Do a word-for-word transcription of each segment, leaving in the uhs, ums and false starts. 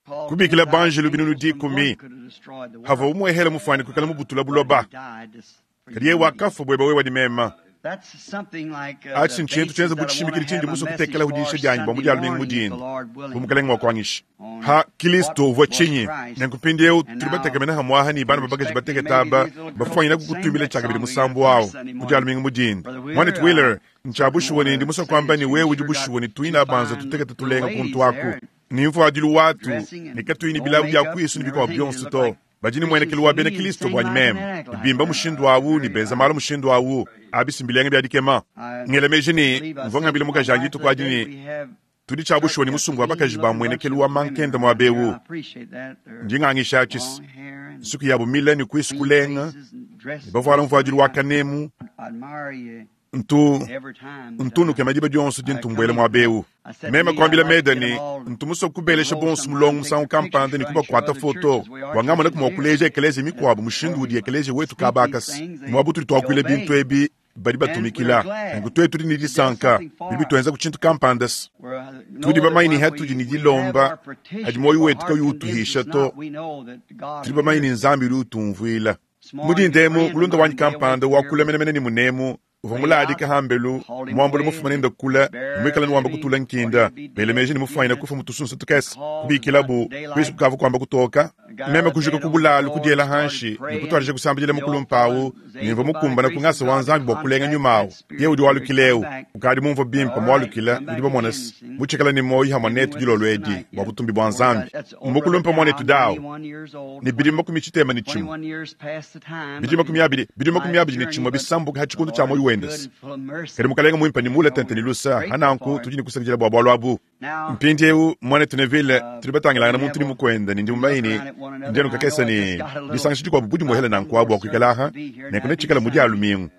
Kubikila banjelu binunu dikumi havua umuehela mufuane kuikala mubutula buloba, kadi yeye wakafua bueba wewe ne mema. Atshi ntshintu tshienza bu tshishimikidi tshindi musue kutekela diisha dianyi bua mu Dia lumingu mu dinda, bu Mukalenge mua kuanyisha. Ha Kilisto uvua tshinyi? Nenku mpindieu tudi batekemena hamuaha ne bana ba bakaji batekete aba bafuanyina kukutumbila tshiakabidi musambu awu mu Dia lumingu mu dinda. Muanetu Wheeler, ntshia bushuwa ne ndi musue kuamba ne wewe udi bushuwa ne tuina banza tutekete tulenga kuntu aku ne mvuadilu watu ne katuyi ne bilawu bia kuisu ne bikuabu bionso to. Badi ne muenekelu wa bena Kilisto buanyi meme, ne bimba mushindu awu ne benza malu mushindu awu. Abi si mbilenga bia dikema. Ngela meji ne mvua ngambila mukajanyi dituku adi ne tudi tshia bushuwa ne musumba wa bakaji ba muenekelu wa mankenda muaba eu. Ndi ngangisha atshi nsuki yabu mile ne kuisu kulenga, ne bavuala mvuadilu wa kanemu. Ntu, ntu nukema diba dionso dintu mbuela muaba eu. Meme kuambila Meda ne, ntu musue kubelesha bonso mulongo musangu kampanda ne kubakuata foto bua ngamonaku mua kuleja ekeleziya mikuabu mushindu udi ekeleziya wetu kaba akase. Muaba utudi tuakuila bintu ebi badi batumikila. Nunku tuetu tudi ne disanka, bidi bituenza ku tshintu kampanda. Tudi bamanye ne hatudi ne dilomba hadi muoyo wetu kauyi utuhisha to. Tudi bamanye ne Nzambi udi utumvuila. Mu dinda emu, mulunda wanyi kampanda wakula menemene ne munemu uvua muladika hambelu muambula mufuma nende kula ne muikala ne wamba kutula nkinda bela meji ne mufuanyina kufa mu tusunsa tukese kubikilabu kuisu kukavua kuamba kutoka. Meme kujuka ku bulalu kudiela hanshi ne kutuadija kusambidila mukulu mpawu ne mvua mukumbana ku ngasa wa Nzambi bua kulenga nyuma awu. Ye udi walukila eu ukadi mumvua bimpe mualukila nudi bamona se mutshikala ne muoyo hamwe netu dilolo edi bua butumbi bua Nzambi. Mukulumpa muanetu dawu ne bidimu makumi tshitema ne tshimue bidimu makumi abidi bidimu makumi abidi ne tshimue bisambuka ha tshikondo tshia muoyo wende. Kadi mukalenge muimpe ne mule tente ne lusa hananku tudi ne kusakidila bua bualu abu. Mpindieu muanetu Neville tudi batangilangana muntu ne mukuende ne ndi mumanye ne ndi anu kakese ne disangisha dikuabu budi muhele nanku abu bua kuikala aha nenku netshikale mu Dia lumingu.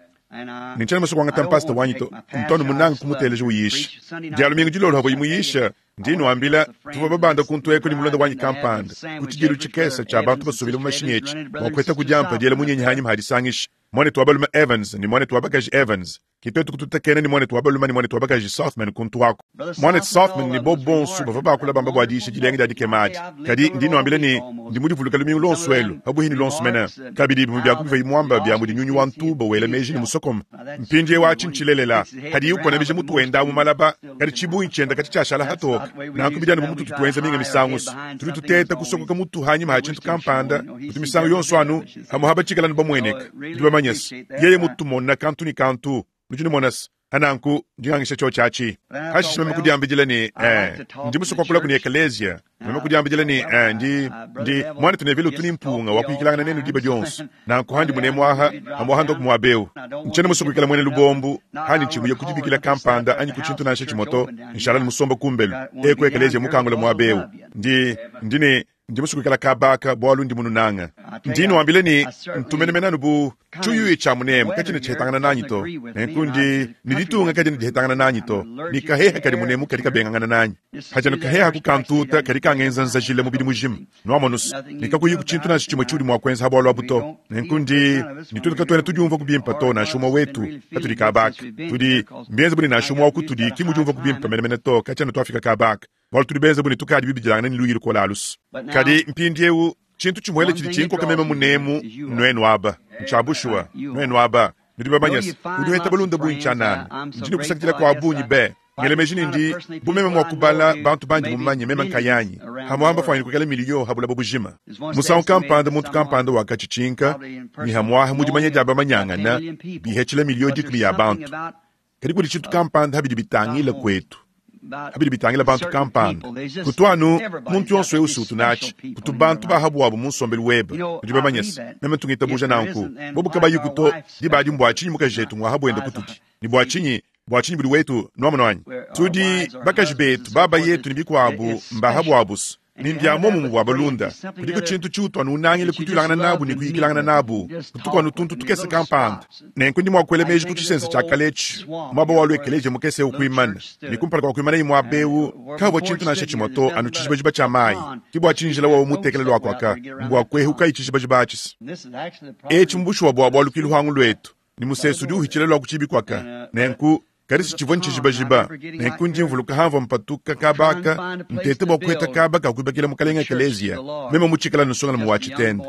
Ne ntshiena musue kuangata mpasita wanyi to, ntu anu munange kumuteleja uyisha. Dia lumingu dilolo havua muyisha, ndi nuambila tuvua babanda kuntu eku ne mulunda wanyi kampanda ku tshidilu tshikese tshia bantu basubile mu mashinyi etshi bua kuheta ku diampa diela munyenyi hanyima hadisangisha. Muanetu wa balume Evans ne muanetu wa bakaji Evans ki tuetu kututekena ne muanetu wa balume ne muanetu wa bakaji Sothmann kuntu aku. Muanetu Sothmann ne bo bonso bavua bakula bamba bua diisha dilenga dia dikema adi. Kadi ndi nuambila ne ndi mudivuluka lumingu luonso elu pabuhi ne luonso mene. Kabidi bimue bia ku bivua muamba bia mudi nyunyu wa ntuba wela meji ne musokome. Mpindieu atshi ntshilelela hadiye ukonamija mutu wenda mu malaba kadi tshibungi tshienda kati tshiashala hatoka. Nanku bidi anu bu mututu tuenza minga misangu so. Tudi tuteta kusokoka mutu hanyima ha tshintu kampanda kutu misangu yonso anu hamwe habatshikala anu bamueneka. Tudi bamanye se yeye mutumona kantu ne kantu. Nudi numona se hananku ndi ngangisha tshio tshiatshi. Hashishe meme kudiambidila ne eh, ndi musue kuakula kuni ekeleziya. Meme kudiambidila ne eh, ndi ndi muanetu Neville utu ne mpunga wa kuyikilangana nenu diba dionso. Nanku handi munemu aha hamuaha ndoku muaba eu. Ntshiena musue kuikala muena lubombu handi ntshimuya kudibikila kampanda anyi ku tshintu nansha tshimue to. Nshala ne musomba kumbelu eku ekeleziya mukangula muaba eu. Ndi ndi ne ndi musue kuikala kabaka bualu ndi mununanga. Ndi nuambila ne ntumenemene anu bu tshiyuyi tshia munemu katshina tshihetangana nanyi to. Nenku ndi ne ditunga kadina dihetangana nanyi to. Ne kaheha kadi munemu kadi kabengangana nanyi. Hajanu kaheha ku kantuta kadi kangenza nzajila mubidi mujima. Nuamonusu ne kakuyi ku tshintu nansha tshimue tshiudi mua kuenza ha bualu abu to. Nenku ndi ne tutu katuena tudiumvua kubimpa to nansha umue wetu katudi kabaka. Tudi mbienze bu ne nansha umue wa kutudi ki mudiumvua kubimpa menemene to katshiena tuafika kabaka. Bualu tudi benze bu ne tukadi bibidilangana ne luyi lukola alusu. Kadi mpindieu tshintu tshimuele tshidi tshinkoka meme munemu nuenu aba ntshia bushuwa nuenu aba nudi bamanye se udi uheta balunda bungi tshianana. Ndi ne kusakidila kua bungi be. Ngela meji ne ndi bu meme mua kubala bantu bandi mumanye meme nkayanyi hamuamba fuanyine kuikala miliyo ha bulaba bujima. Musangu kampanda muntu kampanda wakatshitshinka ne hamuaha mu dimanya dia bamanyangana bihetshila miliyo dikumi ya bantu. Kadi kudi tshintu kampanda habidi bitangila kuetu. Habidi bitangila bantu kampanda. Kutu anu muntu yonso eu usu utunatshi. Kutu bantu bahabu abu mu nsombelu webe. Nudi bamanye se meme tungitabuja nanku. Bobu kabayi kuto diba adi mbua tshinyi mukaji jetu ngua habuenda kutudi. Ne bua tshinyi bua tshinyi budi wetu nuamono anyi? Tudi bakaji betu baba yetu ne bikuabu mbahabu abusu. Ni mbia muomumu bua balunda. Kudiku tshintu tshiutu anu unangile kutuilangana nabu ne kuyikilangana nabu. Kutuku anu tuntu tukese kampanda. Nenku ndi mua kuela meji ku tshisense tshia kale etshi. Muaba wa luekeleje mukese eu kuimana. Ne kumpala kua kuimana muaba eu, kavua tshintu nansha tshimue to anu tshijibajiba tshia mayi. Ki bua tshinyi njila wawu mutekele luakuaka, mbua kuehuka itshijibajiba atshisa. Etshi mbushuwa bua bualu ki luhangu luetu. Ni musesu udi uhitshila lua ku tshibikwaka. Nenku Kadi tshivua ntshijibajiba nenku ndi mvuluka hamvua mpatuka kabaka ntete bua kuheta kaba kakuibakila mukalenga ekeleziya meme mutshikala nsongolume wa tshitende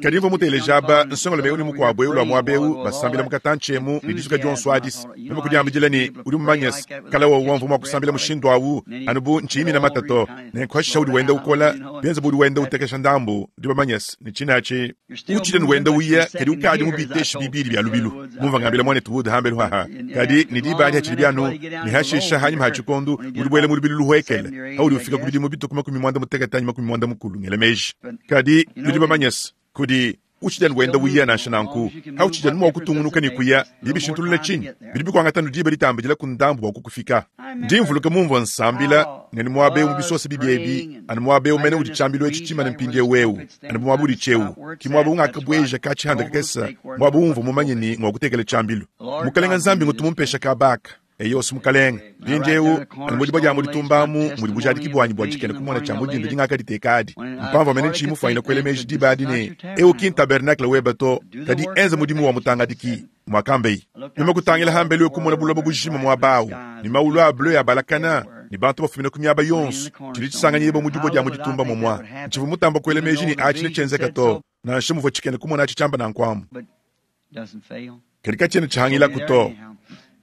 kadi mvua muteleja aba nsongolume eu ne mukuabu eu lua muaba eu basambila mukatantshi emu ne disuka dionso adisi meme kudiambidila ne udi mumanyese kala wa wamvua mua kusambila mushindu awu anu bu ntshiyimina matato nenku hashisha udi wenda ukola bienza bu udi wenda utekesha ndambu udi bamanyese ne tshinatshi utshidi wenda uya kadi ukadi mubiteshi bibidi bya lubilu mumva ngambila mwanetu Wood hambelu haha kadi ne diba adi byanu ne hashisha hanyuma ha tshikondu udi buela mu lubilu luhwekele audi ufika ku bidimu bituku makumi mwanda mutekete anyi makumi mwanda mukulu ngela meji kadi nudi bamanyese kudi utshidi wenda uya nansha nanku hautshidi mua kutungunuka ne kuya bibishintulula tshinyi bidi bikuangata diba ditambidila ku ndambu bua kukufika ndi mvuluka mumvua nsambila ne muaba eu mu bisosa bibi ebi anu muaba eu mene udi tshiambilu etshi tshimane mpindiewu eu anu muaba udi tshiewu ki muaba ungakabweja katshihanda kakesa muaba umvua mumanye ni ngwa kutekela tshiambilu mukalenga nzambi ngutu mumpesha kabaka eyosi mukalenga mpindiewu anu mudi badiamu ditumbamu mudi bujadiki bwanyi bua tshikena kumona tshia mudinda dingakaditeka adi mpamvua mene ntshiyi mufuanyina kuela meji diba adi ne eu ki ntabernacle weba to kadi enza mudimu wa mutangadiki mwakambeyi meme kutangila hambelu kumona buloba bujima muaba awu ne maulu a bleu ya balakana ne bantu bafumina ku miaba yonso tshidi tshisanganyibwa mu dibua dia mu ditumba momwa ntshivua mutamba kuela meji ne atshi netshienzeka to nansha muvua tshikena kumona atshi tshiamba nankuamu kadi katshiena tshihangilaku to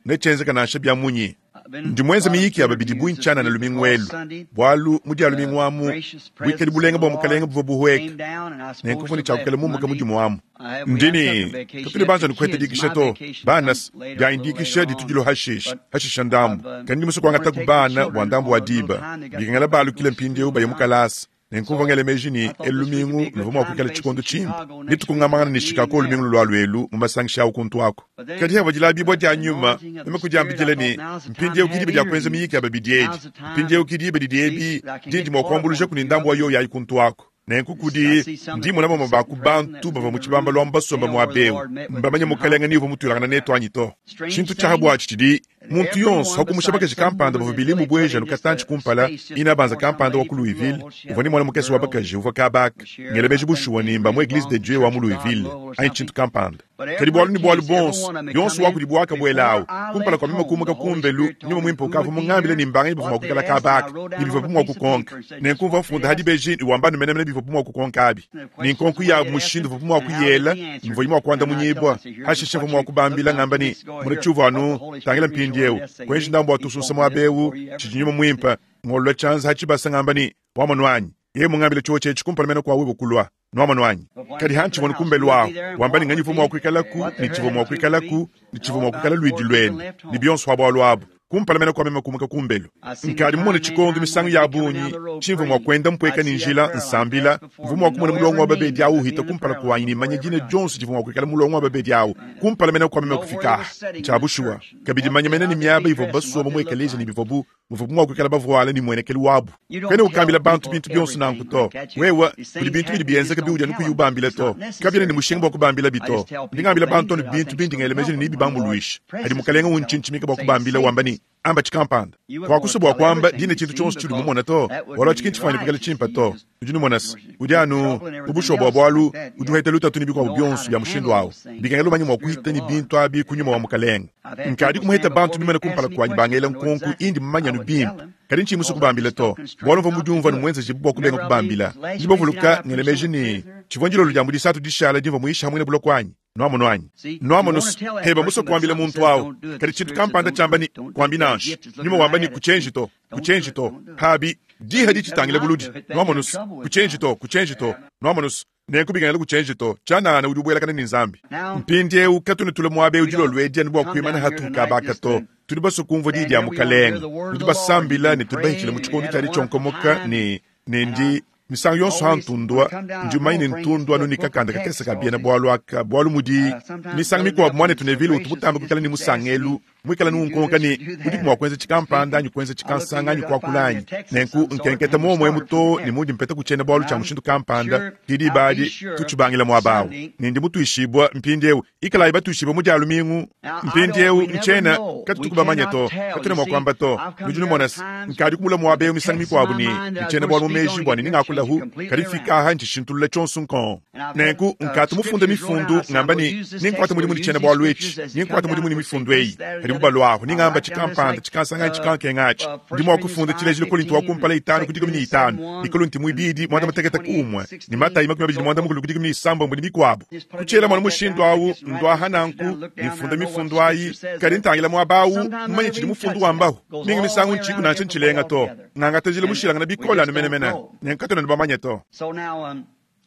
netshienzeka nansha bya munyi ndi mwenza miyiki ya babidi buintshana na lumingu elu bwalu mudi ya lumingu amu buikadi bulenga bua mukalenga buvua buhweka nenku mvua tshiakukela mumuka mudimu amu ndini tutuli banza nikuheta dikisha to banas diayindikisha ditudilo hashisha hashisha ndambu kandi ndi musa kuangata ku bana bua ndambu wa diba bikengela balukile mpindieu baye mukalasa nenkumva ngele meji ni elu lumingu luvua mua kuikala tshikondo tshimpe nitukungamangana ne Chicago lumingu lulua luelu mu masangisha awu kuntu ako kadi havua dilabibua dia nyuma meme kudiambidila ne mpindieu ki diba dia kuenza miyiki ya babidi edi mpindieu ki diba didi ebi dindi mua kuambuluja kuni ndambu wa yoyo ayi kuntu ako nenku kudi ndimona bamue ba ku bantu bavua mu tshibamba lua mbasomba muaba eu mbamanye mukalenga ni uvua mutuilangana netu anyi to tshintu tshiaha buatshi tshidi muntu yonso hakumusha bakaji kampanda bavua bilimu bweja nukatantshi kumpala ina banza kampanda wa ku Louisville uvua ni mwana mukese wa bakaji uvua kabaka ngela meji bushuwa ni mba mu Eglise de Dieu wa mu Louisville anyi tshintu kampanda kadi bwalu ni bwalu bonso yonso wa kudi bwaka bwela awu kumpala kwa meme kumuka kumbelu nyuma mwimpe ukavua mungambile ni mbanganyi bavua mua kuikala kabaka ni bivua bumua kukonka nenku mvua mfunda hadi beji ni wamba numenemene bivua bumua kukonka abi ni nkonko ya mushindu buvua bumua kuyela mvua mua kuanda munyibwa hashisha mvua mua kubambila ngamba ni muna tshiuvua anu tangila mpindiewu kwenji ndambu watususa muaba eu tshidi nyuma mwimpe ngolwa tshianza hatshibasa ngamba ni wamonu anyi ye mungambile tshiwo tshetshi kumpala mene kwa wibo kulwa nwamonu anyi kadi hantshivua nukumbelu awu wamba ni nganyi vua mua kuikalaku ni tshivua mua kuikalaku ni tshivua mua kuikala luidi luenu ni bionso wa abu kumpala mene kwa meme kumuka kumbelu nkadi mumone tshikondo misangu ya bunyi tshimvua mua kuenda mpweka ni njila nsambila mvua mua kumona mulongo wa babedi awu uhita kumpala kuanyi ni manya dina dionso divua mua kuikala mulongo wa babedi awu kumpala mene kwa meme kufika tshia bushuwa kabidi manya mene ni miaba ivua basomba mu ekeleziya ni bivua bu muvua mua kuikala bavuala ni muenekelu wabu kwene ukambila bantu bintu bionso nanku to wewa kudi bintu bidi bienzeka biudi anu kuyubambila to kabiena ni mushinga bua kubambila bito ndingambila bantu anu bintu bindi ngelemeji ni bibambuluisha adi mukalenga untshintshimika bua kubambila wamba ni amba tshikampanda kwakusa bua kuamba dina tshintu tshionso tshidi mumona to wala tshikintu tshifuanyine kuikala tshimpa to udi numonasa udi anu ubushuwa bua bwalu udi uheta lutatu ni bikuabu bionso bya mushindu awu bikengela umanye mua kuhita ni bintu abi kunyuma wa mukalenga nkadi kumuheta bantu bimene kumpala kuanyi bangela nkonku indi mumanyanu bimpe kadi ntshiyi musa kubambila to bwalu mvua mudiumvua numwenzeje bua kubenga kubambila ndi bavuluka ngelemeji ni tshivua ndilolo dia mudisatu dishala dimvua muisha hamwene buloko anyi nwamonu anyi nwamonu heba musa kuambila muntu awu kadi tshintu kampanda tshiamba ni kuambi nansha nyuma wamba ni kuchenji to kuchenji to habi diha ditshitangila buludi nwamonu kuchenji to kuchenji to nwamonu nenku bikengela kuchenji to tshianana udi ubuelakana ni nzambi mpindiewu katunu tule muaba eu dilolo edi anu bua kuimana hatuhu kabaka to tudi basue kumvua diyi dia mukalenga tudi basambila ne tudi bahitshila mu tshikondo tshiadi tshionkomoka ne ne ndi misangu yonso ha ntundua ndi umanye ne ntundu anu ni kakanda kakese ka biena bwalu aka bwalu mudi misangu mikuabu mwanetu Neville utu mutamba kuikala ni musangelu muikala nunkonka ni udi mua kuenza tshikampanda anyi kuenza tshikansanga anyi kuakula anyi nenku nkenketa muomu to ni mudi mpeta kutshiena bwalu tshia mushindu kampanda didi badi tutshibangila muaba awu ne ndi mutuishibua mpindiewu ikalayi batuishibua mu dia lumingu mpindiewu ntshiena katutu kubamanya to katuna mua kuamba to nudi numona nkadi kumula muaba eu misangu mikuabu ni ntshiena bwalu mu meji bua ne ningakula hu kadi fika aha ntshishintulula tshionso nkon nenku nkatu mufunda mifundu ngamba ni ninkuata mudimu ni tshiena bwalu etshi ninkuata mudimu ni mifundu eyi kadi Padibu balwaho ningamba tshikampanda tshikansanga tshikankenga atshi ndi mua kufunda tshilejilu Kolinto wa kumpala itanu ku dikumi ne itanu ne Kolinto muibidi muanda mutekete ku umue ne Matayi makumi abidi ne muanda mukulu ku dikumi ne isambombo ne mikuabo. Kutshiela mwana mushindu awu ndwaha nanku nifunda mifundu ayi kadi ntangila muaba awu mumanye tshidi mufundu wambaho mingi misangu ntshiku nansha ntshilenga to ngangata njila mushilangana bikole anu menemene nenkatona nibamanye to. So now, um,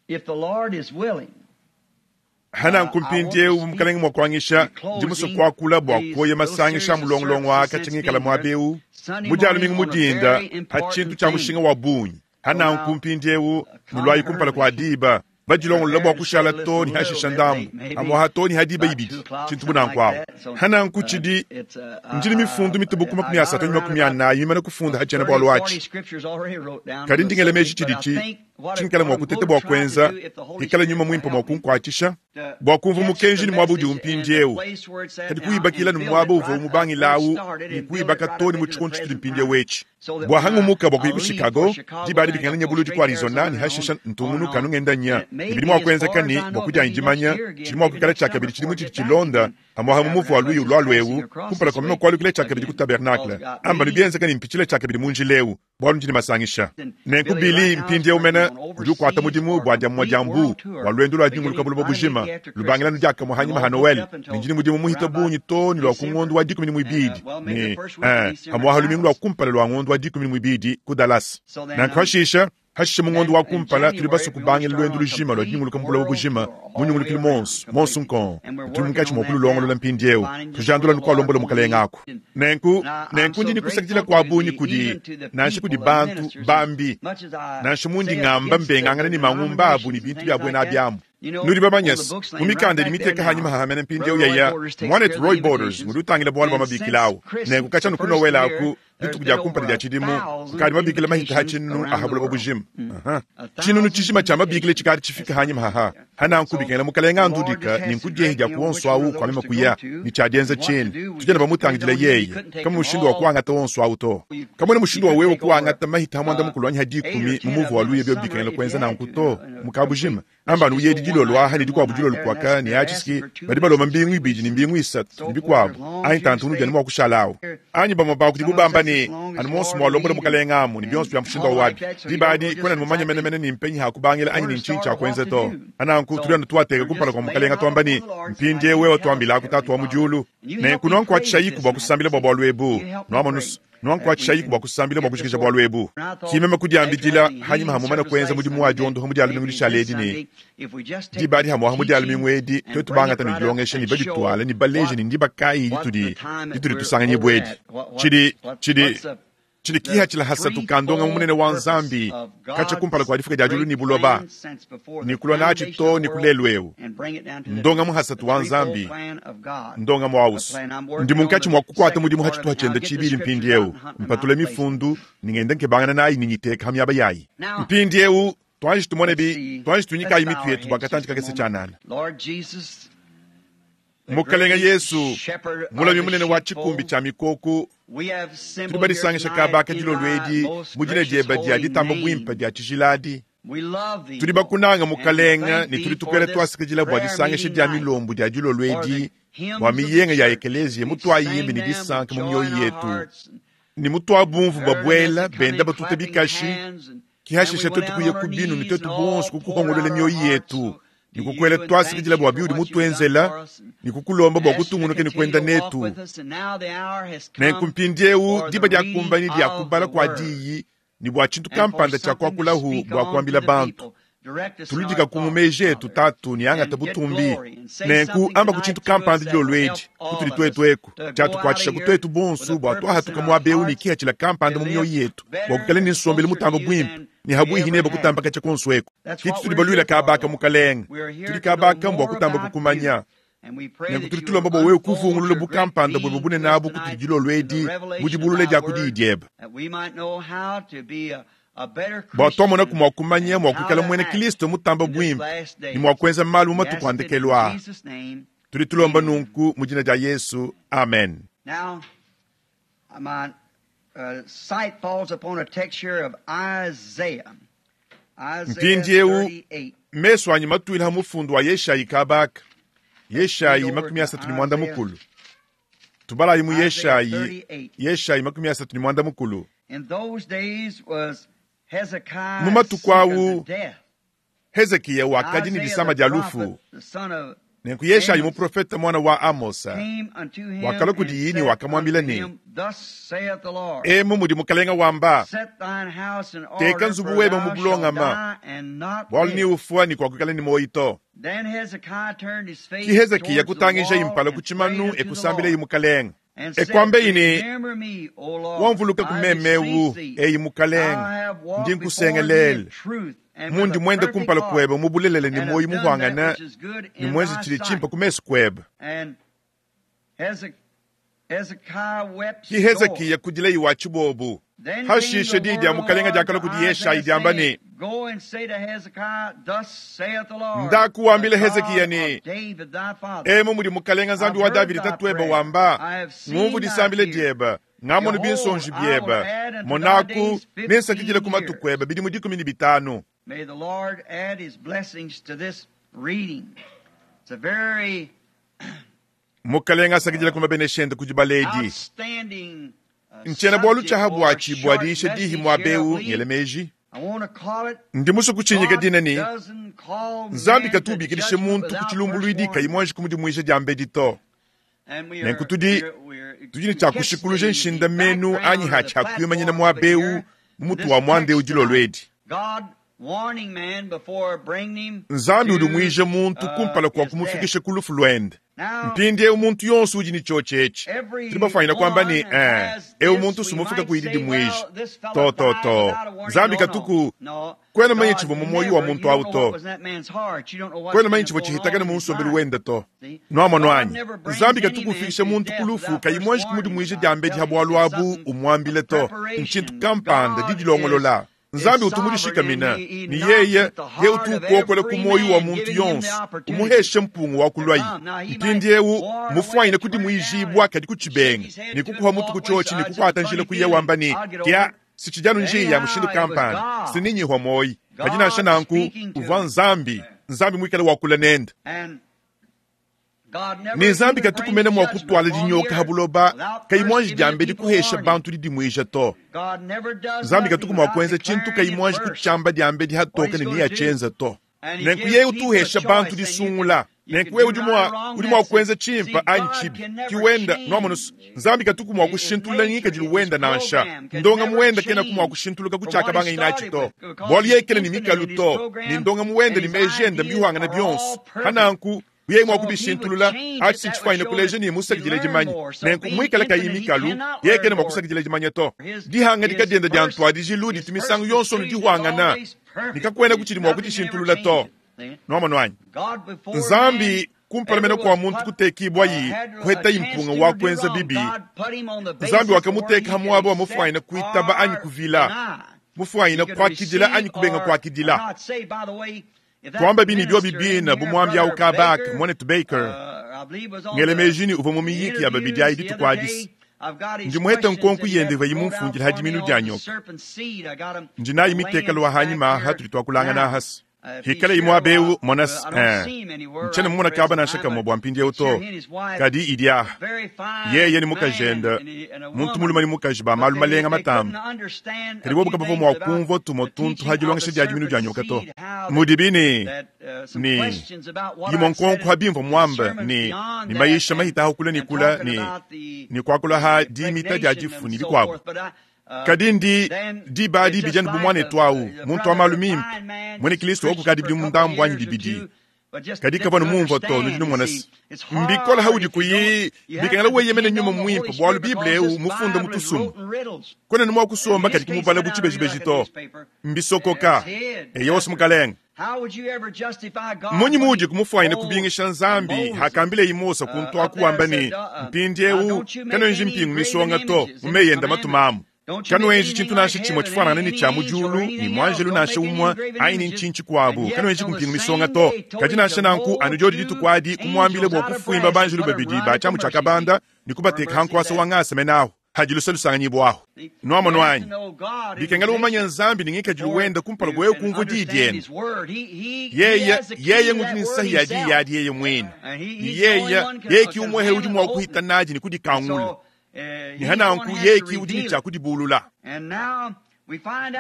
if the Lord is willing, Hananku mpindiewu mukalenge mua kuangisha ndi musue kuakula bua kuoya masangisha a mulongolongo aka tshingikala muaba ewu mu lumingu mudinda pa tshintu tshia mushinga wa bungi. Hananku mpindiewu nulwayi kumpala kua diba badilongolola bua kushala to ne hashisha ndambu amwaha to ne hadiba ibidi tshintu bunanku awu. Hananku tshidi ndili mifundu mitubuku makumi asatu ne makumi anayi mimane kufunda hatshiena bualu atshi. Kadi ndingela meji tshidi tshi tshinkala mua kuteta bua kuenza ikala nyuma muimpe mua kunkuatshisha bua kumva mukenji ni muaba udi umpindiewu kadi kuibakila ni muaba uvua umubangilawu ni kuibaka to ni mu tshikondo tshitudi mpindiewu etshi bua hangumuka bua kuya ku Chicago diba adi bikengela nyabuludi ku Arizona ni hashisha ntungunuka nungenda nya ibidi mua kuenzeka ni bua kudianyi dimanya tshidi mua kuikala tshia kabidi tshidi mutshidi tshilonda amwaha mumuvu wa luyi ulwalu ewu kumpala kwa mema kualukila tshia kabidi ku tabernacle amba nubienzeka ni mpitshile tshia kabidi mu njila ewu bualu ndini masangisha. Nenku Bili mpindiewu mene udi ukuata mudimu bua diamua dia mbu bua lwendo lua dinguluka buloba bujima lubangila nudiakamua hanyima ha Noel ne ndini mudimu muhita bungi to ni lua ku ngondo wa dikumi ne muibidi ne eh, amwaha lumingu lua kumpala lua ngondo wa dikumi ne muibidi ku Dallas. Nanku hashisha hashisha mu ngondo wa kumpala tuli basu kubangila lwendo lujima lua dinguluka mu buloba bujima munyungulukile monso monso nkongo tuli munkatshi mua kululongolola mpindiewu tujandula nukualombola mukalenga aku. Nenku nenku ndini kusakidila kua bungi kudi nansha kudi bantu bambi nansha mundi ngamba mbengangana ni mangumba abu ni bintu bya bwena abyamu. Nudi bamanyasi mu mikanda idi miteka hanyima hahamene mpindiewu yaya mwanetu Roy Borders ngudi utangila bualu bua mabikila awu nenku katshia nukunowela aku dituku dia kumpala dia tshidimu kukadi mabikila mahita ha tshinunu aha buloba bujima. Aha. Tshinunu tshijima tshia mabikila tshikadi tshifika hanyima haha hananku bikengela mukalenga andudika ni nkudiehi dia kuonso awu kwa mema kuya ni tshia dienza tshini tujana bamutangidila yeye kama mushindu wa kuangata wonso awu to kamwene mushindu wa wewe kuangata mahita ha muanda mukulu anyi ha dikumi mu muvu wa luya byo bikengela kuenza nanku to mukabujima amba nuyedi dilolo aha ne dikuabu dilolo kuaka ne atshisi badi balomba mbingu ibidi ne mbingu isatu ne bikuabu anyi tantu unudi anu mua kushala awu anyi bamue bakudi bubamba ne anu monso mualombola mukalenga amu ne bionso bia mushindu wa wabi diba adi kwena nimumanye menemene ni mpenyi hakubangila anyi ni ntshinyi tshia kuenza to ananku tuli anu tuateka kumpala kua mukalenga tuamba ni mpindiewu wewe tuambilaku tatu wa mu diulu nenku nuankuatshisha yiku bua kusambila bua bualu ebu nuamonusu nuankuatshisha yiku bua kusambila bua kushikisha bualu ebu kimema kudiambidila hanyima hamumana kuenza mudimu wa diondoha mu dia lumingu lishala edi ne diba adi hamuaha mu dia lumingu edi twetu bangata ne dilongesha ne badituala ne baleje ne ndiba kayi ditudi ditudi tusanganyibua edi tshidi tshidi tshidi kiha tshila hasatu kandonga mu munene wa nzambi katshia kumpala kua difuka dia diulu ni buloba ni kulua natshi to ni kulelu ewu ndonga mu hasatu wa nzambi ndonga mu awusu ndi munkatshi mua kukuata mudimu hatshituha tshienda tshibili mpindiewu mpatula mifundu ningenda nkebangana nayi ninyiteka ha miaba yayi mpindiewu twanji tumone bi twanji tunyikayi mitu yetu bua katanji kakese tshianana. Lord Jesus, Mukalenga Yesu mulami munene wa tshikumbi tshia mikoku we have tuli assembled here badisangisha tonight kabaka in dilolo thy edi most mu dina gracious dieba dia holy ditamba name. buimpe dia tshijiladi We love thee, tuli Lord, bakunanga and we mukalenga thank ne thee tuli for tukwela this tuasikidila bua prayer disangisha meeting dia night, milombu dia dilolo for edi the hymns bua of the miyenga ya church. ekeleziya We mutuayimbi sang ne them with disanka mu joy in mioyo our yetu hearts and ni mutuabumvu heard them as babuela they come benda in batuta clapping bikashi hands, and then we kihashisha went twetu out kuya on our ku binu ne knees twetu and all bonso poured kukuhongolola out our mioyo hearts yetu to ni you kukwela and thanked twasikidila you bua for biudi what you've done mutuenzela for us and ni kukulomba bua asked you to kutungunuka ne continue kuenda to walk netu with us. And now the hour has nenku come mpindiewu for the diba dia reading kumbanyi dia of kubala the kua word diyi ni bua tshintu and for kampanda tshia something to kuakulahu speak bua on to kuambila the bantu people. Direct us in our tuludika ku thoughts, mumeji etu Father, tatu ni angata and get butumbi glory and say nenku something amba ku tonight tshintu to us kampanda that dilolo will edi help all kutuli of us twetu eku to go out of tshiatukuatshisha here kutwetu with bonso a bua purpose in twahatuka our muaba ewu ne hearts kihatshila kampanda to mu mioyo live yetu bua better kukala ne and nsombelu closer to mutamba you buimpe than ni we habuihi ever neba have. kutamba katshia konso eku That's kiti what tuli we're baluila here for, kabaka Lord. mukalenga We are here tuli to know kabaka mbua more kutamba about you. kukumanya And we pray nenku that tuli you tulomba will bua wewe unfold kuvungulula your great bukampanda bwebe being bunene to us abu kutuli tonight dilolo in the edi mu revelation of dibulula thy dia ku diyi word, diebe that we might know how to be a, a better bua twamona Christian ku mua kumanya and mua how kuikala to muena act kristo mutamba in this buimpe last ni mua days. kuenza malu mu We matuku ask it in andekelu aa Jesus' name. tuli tulomba Amen. nunku mu dina dia Yesu amen. Now, my uh, sight falls upon a text here of Isaiah. Isaiah Mpindiewu thirty-eight. meso anyi matuila ha mufundu wa Yeshayi kabaka Let's read Yeshayi over makumi to asatu ne muanda Isaiah mukulu Tubalayi mu Yeshayi, Yeshayi makumi asatu ne muanda mukulu. Mu matuku awu Hezekiya wakadi ne disama dia lufu. Nenku Yeshayi muprofete mwana wa Amosa wakalua kudi ne wakamwambila ne, emu mudi mukalenga wamba, teka nzubu webe mu bulongama, bualu ni ufua ni kuakuikala ni moyi to. Ki Hezekiya kutangija impala ku tshimanu ekusambila mukalenga. Ekwambe ine wamvuluka kumemewu eyi mukalenga ndi nkusengelele mundi mwende kumpala kwebe mubulelele ni moyi muhwangana ni mwenze chili chimpa kumesu kwebe. Ki Hezekiya kudila iwa chibobu hashishe didi ya mukalenga diakala kudi Yeshayi diamba ne, ndakuwambila Hezekiya ne, emu mudi mukalenga Nzambi wa Davidi tatuebe wamba, ngumvu disambile diebe, ngamonu binsonji biebe, monaku nensakidile ku matuku ebe bidimu dikumi ne bitanu. May the Lord add his blessings to this reading. It's a very mukalenga asakidile ku mabeneshende kudi baledi. outstanding Nchena bwalu tshaha bwachi bwadiisha dihi mwabeu ngelemeji. Ndi musu kuchinyika dina ni Nzambi katubikilishe muntu kuchilumbulwidi kayimwanji kumudimwisha diambedi to. Nenku tudi tudi ne tshiakushikuluje nshinda menu anyi ha tshiakuyumanyina mwabeu mutu wa mwande udilolwedi. Nzambi udi mwije muntu kumpala kwa kumufikisha ku lufu lwende. Mpindi eu muntu yonso udi ne tshotshetshi. Tudi bafanyina kwamba ni eh, eu muntu sumufika kuyididi mwije. To to to. Nzambi katuku kwena manye tshivua mu moyo wa muntu awu to. Kwena manye tshivua tshihitakana mu nsombelu wende to. Nwamonu anyi. Nzambi katuku ufikisha muntu ku lufu kayimwanji kumudi mwije diambedi ha bwalu abu umwambile to. Nchintu kampanda didilongolola. Nzambi utumudishikamina ni yeye ye utuukokola ku moyo wa muntu yonso umuheshe mpungu wa kulwayi. Mpindi eu mufwanyine kudi mwijibwa kadi kuchibenga ni kukuha mutu kuchochi ni kukwata njila kuye wamba ni kya sichijanu njiya ya mushindu kampanda sininyihwa moyi kadi nansha nanku uvwa Nzambi Nzambi mwikale wakula nende. Ni Nzambi katukumene mwa kutwala dinyoka ha buloba kayimwanji diambedi kuhesha bantu didimwija to. Nzambi katuku mwa kuenza tshintu kayimwanji kutshiamba diambedi hatoka ne niyatshyenza to. Nenku yeye utuhesha bantu disungula. Nenku wewe udi mwa udi mwa kuenza tshimpa anyi tshibi kiwenda nwamonusu. Nzambi katuku mwa kushintulula ngikadilu wenda nansha ndonga muwenda kena kumwa kushintuluka kutshiakabanga inatshi to. Bwalu yekele ni mikalu to ni ndonga muwenda ni mejenda mbihuangana bionso hananku yeye mwa kubishintulula achi sinchifanyine kuleja ni musakidile dimanya. Nenku mwikala kayi mikalu yekene mwa kusakidila dimanya to. Dihanga dikadienda dia ntwadijilu ditumisangu yonso nudihwangana nikakwenda kuchidi mwa kutishintulula to. Nwamonu anyi. Nzambi kumpalamena kwa muntu kutekibwa yi kuheta impunga wa kwenza bibi. Nzambi wakamuteka hamwabo wa mufwanyine kuitaba anyi kuvila mufwanyine kwakidila anyi kubenga kwakidila. Twamba bini byo bibina bumwambi au kabaka mwanetu Baker ngelemejini uva mu miyiki ya babidi ayi ditukwadisi. Ndi muhete nkonku yende va yimumfungila hadiminu dia nyoka. Ndi nayi mitekalo wa hanyima hatuli twakulangana hasi. Hikale imwa beu monas eh. Nchene mumona kaba na shaka mwa mpindi eu to. Kadi idia. Yeye ni mukajenda. Muntu muluma ni mukaji ba malu malenga matamba. Kadi wobu kapavo mwa kumvo tumo tuntu hajilongesha dia diminu dia nyoka to. Mudibini ni yimo nkonku habimvo mwamba ni ni maisha mahita hukula ni kula ni ni kwakula ha dimita dia jifu ni bikwabo. Kadi ndi diba di bijani bumwane twawu muntu wa malu mimpe mwene Kristo okukadi bidi mundambu anyi bibidi. Kadi kavanu mumva to nudi mwana mbikola haudi kuyi bikangala weyemene nyuma mwimpe bwalu Bible eu mufunda mutusumu. Kwena nimwa kusomba kadi kumubala buchibejibeji to. Mbisokoka eyosi mukalenga. Munyi mudi kumufwanyina kubingisha Nzambi hakambile imosa kuntu akuwamba ni mpindi eu kanonji mpingu misonga to mumeyenda matumamu. Kanoenji chintu nasha chimwe chifanana ni cha mujulu ni mwanjelu nasha umwa aini nchinchi kwabu kanoenji kumpingu misonga to. Kadi nasha nanku anujodi ditukwadi kumwambile bwa kufuimba banjelu babidi ba chamu chakabanda ni kubateka hankwasa wangasa menahu. Hadi luse lusanganyibwaho. Nwamonu anyi? Bikengela umanye Nzambi ni ngikadilu wenda kumpala gwa wewe kumvwa diyi diende. Yeye yeye ngudi ni nsahi ya diyi yadi yeye mwine. Ni yeye yeye ki umwehe udi mwa kuhita naji ni kudikangula. Ni hananku yeye ki udi ni cha kudibulula.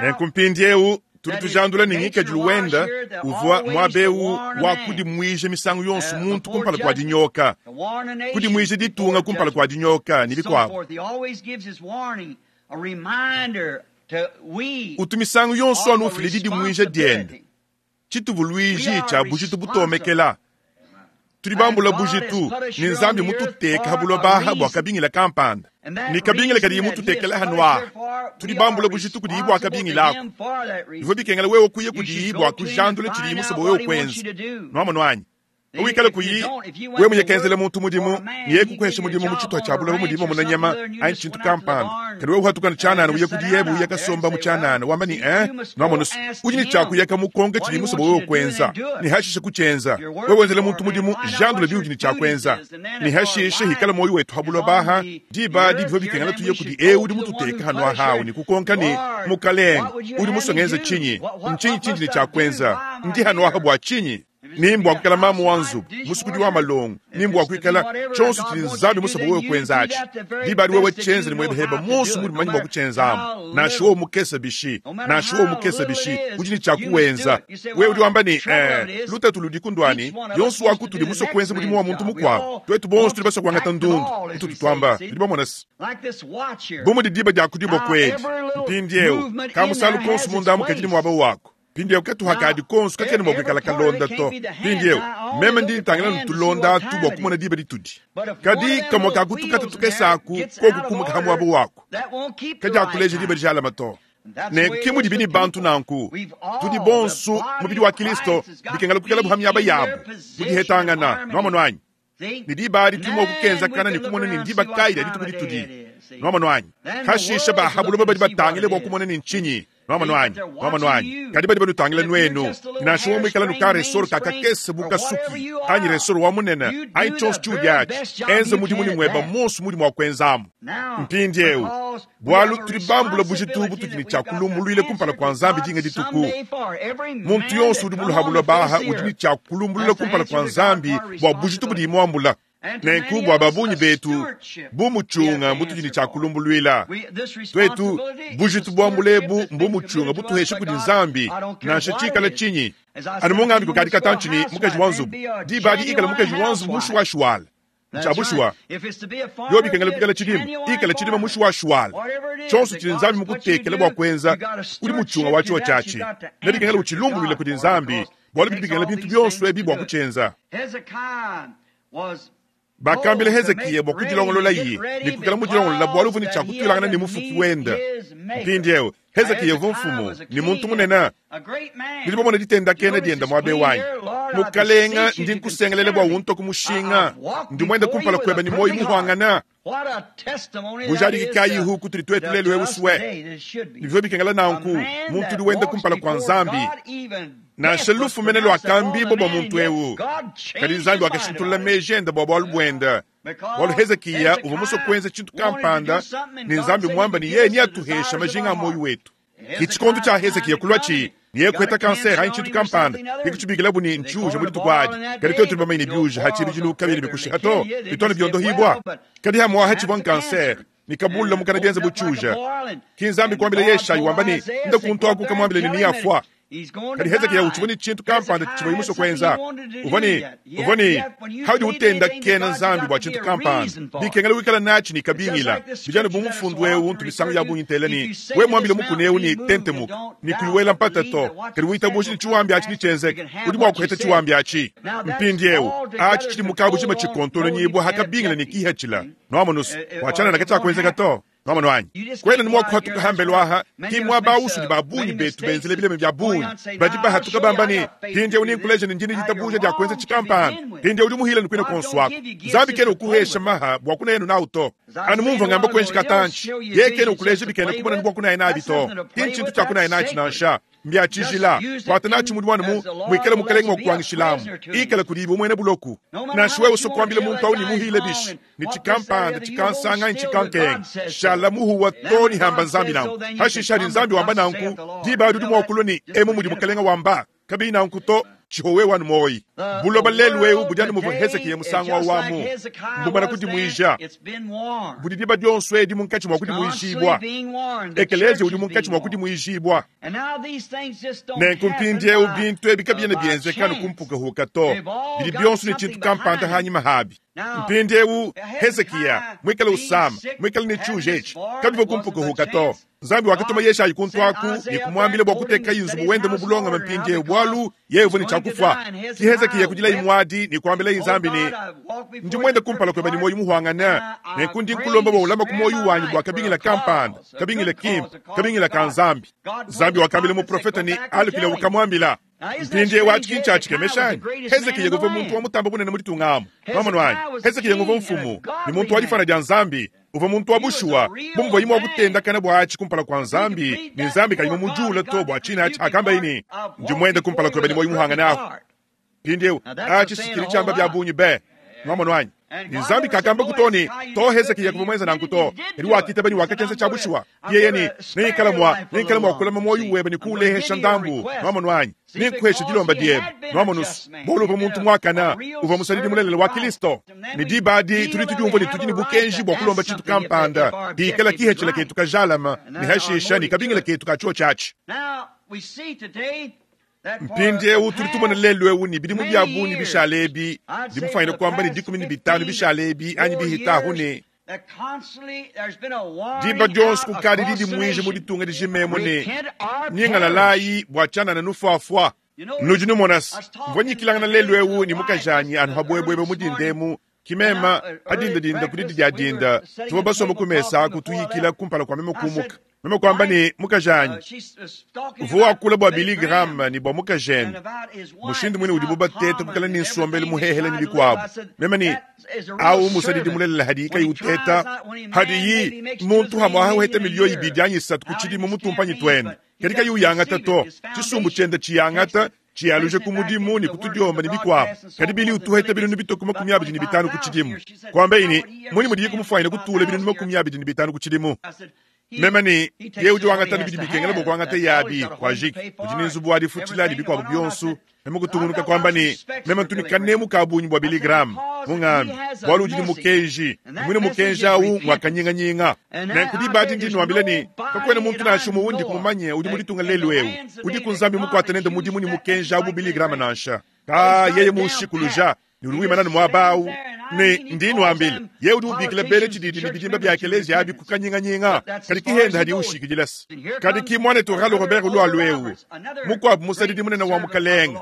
Nenku mpindiewu tudi tujandula ni ngikadilu wenda uvwa mwabeu wa kudimwija misangu yonso muntu kumpala kwa dinyoka. Kudimwija ditunga kumpala kwa dinyoka ni bikwabo. Utu misangu yonso anu ufile didimwija diende. Chituvuluiji cha bujitu butomekela. Tudi bambula bujitu ni Nzambi mututeka habulwa baha bwa kabingila kampanda. Ni kabingila kadi mututekela hanwa. Tudi bambula bujitu kudi bwa kabingila ako. Ivo bikengela wewe kuye kudi bwa kujandula chidi musobo wewe kwenza. Nwamonu anyi? Wikala kuyi wewe munyekenzele muntu mudimu niye kukwesha mudimu muchitwa cha bula mudimu munanyama ayi chintu kampanda. Kadi wewe uhatukana chanana uye kudi yebu uye kasomba muchanana wamba ni eh nwamonu udi ni chakuyeka mukonge chidi musobo wewe kwenza. Ni hashishe kuchenza. Wewe wenzele muntu mudimu jandula biudi ni chakwenza. Ni hashishe hikala moyo wetu habulwa baha diba di bivo bikengela tuye kudi e udi mututeka hanwa hawo ni kukonka ni mukalenga udi musongenza chinyi nchinyi chinji ni chakwenza ndi hanwa habwa chinyi. Nimbu wakukala mamu wanzu musukudi wa malongo nimbu wakwikala chonso chili Nzambi musobo wewe kwenzachi dibali wewe chenza ni mwebeheba monso muli manyi mwakuchenzamo nashiwo mukesa bishi nashiwo mukesa bishi udi ni chakuwenza wewe udi wamba ni eh lutatu ludi kundwani yonso wakutuli muso kwenza mudimu wa muntu mukwabo twetu bonso tuli baso kwangata ndundu utu tutwamba ndi bamonasi bomu didiba dia kudibwa kwedi mpindiewu kamusalu konso mundamu kajili mwaba wako. Pindiewu katuhakadi konso kakene mwakwikala kalonda to. Pindiewu meme ndi ntangila ntulonda atu bwa kumona diba ditudi. Kadi kamwa kakutukata tukesaku koku kumuka hamwabo wako. Kadi akuleja diba dijalama to. Ne kimudi bini bantu nanku. Tudi bonsu mubidi wa Kristo bikengela kukela buhamya yabo. Mudihetangana nwamonu anyi. Ni diba adi tumwa kukenza kana ni kumona ni ndiba kaida dituku ditudi. Nwamonu anyi. Kashisha bahabuloba badi batangile bwa kumona ni nchinyi. Nwamonu anyi, nwamonu anyi. Kadi badi banutangile nwenu. Nasho mwikala nuka resoro kakakese buka suki. Anyi resoro wa munene. Anyi chonso chudi achi. Enze mudi muni mweba monso mudi mwa kwenzamu. Mpindiewu. Bwalu tudi bambula bujitu bututi ni chakulumbulwile kumpala kwa Nzambi dinga dituku. Muntu yonso udi muluhabulwa baha udi ni chakulumbulwile kumpala kwa Nzambi bwa bujitu budi mwambula. Nenku bwa babunyi betu bumuchunga mutudi ni chakulumbulwila. Twetu bujitu bwambulebu mbumuchunga butuheshe kudi Nzambi nansha chikala chinyi. Anu mungambi kukadi katanchini mukaji wanzubu. Dibadi ikala mukaji wanzubu mushuwashuwala. Nchabushwa. Yobi kengela kukala chidima. Ikala chidima mushuwashuwala. Chonso chili Nzambi mukutekela bwa kwenza udi muchunga wacho chachi. Nebi kengela uchilumbulwila kudi Nzambi. Bwalu bidi bikengela bintu byonso ebi bwa kuchenza. Bakambile Hezekiya bwa kudilongolola iye ni kukala mudilongolola bwalu vuni chakutwilangana ni mufuki wenda. Mpindiewu Hezekiya uvua mfumu ni muntu munene. Nilibomona ditenda kena dienda mwabe wanyi. Mukalenga ndi nkusengelele bwa unto kumushinga. Ndi mwenda kumpala kweba ni moyo muhwangana. Bujadiki kayi huku tuli twetu lelu euswe. Nivyo bikengela nanku muntu udi wenda kumpala kwa Nzambi. Nansha lufu mene lwa kambibo bwa muntu ewu. Kadi Nzambi wakashintulula meji enda bwa bwalu bwenda. Bwalu Hezekiya uvua muso kwenza chintu kampanda ni Nzambi mwamba ni yeye ni atuhesha majinga a moyo wetu. Kichikondo cha Hezekiya kulwachi niye kweta kanser hayi chintu kampanda ikuchibikila buni nchuja muri tukwadi kadi twetu bamaine byuja hachibijilu kabili bikushiha to bitone byondohibwa kadi hamwa hachibwa kanser nikabula mukana byenza buchuja kinzambi kwambile Yeshayi wamba ni nda kuntwaku kamwambile ni niyafwa. Kadi Hezekiya uchiboni chintu kampanda chibayimuso kwenza uvoni uvoni haudi utenda kena Nzambi bwa chintu kampanda bikengela wikala nachi ni kabingila bijana bumufundu ewu untu misango ya bunyintela ni we mwambile mukune ewu ni tentemuka ni kuiwela mpata to kadi wita bushi ni chiwambi achi ni chenzeke udi bwa kuheta chiwambi achi mpindi ewu achi chili mukabu chima chikontolo nyibwa hakabingila ni kihachila nwamonusu wachana na kacha kwenzeka to. Nwamonu anyi. Kwena ni mwakuhatuka hambelwaha ki mwabausu ni babunyi betu benzele bileme bya bunyi. Badi bahatuka bambani pindi uni nkuleja ni njini jitabuja dia kwenza chikampana. Pindi udi muhila ni kwina konswako. Nzambi kene ukuhesha maha bwa kuna yenu nauto. Anu mumva ngamba kwenshi katanchi. Ye kene ukuleja bikene kumona ni bwa kuna yenabi to. Kinchi chintu cha kuna yenachi nansha. Mbya tshijila. Kuata natshi mudimu anu mu muikale mukalenge mua kukuangishilamu. Ikala kudiyi bu muena buloku. Nansha wewe usua kuambila muntu awu ne muhile bishi, ne tshikampanda, tshikansanga anyi tshikankenga, shala muhuwa too ne hamba Nzambi nanku. Hashishe hadi Nzambi wamba nanku, diba adi udi mua kulua ne emu mudi mukalenge wamba. Kabiyi nanku to, tshihowe wanu muoyi. Buloba lelu eu budi anu muvua Hezekiya musangu awu amu. Mbumana kudimuija. Budi diba dionso edi munkatshi mua kudimuijibua. Ekelezia udi munkatshi mua kudimuijibua. Nenku mpindieu bintu ebi kabiena bienzeka anu ku mpukahuka to. Bidi bionso ne tshintu kampanda hanyima habi. Mpindieu Hezekiya muikale usama, muikale ne tshiuja etshi, kabivua ku mpukahuka to. Nzambi wakatuma Yeshayi kuntu aku ne kumuambila bua kuteka nzubu wende mu bulongame mpindieu, bualu yeye uvua ne tshia kufua. Ki Hezekiya kudilayi muadi ne kuambilaye Nzambi ne, ndi muende kumpala kuebe ne muoyo muhuangane, nenku ndi nkulomba bua ulama ku muoyo wanyi bua kabingila kampanda, kabingila kimpe, kabingila ka Nzambi. Nzambi wakambila muprofeta ne alukile ukamuambila. Mpindieu atshi ki ntshia anyi? Hezekiya uvua muntu wa mutamba bunene mu ditunga amu. Mwamonu anyi? Hezekiya uvua mfumu ne muntu wa difana dia Nzambi. Uvua muntu wa bushuwa, bu muvuaye mua kutendakana bua atshi kumpala kua Nzambi, ne Nzambi kayi mumujuula to bua tshina atshi akambaye ne, ndi muende kumpala kuebe ne muoyo muhangane ahu. Mpindieu atshi sikili tshiamba bia bungi be. Mwamonu anyi? Ne Nzambi kakamba ku to ne to Hezekiya kuvua muenza nanku to. Kadi wakitaba ne wakakenza tshia bushuwa. Yeye ne neikala mua neikala mua kulama muoyo webe ne kuulehesha ndambu. Mwamonu anyi? Nenkuheshe dilomba diebe. Mwamonu bualu uvua muntu muakana, uvua musadidi mulelela wa Kristo. Ne diba adi tudi tudiumvua ne tudi ne bukenji bua kulomba tshintu kampanda bikala kihetshila ketu kajalama ne hashisha ne kabingila ketu ka tshiotshi atshi. Mpindieu tudi tumona lelu eu ne bidimu bia bungi bishala ebi, ndi kuamba ne dikumi ne bitanu bishala ebi anyi bihitahu ne diba dionso kukadi didimuija mu ditunga dijimemo ne nyingalalayi bua tshianana nufuafua. Nudi numona mvua nyikilangana lelu eu ne mukajanyi anu habuebuebe mu dindemu kimema adindadinda ku didi dia dinda tuvua basomba ku mesa aku tuyikila kumpala kua meme kumuka. Meme kuamba ne mukajanyi uvua wakula bua Billy Graham ne bua mukajende mushindu mwine udibu bateta kukala ne nsombelu muhehele ne bikuabu. Meme ne awu musadidi mulelela hadi kayi uteta hadiyi muntu hamwaha uheta miliyo ibidi anyi isatu ku tshidimu mutumpanyi tuende kadi kayi uyangata to tshisumbu tshiende tshiyangata tshiyaluje ku mudimu ne kutudiomba ne bikuabu. Kadi Billy utuheta binunu bitoku makumi abidi ne bitanu ku tshidimu. Kuambaye ne muni mudiye kumufwanyina kutula binunu makumi abidi ne bitanu ku tshidimu. Meme ne ye udi wangata ne bidi bikengela bua kuangata yabi kwa jiki udi ne nzubu wa difutshila ne bikuabu bionso. Meme kutungunuka kuamba ne meme ntuni kanemu ka bungi bua Billy Graham mungambi bualu udi ne mukenji mwine mukenji awu ngwa kanyinganyinga. Nenku diba adi ndi nuambila ne kakuena muntu nansha umue undi kumumanye udi mu ditunga lelu eu udi ku Nzambi mukuate nende mudimu ne mukenji awu bu Billy Graham nansha. Ka yeye mushikuluja ne udi wimana ne muaba awu ne ndi nuambila ye udi ubikila bele tshididi ne bidimba bia ekelezia abi ku kanyinganyinga kadi kihenda hadi ushikidilasa. Kadi ki muanetu Oral Robert ulualu eu mukuabu musadidi munene wa mukalenge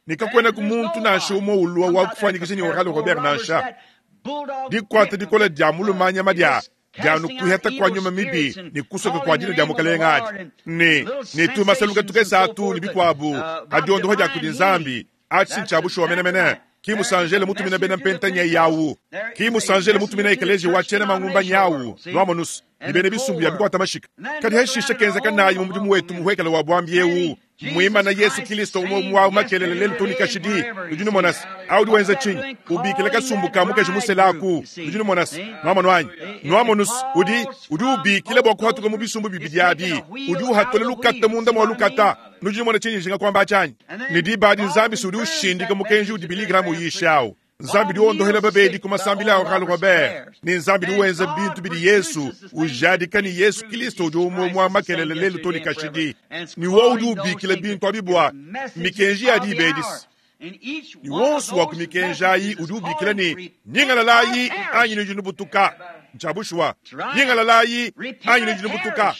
ne kakuena ku muntu nansha umue ulua wa kufuanyikisha ne Oral Robert nansha. Dikuata dikola dia mulumanyama dia dia nukuheta kwa nyuma mibi ne kusoka kwa dina dia mukalenge adi ne ne tumasaluka tukesa atu ne bikuabu adiondoha dia kudi Nzambi atshi ntshia bushuwa menemene. Ki musanjele mutumina bena mpentanya yawu, ki musanjele mutumina ekelezia wa tshiena mangumba nyawu lwamonus ne bena bisumbu bia bikuata mashika. Kadi hashisha kenzeka nayi mu mudimu wetu muhwekela wa bwambi eu muimana Yesu Kristo umwe mwa makelele lelu tuni kashidi. Udi numona awu udi wenza tshinyi ubikila kasumbu ka mukaji muselaku. Udi numona nwamonu anyi nwamonus udi udi ubikila bua kuhatuka mu bisumbu bibidi abi udi uhatula lukata munda mwa lukata. Nudi numona tshinyi njinga kuamba tshanyi ne diba adi Nzambi si udi ushindika mukenji udi Billy Graham uyishawu. Nzambi udi wondohela babedi ku masambila a Oral Robert ne Nzambi udi wenza bintu bidi Yesu ujadika ne Yesu Kristo udi umwe mwa makelele lelu toni kashidi ne wo udi ubikila bintu abi bua mikenji ya dibedisi ne wonso wa ku mikenji ayi udi ubikila ne nyingalalayi anyi nudi nubutuka. Ntshia bushuwa nyingalalayi anyi nudi nubutuka.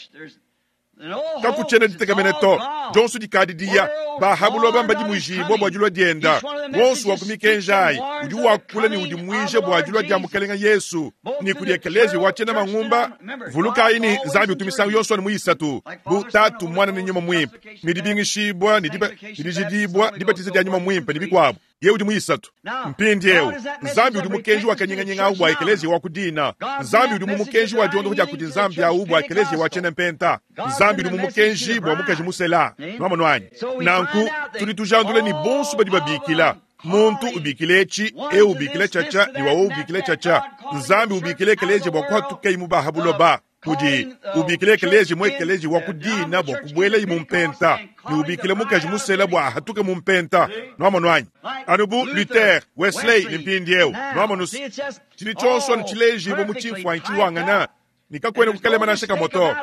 Kakutshiena ditekamene to dionso dikadidiya bahabuloba mbadimuijibua bua dilua dienda. Wonso wa ku mikenji ayi udi wakula ne udimuija bua dilua dia mukalenga Yesu ne kudi ekelezia wa tshiena mangumba. Vulukayi ne Nzambi utu misangu yonso anu muyisatu bu Tatu, Mwana ne Nyuma Muimpe ne dibingishibua ne dijidibua dibatiza dia Nyuma Muimpe ne bikuabu. Yeye udi mu isatu. Mpindieu Nzambi udi mukenji wa kanyinganyinga awu bua ekeleziya wa ku dina. Nzambi udi mu mukenji wa diondopo dia kudi Nzambi awu bua ekeleziya wa tshiena mpenta. Nzambi udi mu mukenji bua mukaji musela. Nuamonu anyi? Nanku tudi tujandula ne bonso badi babikila. Muntu ubikile etshi, eu ubikile tshiatshia, ne wawa ubikile tshiatshia. Nzambi ubikile ekeleziya bua kuhatuka imubaha buloba. Udi ubikile ekeleziya mu ekeleziya wa ku dina bua kubuela mu mpenta, ne ubikile mukaji musela bua ahatuke mu mpenta. Nuamonu anyi? Anu bu Luther, Wesley ne mpindieu. Nuamonu tshidi tshionso anu tshilejibo mu tshimfuanyi tshiwangana, ne kakwena kukalema nansha kamwe to.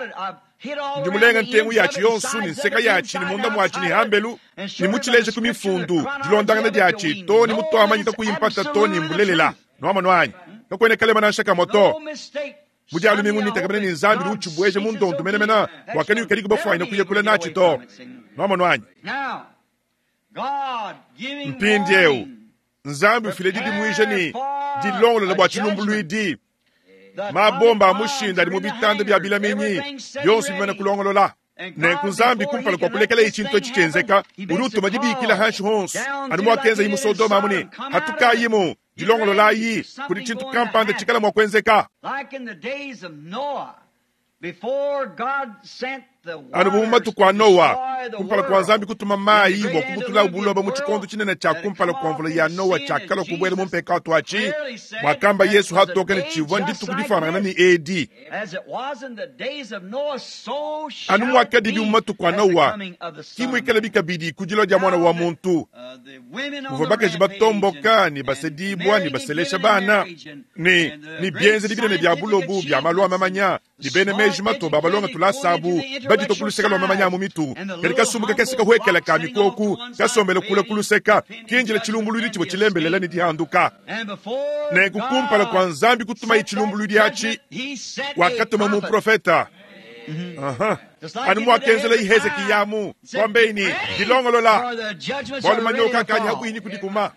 Ndi mulenga ntengu yatshi yonso ne nseka yatshi ne munda mwatshi ne hambelu ne mutshileje ku mifundu dilondangana diatshi to ne mutuamanyita kuyimpata to ne mbulelela. Nuamonu anyi? Kakwena kalema nansha kamwe to. Mudialu mingu nitakamene ne Nzambi udi utshibweja mu ndondo menemene bua kaniukadi kubafuanyina kuyakula natshi to. Nuamonu anyi? Mpindieu Nzambi ufile didimuija ne dilongolola bua tshilumbuluidi. Mabomba a mushinda adi mu bitanda bia bilaminyi byonso bimane kulongolola. Nenku Nzambi kumpala kua kulekela itshintu etshi tshienzeka, udi utuma dibikila hanshi honso anu muakenza yi mu Sodoma amu ne hatukayimu dilongololayi kudi tshintu kampanda tshikala mua kuenzeka. Anu bu mu matuku a Noa, kumpala kua Nzambi kutuma mayi bua kubutula buloba mu tshikondo tshinene tshia kumpala kua mvula ya Noa tshiakalua kubuela mu mpekatu atshi, mwakamba Yesu hatoke ne tshivua ndituku difanangana ne edi. Anu muakadibi mu matuku a Noa, ki muikale bikabidi ku dilua dia mwana wa muntu. Muvua bakaji batomboka ne basedibwa ne baselesha bana ne ne bienzedi binene bia bulobu bia malu a mamanya ne bena meji mato babalonga tulasabu badito kuluseka lwa mamanya mu mitu. Kadi kasumbu kakese kahuekela ka mikoku kasombele kula kuluseka kinjila tshilumbuluidi tshivua tshilembelela ne dihanduka. Nenku kumpala kua Nzambi kutuma tshilumbuluidi atshi, wakatuma muprofeta. Aha. Anu muakenzela Hezekiya kwambeini dilongolola bwalu manyoka akadi hakuini kudikuma.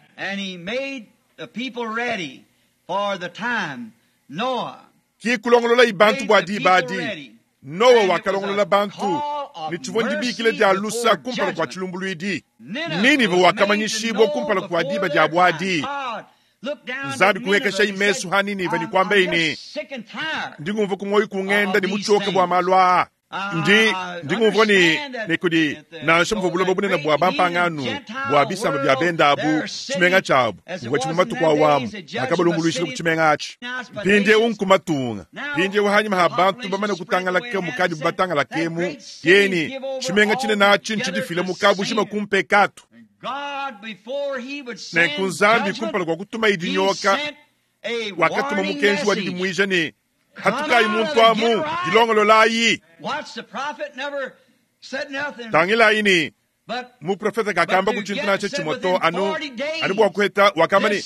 Ki kulongolola ibantu bua dibadi. Noa wakalongolola bantu ne tshivua ndibikile dia lusa kumpala kua tshilumbuluidi. Ninive wakamanyishibwa kumpala kua diba dia bwadi. Nzambi kuhekesha imesu ha Ninive ne kwambeini ndingumva kumoyo kungenda ne mutshoka bua malu aa. Ndi ndingumva ne ne kudi nansha muvua buloba bunene bua bampanganu bua bisamba bia bendabu tshimenga tshiabu muvua tshimue matuku awamu akabalumbuluishile ku tshimenga atshi. Mpindieu nkumatunga mpindieu hanyima ha bantu bamane kutangalaka mukadi batangalakemu yeni tshimenga tshinene atshi ntshidifile mukabushima kumpekatu. Nenku Nzambi kumpala kua kutuma idinyoka wakatuma mukenji wa didimuija ne hatukayi muntu amu dilongololayi. Tangilayi ne muprofeta kakamba kutshintu natsho tshimwe to anu anu bua kuheta wakamba ne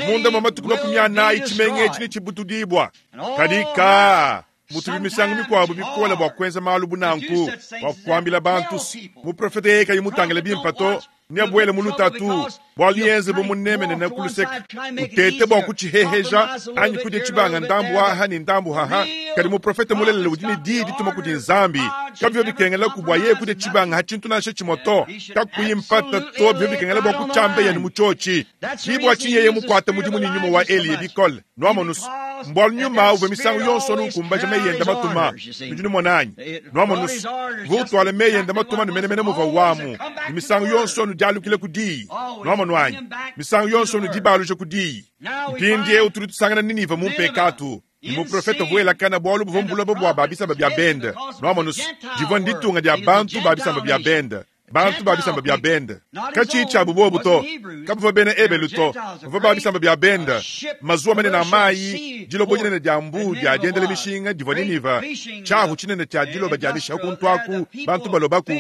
munda mwa matuku makumi anayi tshimenga etshi ne tshibutudibwa. Kadi ka mutu misangu mikuabu bikola bua kuenza malu bunanku bua kuambila bantu muprofeta yeye kayi mutangile bimpa to neabuele mu lutatu bualu yenze bumunemenene kuluseka utete bua kutshiheheja anyi kudya tshibanga ndambu aha ne ndambu haha. Kadi muprofeta mulelele udi ne diyi dituma kudi Nzambi kabivyo bikengela ku bua yeye kudya tshibanga ha tshintu nansha tshimwe to kakuyi mpata to bivyo bikengela bua kutshiamba yanu mu tshiotshi. Kibwa tshinyeye mukuata mudimu ne nyuma wa Eliya bikole nuamonusu mbwalu nyuma uvua misangu yonso nukumbaja meyenda matuma nudi numonanyi nuamonusu vutwala meyenda matuma numenemene muva wamu ne misangu yonso nudialukile ku diyi nuamonuanyi misangu yonso nudibaluja ku diyi. Mpindieu tudi tusangana Ninive mu mpekatu ne muprofeta vuelakana bualu buvua mbuloba bua babisamba bia bende nuamonusu divua nditunga dia bantu babisamba bia bende bantu babisamba bia bende katshiyi tshiabu bobu to kabuvua bena ebelu to bavua babisamba bia bende mazuwa manene a mayi dilobo dinene dia mbu dia diendela mishinga divua Ninive tshiahu tshinene tshia diloba dia mishiha kuntu aku bantu balobaku.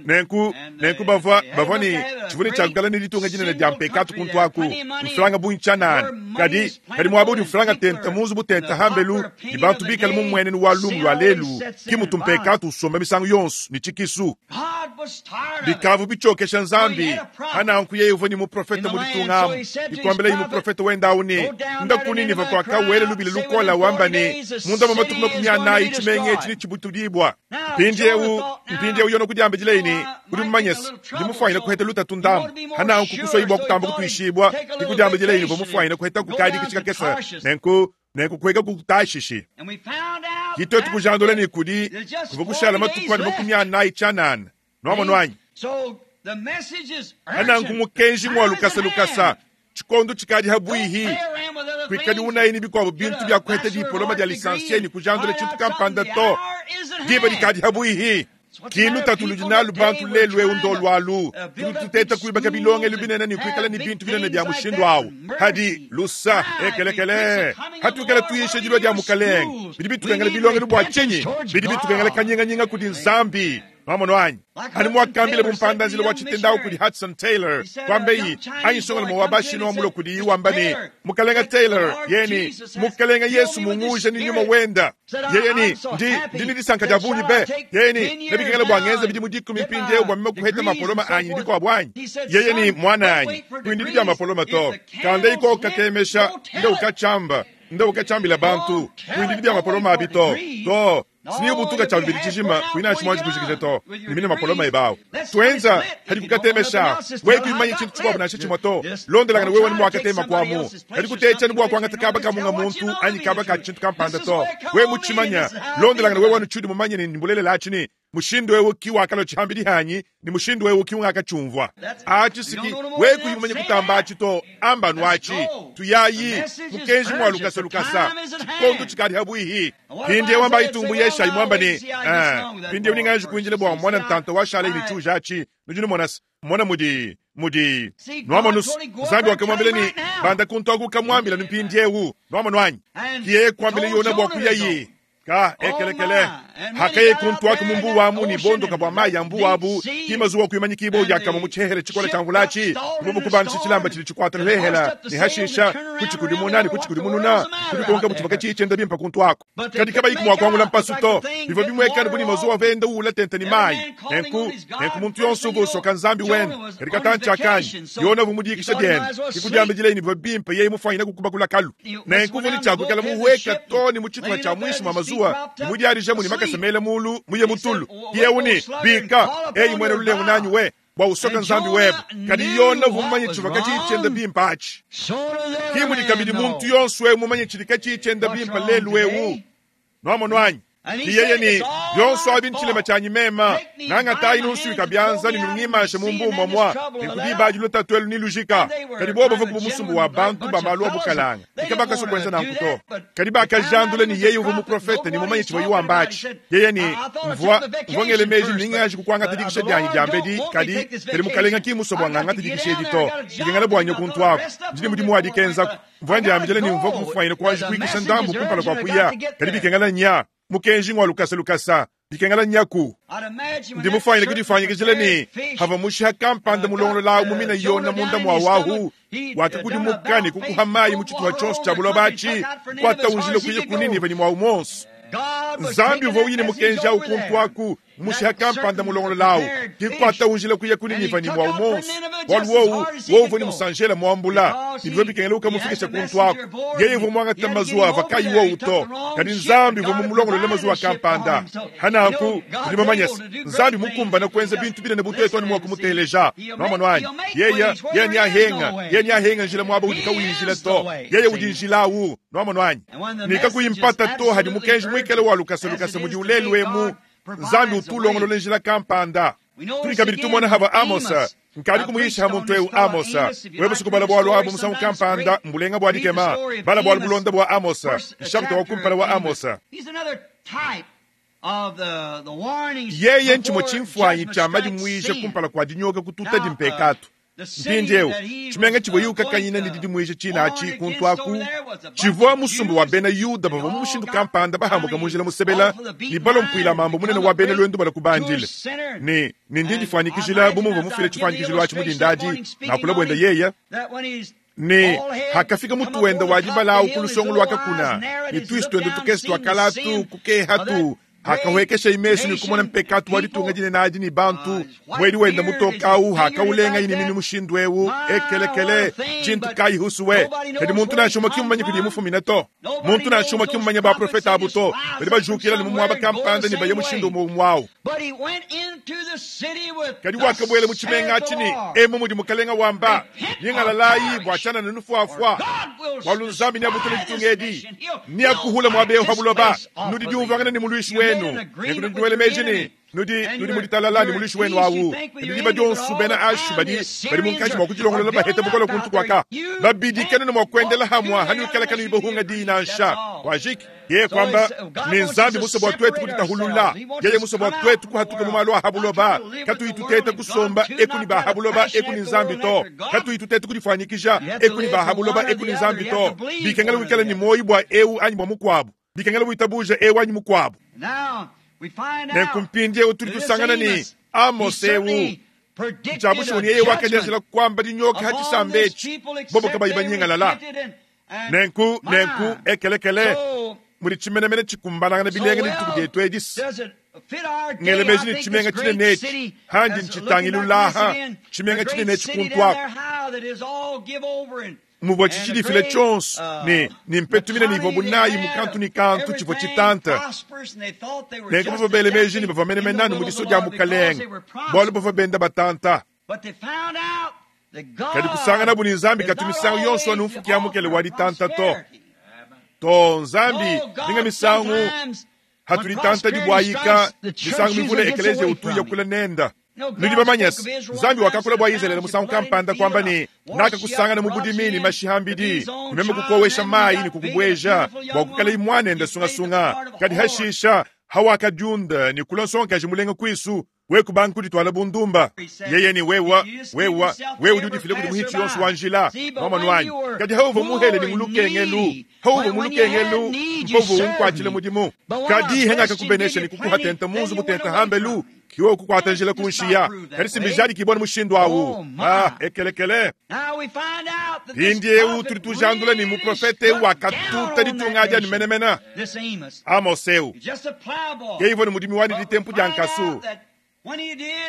Nenku nenku bavua bavua ne tshivua ne tshiakukala ne ditunga dinene dia mpekatu kuntu aku mfulanga bungi tshianana. Kadi kadi muaba udi mfulanga tenta mu nzubu tenta hambelu ne bantu bikale mu mmuenenu wa lumu lua lelu ki mutu mpekatu usomba misangu yonso ne tshikisu. Bikavu bichokesha Nzambi hananku yeye uvua ni muprofeta mu ditunga amu ikwambila yi muprofeta wendawu ne ndaku Niniva kwakawele lubile lukola wamba ne munda mwa matuku makumi anayi tshimenga etshi ne tshibutudibwa mpindiewu mpindiewu yona kudiambidila ne udi mumanyese ndi mufwanyine kuheta lutatu ndambu hananku kusoyibwa kutamba kutuishibwa ndikudiambidila yini uvua mufwanyine kuheta kukadika tshikakesa nenku nenku kuheka kutashishi kitwetu kujandula ne kudi kuvua kushala matuku ane makumi anayi tshianana nwamonu anyi ananku mukenji mwa lukasa lukasa tshikondo tshikadi habwihi kuikadi unayi bikwabo bintu bya kuheta dipoloma dia lisansie ni kujandula tshintu kampanda to diba dikadi habwihi kinu tatu ludi nalu bantu lelu eu ndolu alu tudi tuteta kuibaka bilongelu binene ni kuikala ni bintu binene bya mushindu awu hadi lusa ekelekele hatuikala tuyisha dilua dia mukalenge bidi bitukengela bilongelu bua tshinyi bidi bitukengela kanyinganyinga kudi Nzambi nwamonu anyi ani mwakambile bumpandanzila wa tshitendawu kudi Hudson Taylor kwambeyi anyi songela mwa wabashino wa mulo kudi iwamba ne mukalenga Taylor yeni mukalenga Yesu munguja ni nyuma wenda yeye ni ndi ndini disanka dia bunyi be yeni nebikengela bwa ngenza bidi mudikumi mpindiewu bwa mime kuheta mapoloma anyi ndiko bwanyi yeye ni mwana anyi kuindidi bya mapoloma to kanda iko katemesha nde ukachamba nde ukachambila bantu kuindidi bya mapoloma abi to to siniyo butuka cha bibili tshijima kuina tshimwanji kushikisha to nimine mapoloma ebawo twenza hadi kukatemesha wetu imanyi tshintu tshikwabo nasho tshimwe to londelangana wewe ni mwakatema kwamu hadi kutecha ni bwa kwangata kaba kamunga muntu anyi kaba ka tshintu kampanda to we mutshimanya londelangana wewe wanu tshudi mumanye ni mbulelela atshini mushindu wewe kiwakalo tshihambili hanyi ni mushindu wewe kiungaka tshumvwa achi siki we kuyimanye kutamba achi to ambanu achi tuyayi mukenji mwa lukasa lukasa tshikondo tshikadi habwihi pindie wamba itumbu yesha imwamba ni pindie uninganji kuinjile bwa mwana ntanta washala ili chuja achi nujini mwana mwana mudi mudi nwamonus Nzambi wakamwambile ni banda kuntoku kamwambila nimpindiewu nwamonu anyi kiye kwambile yona bwa kuyayi ka ekelekele hakaye kuntu wako mumbu wamu ni bondo kabwa mayi ya mbu wabu kimazuwa kuimanyikibo yakama muchehere chikola cha mvulachi mubu kubanshi chilamba chili chikwata lehela ni hashisha kuchikulimuna ni kuchikulimununa kulikonga muchivaka chichenda bimpa kuntu wako kadi kaba ikumwa kwangula mpasuto bivo bimwekana buni mazuwa venda ula tenta ni mayi nenku nenku muntu yonso uvosoka Nzambi wenda kadi katanchi akanyi yona vumudikisha dienda ikudiambidila ini bivo bimpa yeye mufwanyina kukubakula kalu nenku vuni chakukala muweka toni muchituka cha mwishi mwa mazuwa mudiarija muni makasemele mulu muye mutulu yeuni bika eyi mwene lulengu nanyi we bwa usoka Nzambi webe kadi yona vumanye chivaka chichenda bimpa achi kimudi kabidi muntu yonso we mumanye chilika chichenda bimpa lelu wewu nwamonu anyi iyeye ni yonso abi nchilema chanyi mema nangatayi nunsuika byanza ni nungimashe mumbumo mwa nikudibaji lutatwelu ni lujika kadi bobo vakuba musumbu wa bantu bamalu abukalanga ikabakaso kwenza nankuto kadi bakajandule ni yeye uvu muprofeta ni mumanye chiva yuwambachi yeye ni mvua mvua ngele meji ningaji kukwangata dikisha dyanyi dyambedi kadi kadi mukalenga kimuso bwa ngangata dikisha edi to dikengela bwanya kuntu ako ndini mudimu wadikenzako mvua ndyambijele ni mvua kumufwanyile kwaji kuikisha ndambu kumpala kwa kuya kadi bikengela nya mukenji ngwa lukasa lukasa bikengela nyaku ndi mufwanyile kudifanyikizile ni hava mushiha kampanda mulongolo lawu mumina yona munda mwa wahu wakikudimuka ni kukuha mayi muchituha chonso cha buloba achi kwata unjile kuye kuniniva ni mwawu monso Nzambi uvua uyine mukenji awu kuntu aku mushiha kampanda mulongolo lawu kikwata unjile kuye kuniniva ni mwawu monso walu wowu wowu ni musanjela mwambula nibyo bikengela ukamufikisha kuntu aku yeye uvua mwangata mazuwa ava kayi wowu to kadi Nzambi uvua mumulongolole mazuwa kampanda hananku ndi mamanyesa Nzambi mukumbana kwenza bintu binene butetu ani mwakumuteleja nwamonu anyi yeye yeye ni ahenga yeye ni ahenga njila mwaba udi kawinjila to yeye udi njila awu nwamonu anyi nikakuyimpata to hadi mukenji mwikele wa lukasa lukasa mudi ulelu emu Nzambi utulongolole njila kampanda tuli kabidi tumona haba Amosa nkali kumuyisha muntu eu Amosa wewe sikubala bwalo abo musangu kampanda mbulenga bwa dikema bala bwalo bulonda bwa Amosa nshakta wa kumpala wa Amosa yeye nchimo chimfwanyi cha madi mwisha kumpala kwa dinyoka kututa dimpekatu mpindiewu tshimenga tshivua yukakanyina ni didi mwisha tshina atshi kuntu aku tshivua musumbu wa bena Yuda bavua mu mushindu kampanda bahambuka munjila musebela ni balompuila mambo munene wa bena lwendu bala kubandile ni ni ndi difanyikizila bumuvua mufile tshifanyikizilo atshi mudindadi nakula bwenda yeya ni hakafika mutu wenda wajibalawu kulusongo lwakakuna ni twisi twende tukesi twakalatu kukehatu Hakawekesha imesu ni kumona mpekatu wa ditunga dinene adi ni bantu mwedi wenda mutoka awu hakaulenga ini minu mushindu ewu ekelekele tshintu kayi husuwe kadi muntu nansha umwe kimumanya kudi mufumina to muntu nansha umwe kimumanya baprofeta abu to badi bajukila ni mumwaba kampanda ni baye mushindu umwe umwawu kadi wakabwela mu tshimenga atshini emu mudi mukalenga wamba nyingalalayi bwatshana ne nufuafua bwalu nzambi niabutula ditunga edi niakuhula mwabewu habuloba nudi diumvangana ni muluishi wenu nekundi diwele meji nudi nudi muditalala ni muluishi wenu awu nudi badionsu bena ashu badi badi munkatshi mua kudilongolola bahete bukola kuntu kwaka babidikana ne mua kuendela hamwa hanuikalakana ibohunga dinansha wajiki yeye kwamba ni nzambi musa bwa twetu kuditahulula yeye musa bwa twetu kuhatuka mu malu ahabuloba katuitutete kusomba eku ni bahabuloba eku ni nzambi to katuitutete kudifanyikisha eku ni bahabuloba eku ni nzambi to bikengela wikala ni moyi bwa eu anyi bwa mukwabu bikengela witabuja eu anyi mukwabu nenkumpindie tuli tusangana ni Amos eu njabushoni yeye wakanyazila kwamba dinyoka hachisambechi bobo kabayi banyingalala nenku nenku ekelekele muli chimenemene chikumbanangana bilenge ni dituku dietu edisi ngelemeji ni chimenga chinenechi handi nchitangilulaha chimenga chinenechi kuntu ako muvua chichilifile chonso ni ni mpetumina ni ivo bunayi mukantu ni kantu chivua chitanta nenku bavua bele meji ni bavua menemenani mu diso dia mukalenga bualu bavua benda batanta kadi kusangana bu ni nzambi katu misangu yonso anu mfuki mukele wa ditanta to to nzambi ninga misangu hatulitanta dibwayika misangu mivule ekelezia utuya kula nenda nudi bamanyasi nzambi wakakula bwa Israeli musangu kampanda kwamba ni nakakusangana mu budimi ni mashihambidi nimeme kukowesha mayi ni kukubweja bwa kukala imwana enda sungasunga kadi hashisha hawakadiunda ni kula nsonkaji mulenga kwisu wekubanga kuditwala bundumba yeye ni wewa wewa wewe udi udifile kudi muhitshi yonso wa njila mwamanu wanyi kadi hauva muhele ni mulukengelu hauva mulukengelu mpovu unkwatshile mudimu kadi hengaka kubenesha ni kukuhatenta munzu mutenta hambelu kiwe kukwata njila kunshiya kadi simbijadi kibona mushindu awu ah ekelekele pindi eu tuli tujandula ni muprofete wakatuta ditunga adi anu menemena Amos eu keivo ni mudimi wani ditempu dia nkasu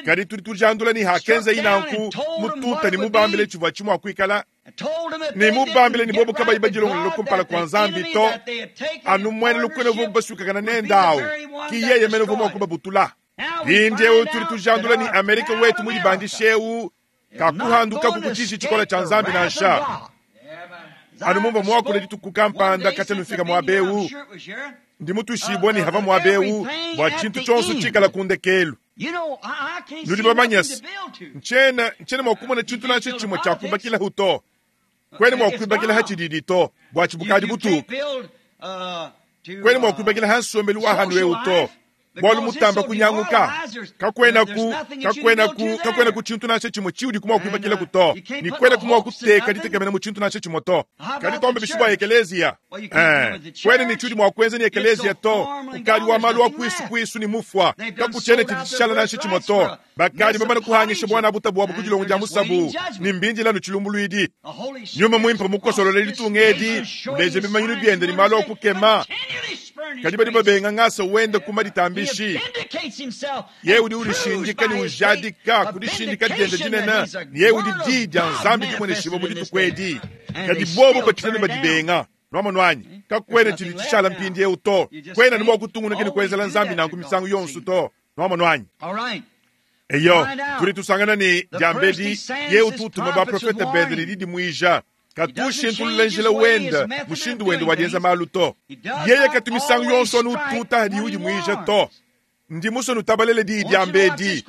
kadi tuli tujandula ni hakenza inanku mututa ni mubambile chivua chimwa kuikala ni mubambile ni bobo kabayi badilongolola kumpala kwa nzambi to anu mwene lukwene vo basukakana nendawu ki yeye mene vo mua kubabutula pindiewu tuli tujandula ni Amerika wetu mulibandishewu kakuhanduka kukuchishi chikola cha nzambi nansha anu mumva mwakula dituku kampanda katya nufika mwabewu ndi mutushibwa ni hava mwabewu bwa tshintu tshonso tshikala kundekelu nudi bamanyasi nchena nchena mwakumona tshintu nansha tshimwe tshiakubakila huto kwene mwakuibakila hatshididi to bwa tshibukadi butuku kwene mwakuibakila hansombelu wa hanu eu to bwalu mutamba kunyanguka kakwena ku kakwena ku kakwena ku tshintu nansha tshimwe tshiudi kumwa kuibakila kuto ni kwena kumwa kuteka ditekemena mu tshintu nansha tshimwe to kadi tombe bishu bwa ekelezia eh kwene ni tshiudi mwa kuenza ni ekelezia to ukadi wa malu wa kwisu kwisu ni mufwa kakuchene tshitshala nansha tshimwe to bakadi bamana kuhangisha bwana butabu bwabo kudilongo dia musabu ni mbindi lanu tshilumbuluidi nyuma mwimpe mukosolola litunga edi uleje bimanyinu biende ni malu akukema kadi badi babenga ngasa wenda kuma ditambishi ye udi ulishindika ni ujadika kudishindika diende dinene ni ye udi di dia nzambi dimweneshiba mu dituku edi kadi bobo batshina badibenga nwamonu wanyi kakwena tshidi tshishala mpindi eu to kwena ni mua kutungunuka ni kuenzela nzambi nanku misangu yonso to nwamonu wanyi eyo tuli tusangana ni diambedi ye ututuma baprofeta bende ni didimuija katushintulula njila wenda mushindu wende wadienza malu to yeye katu misangu yonso anu ututa hadi udimuija to ndi muso nutabalele di diambedi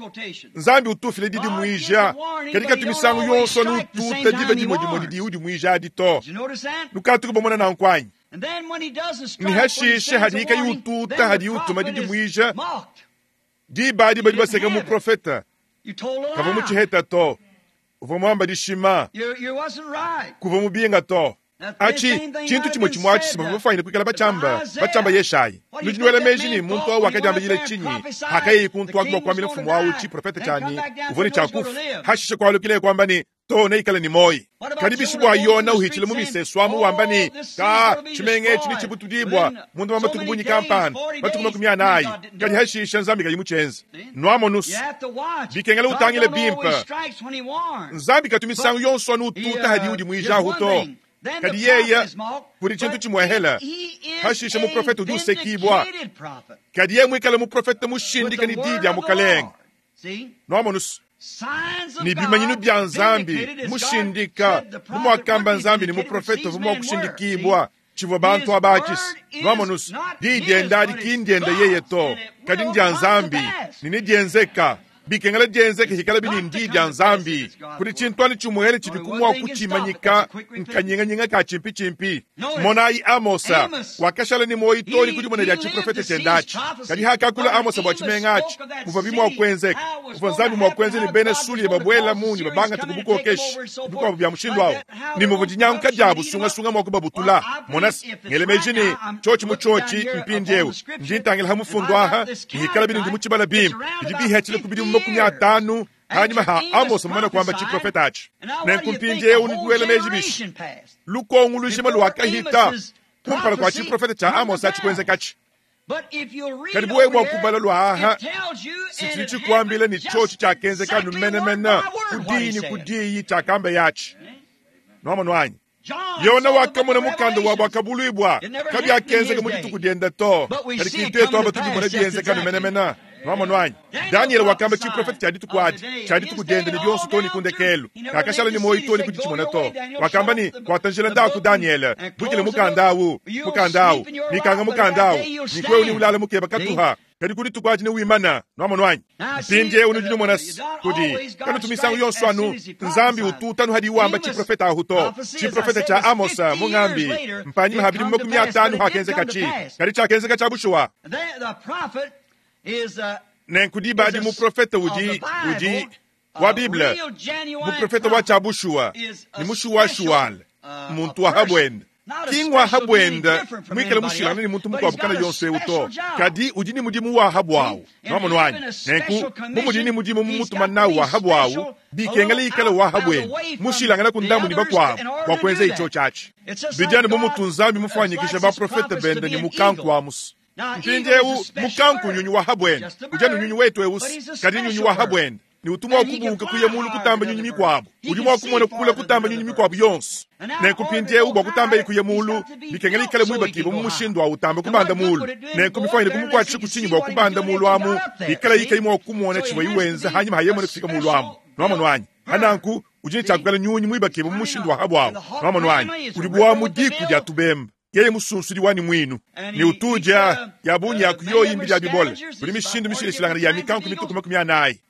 nzambi utufile didimuija kadi katu misangu yonso anu ututa diba dimwe dimwe didi udimuija adi to nukatuku bomona nankwanyi ni hashishe hadi ika yututa hadi utuma didimuija diba adi badi baseka muprofeta kava mutshiheta to uvua muamba dishima kuva mubinga to achi tshintu tshimwe tshimwe atshi sima bafanyile kuikala batshamba batshamba yeshayi nudi meji ni muntu awu wakadiambile tshinyi hakayeyi kuntu aku bua kuambila mfumu awu tshiprofeta tshani uvua ne tshiakufa hashishe kualukile kwamba ni To neikale ne muoyi. Kadi bishi bua Yona uhitshile mu misesu amu wamba ne, ka tshimenga etshi netshibutudibua munda wa matuku bungi kampanda, matuku makumi anayi. Kadi hashisha Nzambi kayi mutshienze. Nuamonusu. Bikengela utangile bimpe. Nzambi katu misangu yonso anu ututa hadi udi muijahu to. Kadi yeye kudi tshintu tshimuehela. Hashisha muprofete udi usekibua. Kadi yeye muikale muprofete mushindika ne diyi dia mukalenge. Nuamonusu. Ni bimanyinu bya Nzambi mushindika bu muakamba Nzambi ni muprofete uvua mua kushindikibua tshivua bantu abakisi. Nuamonusu. Diyi dienda adi ki ndienda yeye to, kadi ndia Nzambi ne nedienzeka. Bikengela dienzeke hikala bini ndi dia Nzambi. Kudi tshintu ani tshimuele tshidi kumua kutshimanyika nkanyinganyinga ka tshimpi-tshimpi. Monayi Amosa wakashala ni muoyi to ni kudi mona dia tshiprofete tshiendatshi. Kadi hakakula Amosa bua tshimenga atshi, buvua bimua kuenzeka. Buvua Nzambi mua kuenza ne bena Sulia babuela munyi babangata kubukokeshi bikuabu bia mushindu awu. Ni muvua dinyanguka diabu sungasunga mua kubabutula. Monasi ngele meji ni tshiotshi mu tshiotshi mpindiewu. Ndi ntangila ha mufundu aha, hikala bini ndi mu tshibala bimpe. Bidi bihetshile ku bidimu makumi atanu hanyuma ha Amos mumane kuamba tshiprofete atshi. Nenku mpindiewu nikuela meji bishi. Lukongo lujima luakahita kumpala kua tshiprofete tshia Amos atshi kuenzekatshi. Kadi buwe bua kubala lua aha, sitshidi tshikuambila ni tshiotshi tshiakenzeka numenemene kudiyi ni kudiyi tshiakamba yatshi. Nuamonu anyi? Yona wakamona mukanda wa bwakabuluibwa kabyakenzeka mu dituku dienda to. Kadi kintu aba tudimona bienzeka numenemene. Nuamonu anyi? Daniel wakamba tshiprofete tshia dituku adi, tshia dituku diende ne bionso to ni kundekelu. Kakashala ni muoyi to ni kuditshimona to. Wakamba ni kwatanjila ndaku Daniel, bukile mukanda awu, mukanda awu, nikanga mukanda awu, nikwewu ni ulala mukeba katuha. Kadi kudi dituku adi ne wimana. Nuamonu anyi? Mpindiewu nudi numona kudi kanu misangu yonso anu Nzambi ututa hadi wamba tshiprofete ahu to. Tshiprofete tshia Amosa mungambi mpanyima ha bidimu makumi atanu hakenzeka tshi. Kadi tshiakenzeka tshia bushuwa. Nenku diba adi muprofete udi udi wa Bible, muprofete wa tshia bushuwa ni mushuwashuwale muntu wa habwenda. Kingwa habwenda mwikale mushilana ni muntu mukuabu kana yonso ewu to. Kadi udi ni mudimu wa habwawu. Nuamonu anyi? Nenku mumudi ni mudimu mumutuma nawu wa habwawu, bikengela ikale wa habwenda mushilangana ku ndambu ni bakuabu bua kuenza icho tshiatshi. Bijani bu mutu Nzambi mufanyikisha baprofete bende ni mukanku wa musu. Mpindiewu mukanku nyunyu wa habwenda. Ujani nyunyu wetu ewusi, kadi nyunyu wa habwenda. Ni utumwa kubuka kuya mulu kutamba nyunyu mikwabu. Udi mwa kumona kukula kutamba nyunyu mikwabu yonso. Nenku mpindiewu bua kutamba ikuya mulu, bikengela ikale muibakiba mu mushindu wa utamba kubanda mulu. Nenku mifanyile kumukuatshisha kutshinyi bua kubanda mulu amu, ikala ikayi mwa kumona tshivua iwenza hanyuma hayemone kufika mulu amu. Nuamonu anyi? Hananku udi ne tshiakukala nyunyu muibakiba mu mushindu wa habwawu. Nuamonu anyi? Udi bua mu diku dia tubemba. Yeye musunsudi wani mwinu. Ni utuja ya bunyi ya kuyoyi mbili ya bibole. Kuli mishindu mishilishilangana ya mikanku mituku makumi anayi.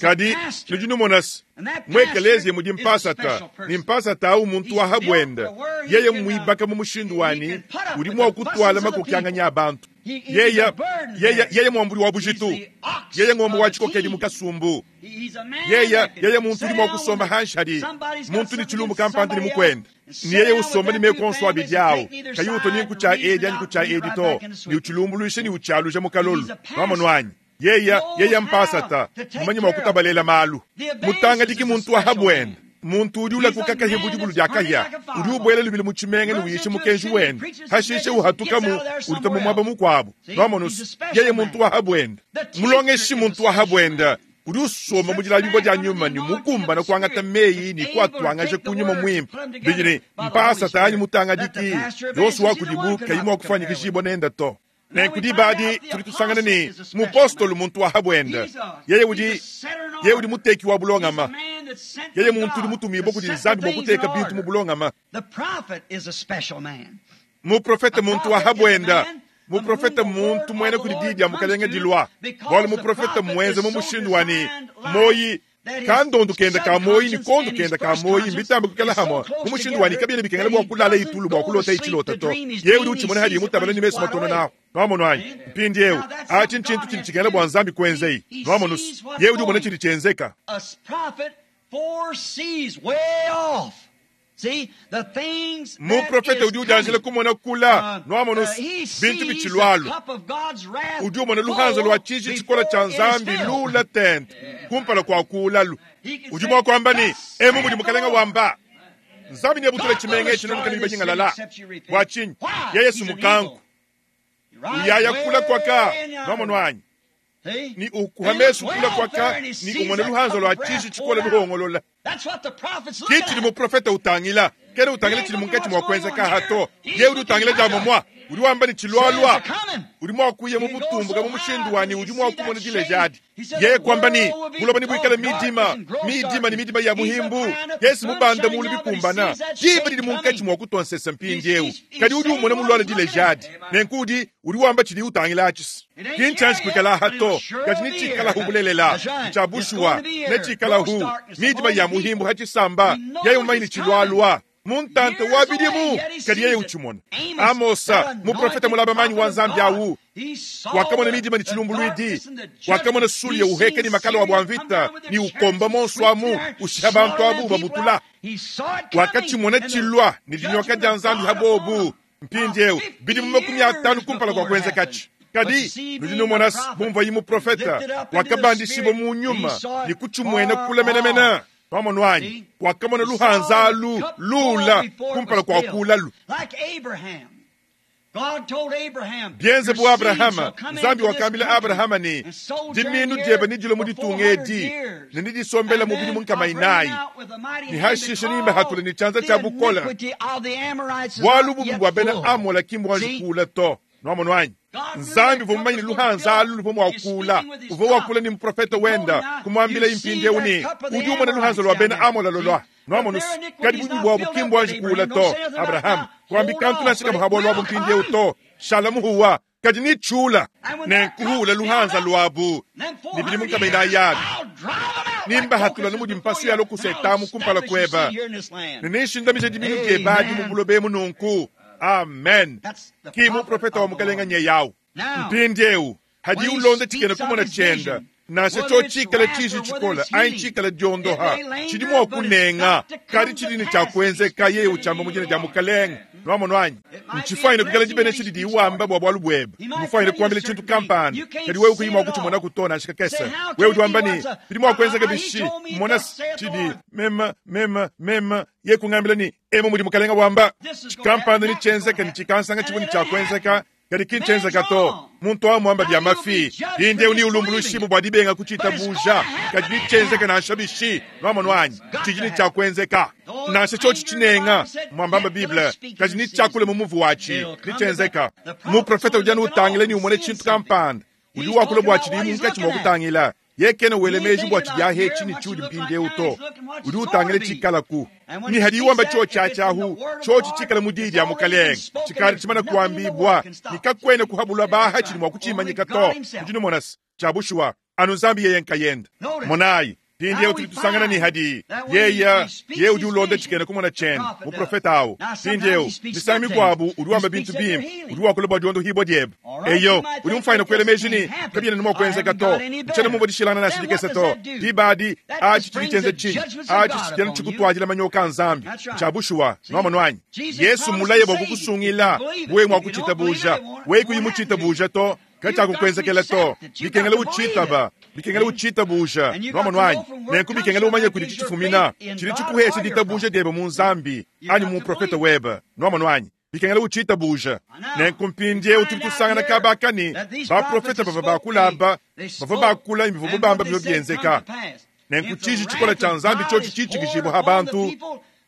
Kadi nudi numonasi mwekelezia mudi mpasata ni mpasata au muntu wa habwenda. Yeye muibaka mu mushindu wani udi mua kutwala makokyanganya abantu. Yeye yeye yeye mwambuli wa bujitu. Yeye ngombe wa tshikokedi mukasumbu. Yeye yeye muntu udi mua kusomba hanshi hadi muntu ni tshilumbu kampanda ni mukwenda. Ni yeye usomba ni mekonso abidi awo. Kayi uto ni nkucha edi ani kucha edi to. Ni uchilumbuluishe ni uchaluja mukalolu. Nuamonu anyi? Yeye yeye mpasata mmanyi mwa kutabalela malu. Mutanga diki muntu wa habwenda. Muntu udi ulakuka kahia budi bulu dia kahia. Udi ubwela lubili mu tshimenga ne uyisha mukenji wende. Hashishe uhatukamu ulita mu mwaba mukuabu. Nuamonusu. Yeye muntu wa habwenda. Mulongeshi muntu wa habwenda. Udi usoma mu dilabibua dia nyuma ni mukumbana kuangata meyi ni kuatuangaja kunyuma mwimpe. Bidi mpasata anyi mutanga diki. Yonso wa kudibu kayi mua kufanyikishibua nenda to. Nenku diba adi tudi tusangana ni mupostolo muntu wa habwenda. Yeye udi yeye udi muteki wa bulongama. Yeye muntu udi mutumibua kudi Nzambi bua kuteka bintu mu bulongama. Muprofete muntu wa habwenda. Muprofete muntu mwene kudi diyi dia mukalenge dilua. Bualu muprofete mwenze mu mushindu wani moyi kandondu kenda ka moyi ni kondu kenda ka moyi mbitambe kukala hamwa. Mu mushindu wani kabiene bikengela bua kulala itulu bua kulota ichilota to. Yeye udi uchimona hadi mutabala ni mesu matono nawo. Nuamonu anyi? Mpindiewu achi nchintu chili chikengela bua Nzambi kuenzeyi. Nuamonusu. Yeye udi umona chili chenzeka. Muprofete udi udianjila kumona kula nwamona bintu bichilwalo udi umona luhanza lwa chiji chikola cha nzambi lula tente kumpala kwa kulalu udi mwa kwamba ni emu mudi mukalenga wamba nzambi ne butula chimenge chino mukani banyingalala bwa chinyi ya Yesu mukanku uyaya kula kwaka nwamona ni ukuhamesu kula kwaka ni umona luhanza lwa chiji chikola luhongolola kichili muprofeta utangila kene utangila chili munkachi mwa hato ye udi utangila jambo mwa udi wamba ni chilwalwa udi mwa kuye mu butumbuka mu mushindu wani udi mwa kumona dile jadi ye kwamba ni buloba ni bwikala midima midima ni midima ya muhimbu Yesu mubanda mulu bikumbana jiba lili munkachi mwa kutonsesa mpindi eu kadi udi umona mulwala dile jadi nenkudi udi wamba chili utangila achisi kinchansi kwikala hato kadi ni chikala hubulelela chabushuwa ne chikala hu midima ya muhimbu hachisamba yayo maini chilwalwa muntante wabilimu kadi yeye uchimona Amosa muprofeta mulaba manyi wa nzambi awu wakamona midima ni chilumbulwidi wakamona suli ya uheke ni makala wa bwamvita ni ukomba monswamu ushiha bantu abu babutula wakachimona chilwa ni linyoka dia nzambi habobu mpindi eu bidimu makumi atanu kumpala kwa kwenza kachi kadi nudino bumva yi muprofeta wakabandishibo mu nyuma ni kuchimwena kula menamena pamonwanyi wakamona luhanzalu lula kumpala kwa kulalu byenze bu Abrahama nzambi wakambila Abrahama ni diminu dyeba ni dilo muditunga edi ne nidisombela mubili munkama inayi ni hashishe nimba hatula ni chanza cha bukola bwalu bubi bwa bena amola kimbwanjikula to nwamonwanyi nzambi vumanyini luhanza alu luvo mwakula uvo wakula ni muprofeta wenda kumwambila impindi euni udi umona luhanza lwa bena amola lolwa nwamonusi kadi bubi bwabu kimbwanjikula to Abrahamu kwambi kantu nashika muhabo lwabu mpindi eu to shalamuhuwa kadi ni chula nenkuhula luhanza lwabu nibili munkama inayabi nimba hatula numudi mpasu yalo kusetamu kumpala kweba ninishindamisha diminu dyebadi mubulobe mununku. Amen. Ki muprofeta wa mukalenga nye yawu mpindi eu hadi ulonde chikene kumona chenda nashe cho chikala chishi chikola ayi chikala dyondoha chili mwa kunenga kadi chilini chakwenzeka yeye uchamba mujina dya mukalenga nwamonwanyi nchifaine kukala chibene chili diwamba bwa bwalu bweba mufaine kuambila chintu kampani kadi wewe kuyima kuchimona kutona ashika kesa wewe udiwamba ni bili mwa kwenzeka bishi mona chidi mema mema mema ye kungambila ni emo mudi mukalenga wamba chikampani ni chenzeka ni chikansanga chibuni chakwenzeka kadi kinchenzeka to muntu amwamba bya mafi inde uni ulumbulushibu bwa dibenga kuchita buja kadi nichenzeka na nshabishi nwamonwanyi chijini chakwenzeka nashe chochi chinenga mwambamba Biblia kadi nichakule mumuvu wachi nichenzeka muprofeta ujana utangile ni umone chintu kampanda udi wakule bwachi ni munkachi mwakutangila yekene welemeji bwachi bya hechi ni chudi mpinde uto udi utangile chikalaku ni hadi wamba chochi achahu chochi chikala mudidi ya mukalenga chikali chimana kuambibwa nikakwene kuhabulwa baha chili mwakuchimanyika to ndino monasi chabushuwa anu nzambi yeye nkayenda monayi pindi tuli tusangana ni hadi yeya ye udi ulonda chikene kumona chena muprofeta awo pindi eu misami kwabu udi wamba bintu bimpe udi wakula bwa diondo hibwa dyeba eyo udi mfaina kwele mejini kabina nimo kwenzeka to mchana mumbo dishilana na shidikesa to dibadi achi chili chinyi achi chitena chikutwajila manyoka nzambi chabushuwa nwamonwanyi Yesu mulaye bwa kukusungila we mwakuchita buja we kuyimuchita buja to kachakukwenzekela to bikengela uchitaba bikengela uchita buja nwamonwanyi nenku bikengela umanye kuli chichifumina chili chikuhesha ditabuja dyeba mu nzambi anyi mu profeta weba nwamonwanyi bikengela uchita buja nenku mpindie utuli tusangana kabakani baprofeta bava bakulaba bava bakula imivuvu bamba bivyo byenzeka nenku chiji chikola cha nzambi chochi chichikijibwa ha bantu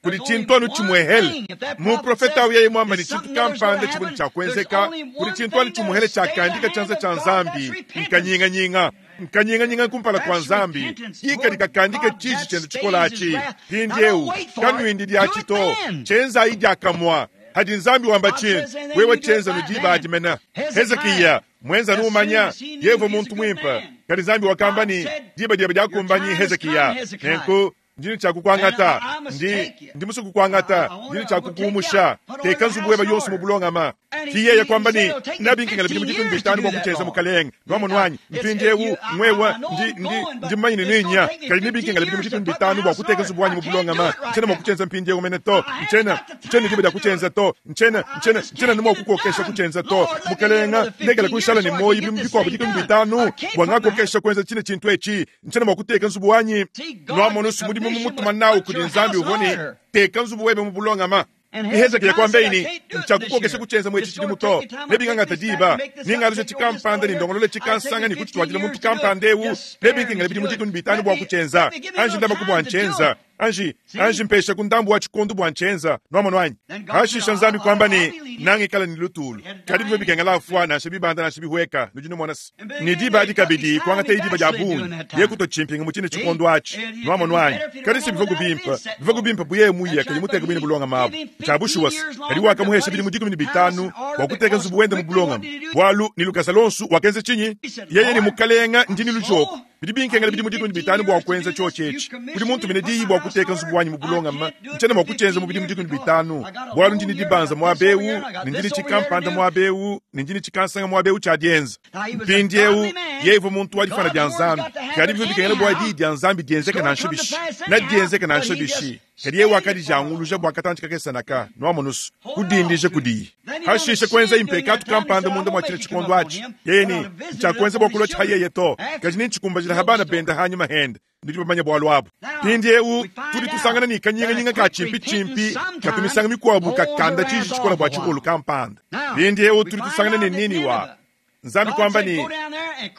kuli chintwanu chimwehele muprofeta uyaye mwamba ni chintu kampanda chibuni chakwenzeka kuli chintwanu chimuhele chakandika chanza cha nzambi nkanyinganyinga nkanyinganyinga kumpala kwa nzambi ika likakandika chichi chendo chikolachi pindiewu kanwindi lyachito chenza idyakamwa hadi nzambi wamba chintu wewe chenza nudiba adimena Hezekiya mwenza numanya yevo muntu mwimpa kadi nzambi wakamba ni diba dyeba dyakumbanyi Hezekiya nenku ndini chakukwangata Ndi ndi musue kukuangata, ndi ne tshia kukuumusha. Teka nzubu webe yonso mu bulongama. Ki yeye kwamba ne, Nabinkengela bidimu dikumi ne bitanu bua kutshienza, mukalenge. Nwamonu anyi? Mpindiewu, ngwewa, ndi, ndi, ndi mumanye ne ninya. Kadi nebinkengela bidimu dikumi ne bitanu bua kuteka nzubu wanyi mu bulongama. Ntshiena mua kutshienza mpindiewu mene to. Ntshiena, ntshiena ne diba dia kutshienza to. Ntshiena, ntshiena, ntshiena ne mua kukokesha kutshienza to. Mukalenga, ndekela kushala ne muoyi bidimu bikuabu dikumi ne bitanu bua ngakokesha kuenza tshine tshintu etshi. Ntshiena mua kuteka nzubu wanyi. Nwamonu mudimu mumutuma nawu kudi Nzambi uvua ne, teka nzubu webe mu bulongama. Hezekiya kwamba ne, ntshiakukokesha kutshienza mu etshi tshidimu to. Nebingangata diba, ningaluja tshikampanda ne ndongolole tshikansanga ne kutshituadila muntu kampanda ewu. Nebinkengela bidimu dikumi ne bitanu bua kutshienza. Anji ndamaku bua ntshienza. Anji, anji mpesha ku ndambu wa tshikondu bua ntshienza. Nwamonu anyi? Hashisha Nzambi kwamba ne, nangikala ne lutulu. Kadi bivua bikengela afua, nansha bibanda nansha bihueka. Nudi numona se, ne diba adi kabidi kuangata diba dia bungi, ye kutua tshimpinga mu tshine tshikondu atshi. Nwamonu anyi? Kadi se bivua kubimpa, bivua kubimpa buye muye, kadi muteka bwine bulongama abu. Tshia bushuwa se, kadi wakamuhesha bidimu dikumi ne bitanu bua kuteka nzubu wende mu bulongama. Bualu ne lukasa lonso wakenza tshinyi? Yeye ne mukalenga ndi ne lujoko. Bidi binkengela bidimu dikumi ne bitanu bua kuenza tshiotshi etshi. Kudi muntu mene diyi bua kuteka nzubu wanyi mu bulongama, ntshiena mua kutshienza mu bidimu dikumi ne bitanu. Bualu ndi ne dibanza muaba ewu, ne ndi ne tshikampanda muaba ewu, ne ndi ne tshikansanga muaba ewu tshia dienza. Mpindiewu, yeye uvua muntu wa difana dia Nzambi. Kadi bivua bikengela bua diyi dia Nzambi dienzeke nansha bishi. Na dienzeke nansha bishi. Kadi yeye wakadijanguluja bua katantshi kakese naka, nwamonusu, kudindija kudiyi. Hashisha kuenza impekatu kampanda munda mua tshine tshikondo atshi. Yeye ne, ntshiakuenza bua kulua tshiha yeye to. Kadi nentshikumbajila ha bana benda hanyuma hende. Nudi bamanye bualu abu. Mpindiewu, tudi tusangana ne kanyinganyinga ka tshimpi-tshimpi katu misangu mikuabu kakanda tshiji tshikola bua tshikolu kampanda. Mpindiewu, tudi tusangana ne Niniwa. Nzambi kwamba ne,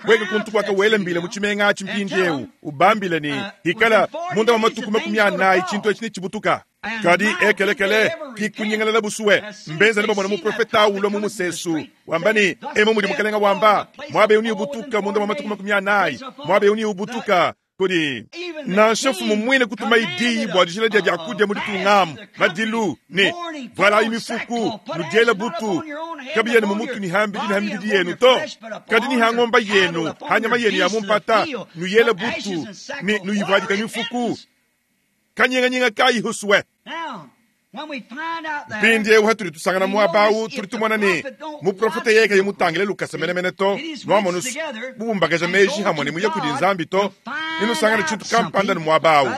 weka kuntu kwaka wela mbila mu tshimenga atshi mpindiewu, ubambile ne, hikala munda wa matuku makumi anayi tshintu etshi ne tshibutuka. Kadi ekelekele kikunyingalala busuwe. Mbenza ne bamona muprofeta ulua mu musesu. Wamba ne, emu mudi mukalenga wamba, muaba ewu ni ubutuka munda wa matuku makumi anayi, muaba ewu ni ubutuka. Kudi nansha mfumu mwine kutuma idiyi bua dijila dia biakudia mu ditungamu, madilu ne valayi mifuku, nudiela butu. Kabiya ne mumutu ni hambidi ni hambidi yenu to. Kadi ni hangomba yenu, hanyama yenu ya mumpata, nuyela butu ne nuyivadika mifuku. Kanyinganyinga kayi husuwe. Mpindiewu hatudi tusangana muaba awu, tudi tumona ne, muprofete yeye kayi mutangile lukasa menemene to. Nwamonusu, bubumbakaja meji hamwe ne muye kudi Nzambi to. Ninusangana tshintu kampanda ne muaba awu.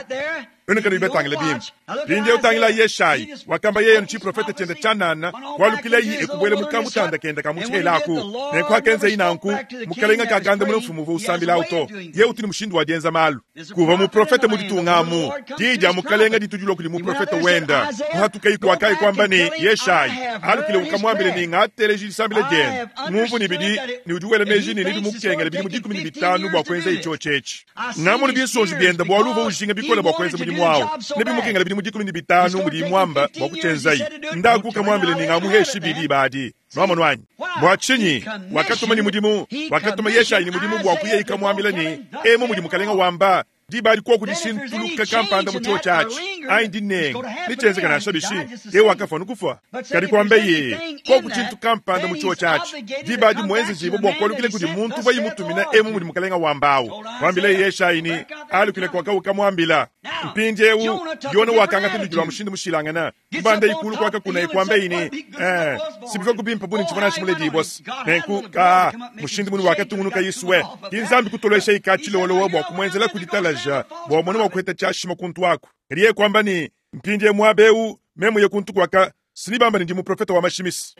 Enu kadi betangile bimpe. Mpindiewu tangila Yeshayi, wakamba yeye ntshiprofete tshiende tshianana, kualukilayi ekubwela mu kamutanda kende ka mutshihelaku. Nenku hakenza inanku, mukalenga kakanda mune mfumu uvua usambilawu to. Ye utu ne mushindu wa dienza malu. Kuva muprofete mu ditungamu, diyi dia mukalenga ditudilwa kudi muprofete wenda. Kuhatukayi kuakayi kwamba ne, Yeshayi, alukile ukamwambile ne ngateleji disambila diende. Ngumvu ne bidi, ne udi wela meji ne nidi mukengela bidimu dikumi ne bitanu bua kuenza itsho tshetshi. Ngamunu binsonji biende bualu uvua ujinga bikole bua kuenza mudimu wawu. Nebimukengela bidimu dikumi ne bitanu mudi mwamba bua kutshienzayi. Ndaku kamwambile ne ngamuheshi bidi badi. Nwamonu anyi? Bua tshinyi? Wakatuma ne mudimu, wakatuma Yeshayi ne mudimu bua kuyeyi kamwambila ne, emu mudi mukalenga wamba, diba adi koku dishintuluka kampanda mu tshiotshi atshi. Anyi dinenga, netshienzeka nansha bishi, yeye wakafua nukufua. Kadi kwamba ye, koku tshintu kampanda mu tshiotshi atshi. Diba adi muenzejibo bua kualukile kudi muntu uvua yimutumina emu mudi mukalenga wambawu. Kwambila Yeshayi ne, alukile kwaka ukamwambila. Mpindiewu, Yona wakangata ludi lwa mushindu mushilangana. Kubanda ikulu kwaka kuna kwamba ine, eh, sibivua kubimpa buni ntshivua nansha muledi bosi. Nenku, ka, mushindu munu wakatungunuka Yesuwe. Ki Nzambi kutolesha ikatshilolowa bua kumuenzela kuditalaja, bua mona wa kuheta tshiashima kuntu aku. Kadi yeye kwamba ne, mpindie muaba ewu, memu ye kuntu kwaka, sinibamba ne ndi muprofeta wa mashimisi.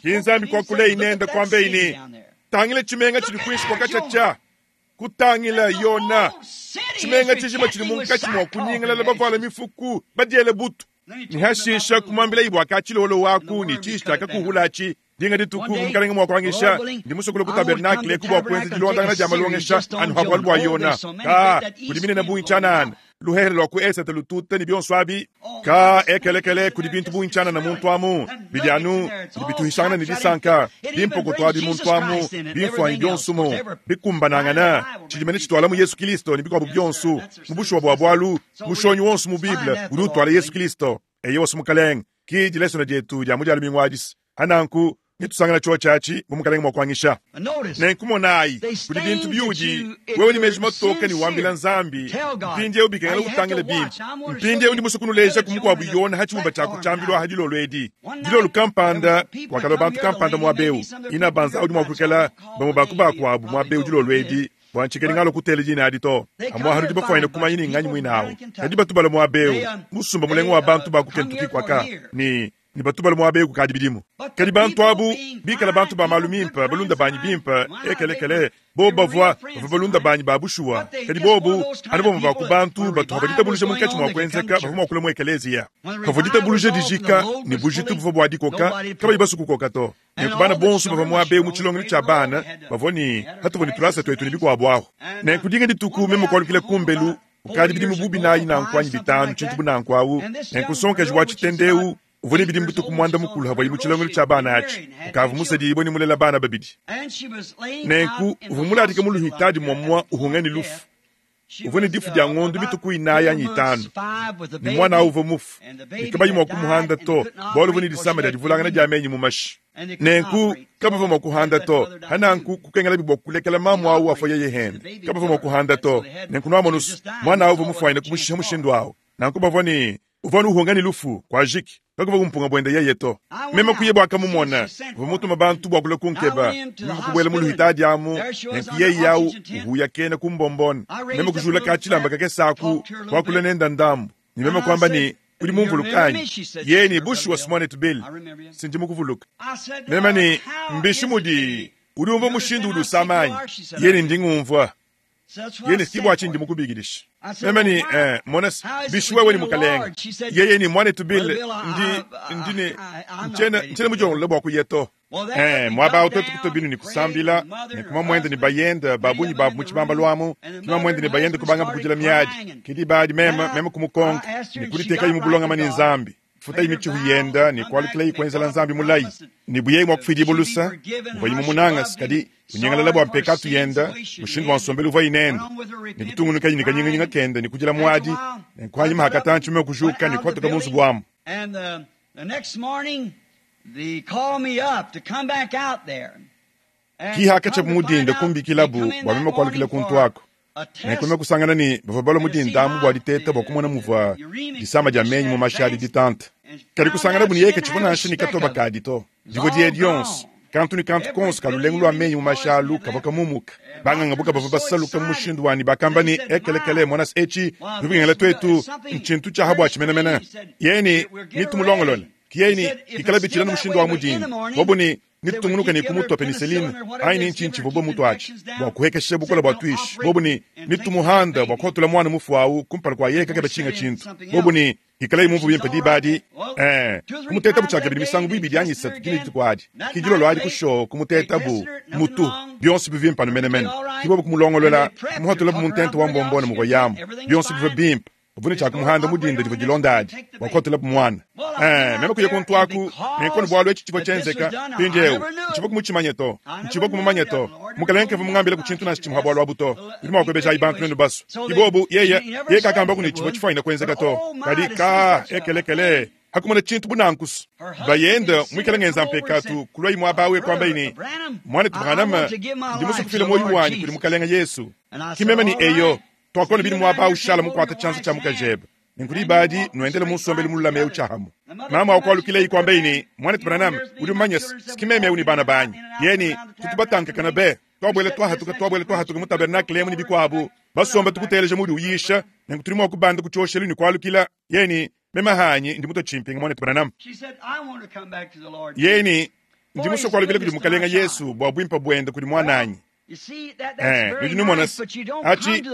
Ki Nzambi kwakula inenda kwamba ine, tangila tshimenga tshidi kuinshi kwakatshatsha. Kutangila Yona, tshimenga tshijima tshidi munkatshi mua kunyingalala bavuala mifuku, badiele butu. Nihashisha kumwambila ibwa katshilolo waku ni tshishi tshiakakuhulatshi. Dinga dituku mukalenga mua kuangisha, ndi musokolo ku tabernakle ku bua kuenza dilondangana dia malongesha anu ha bualu bua Yona. Ka, kudi minene bungi tshianana, luhehele lua ku esete lututa ne bionso abi. Ka, ekelekele kudi bintu bungi tshianana muntu amu, bidi anu bidi bituhishangana ne disanka, bimpoko abi muntu amu, bimfuanyi bionso mu, bikumbanangana, tshidimene tshitwala mu Yesu Kristo ne bikuabu bionso, mu bushuwa bua bualu, mushonyi wonso mu Bible udi utwala Yesu Kristo. Eye wose mukalenga, ki dilesona dietu dia mu dia lumingu adisi. Hananku, Netusangana tshiotshi atshi bu mukalenge mua kuanyisha. Nenku monayi, kudi bintu biudi wewe ne meji matoke ne wambila Nzambi mpindieu bikengela utangile bimpe. Mpindieu ndi musue kunuleja ku mukuabu Yona ha tshibumba tshia kutshiambilu aha dilolo edi. Dilolo kampanda kuakalua bantu kampanda muaba eu. Ina banza udi mua kuikala bamue ba ku bakuabu muaba eu dilolo edi. Bua ntshikadi ngalo kutela dina adi to. Amua hanu bafuanyine kumanya ni nganyi muine awu. Kadi batu balua muaba eu, musumba mulenga wa bantu ba ku Kentucky kuaka ni ni batu balua muaba eu kukadi bidimu. Kadi bantu abu bikala bantu ba malu mimpe, balunda banyi bimpe, ekelekele, bobu bavua bavua balunda banyi ba bushuwa. Kadi bobu anu bamue ba ku bantu batu baditabuluja munkatshi mua kuenzeka bavua mua kulua mu ekeleziya. Pavua ditabuluja dijika ne bujitu buvua bua dikoka, kabayi basu kukoka to. Nenku bana bonso bavua muaba eu mu tshilongelu tshia bana bavua ne hatuvua ne tulasa tuetu ne bikuabu ahu. Nenku dinga dituku meme kualukila kumbelu ukadi bidimu bu binayi nanku anyi bitanu tshintu bu nanku awu. Nenku nsongakaji wa tshitende eu uvua ne bidimu butuku muanda mukulu havuaye mu tshilongelu tshia bana atshi. Ukavua musedibue ne mulela bana babidi. Nenku uvua muladika mu luhitadi muamua uhunga ne lufu. Uvua ne difu dia ngondu mituku inayi anyi itanu. Ne mwana awu uvua mufu. Ne kabayi mua kumuhanda to, bualu uvua ne disama dia divulangana dia menyi mu mashi. Nenku kabavua mua kuhanda to. Hananku kukengela bibua kulekela mamu awu afua yeye hende. Kabavua mua kuhanda to. Nenku nuamonusu, mwana awu uvua mufuanyine kumushiha mushindu awu. Nanku bavua ne uvua nuhunga ne lufu kwa jiki. Kakuvua kumpunga buende yeye to. Meme kuye bua kamumona, uvua mutuma bantu bua kulua kunkeba. Meme kubuela mu luhitadi amu, nenku yeye awu uhuya kena kumbombona. Meme kujula ka tshilamba kakese aku, kuakula nenda ndambu. Ne meme kuamba ne udi mumvuluka anyi? Yeye ne bushuwa Simone Bill. Sindi mukuvuluka. Meme ne mbishi mudi udi umvua mushindu udi usama anyi? Yeye ne ndi ngumvua. Yeye ne si bua tshindi mukubikidisha. Meme ne eh, mona bishi wewe ni mukalenge. Yeye ni mwanetu Bill ndi ndi ne nchena nchena mujongolola bua kuya to. Eh, mwaba awu twetu kutua binu ni kusambila, ne kuma mwende ni bayenda babunyi babu mu tshibamba lwamu, kuma mwende ni bayenda kubanga bukujila miadi. Kidi badi meme meme kumukonka, ni kuditeka yimu bulongama ni Nzambi. Futa imichihu yenda ni kualukila ikwenzela Nzambi mulayi. Ni buyeyi mwa kufidi bulusa, muvua yimu munanga kadi unyengalala bua mpekatu yenda, mushindu wa nsombelu uvua inenda. Ni kutungunuka ni kanyinganyinga kenda ni kujila mwadi, ne kuhanyima hakatanchi meme kujuka ni kuhatuka mu nzubu wamu. And the, the next morning they called me up to come back out there. Ki hakacha mudinda kumbikilabu bua meme kualukila kuntu ako. Nenku kusangana ni bavua balua mudinda amu bua diteta bua kumona muvua disama dia menyi mu mashi adi ditanta. Kadi kusangana bu ni yeye katshivua nansha ni katoba kadi to. Divua diye dionso, kantu ni kantu konso kalulengu lua menyi mu mashi alu kavua kamumuka. Banganga buka bavua basaluka mu mushindu wani bakamba ni ekelekele mwana echi bibingela twetu nchintu tsha habwa tshimenemene. Yeye ni nitumulongolole. Kiyeye ni ikala bichila no mushindu wa mudinda. Bobu ni nitungunuka ni kumutwa penicillin aini nchinchi vobo mutu achi bua kuhekesha bukola bua tuishi. Bobu ni nitumuhanda bua kuhotula mwana mufu awu kumpala kwa yeye kakeba tshinga chintu. Bobu ni ikala imumvu bimpe dibadi eh kumuteta buchaka bidi misangu bibidi anyi isatu kini dituku adi. Kidilolo adi kusho kumuteta bu mutu bionso bivimpa no menemene. Kibobu kumulongolola kumuhotula bu muntente wa mbombone mu yamu bionso biva bimpe. Uvune cha kumuhanda mudinda divua dilonda adi bua kuhotula bu mwana. Eh, meme kuya kuntu aku nenkono bwalu echi chivua chenzeka mpindieu nchivua kumuchimanya to nchivua kumumanya to mukalenge kavua mungambila ku tshintu nansha tshimuha bwalu abu to. Udi mua kuebeja ayi bantu nenu basu ibobu yeye yeye kakamba kuni chivua tshifuanyina kuenzeka to. Kadi ka ekelekele hakumona tshintu bunankusu bayenda mwikala ngenza mpekatu kulwa imwe abawe kwamba ini mwanetu Branham ndi musue kufila moyo wanyi kuli mukalenge Yesu. Kimeme ni eyo twakona bili mwaba ushala mukwata chanzo cha mukajebe. Ninkuli badi nuendele musombele mululame uchahamu. Mama wakwalukile ikwamba ini mwanetu Branham udi umanya sikimeme eu ni bana banyi. Yeni tutubatanka kana be twabwele twahatuka twabwele twahatuka mu tabernakle emu ni bikwabu basomba tukuteleja mudi uyisha nenku tuli mua kubanda kuchoshelu ni kwalukila. Yeni mema hanyi ndi muto chimpinga mwanetu Branham. Yeni ndi musue kwalukila kudi mukalenga Yesu bua bwimpa bwenda kudi mwananyi. Eh, nudi numona achi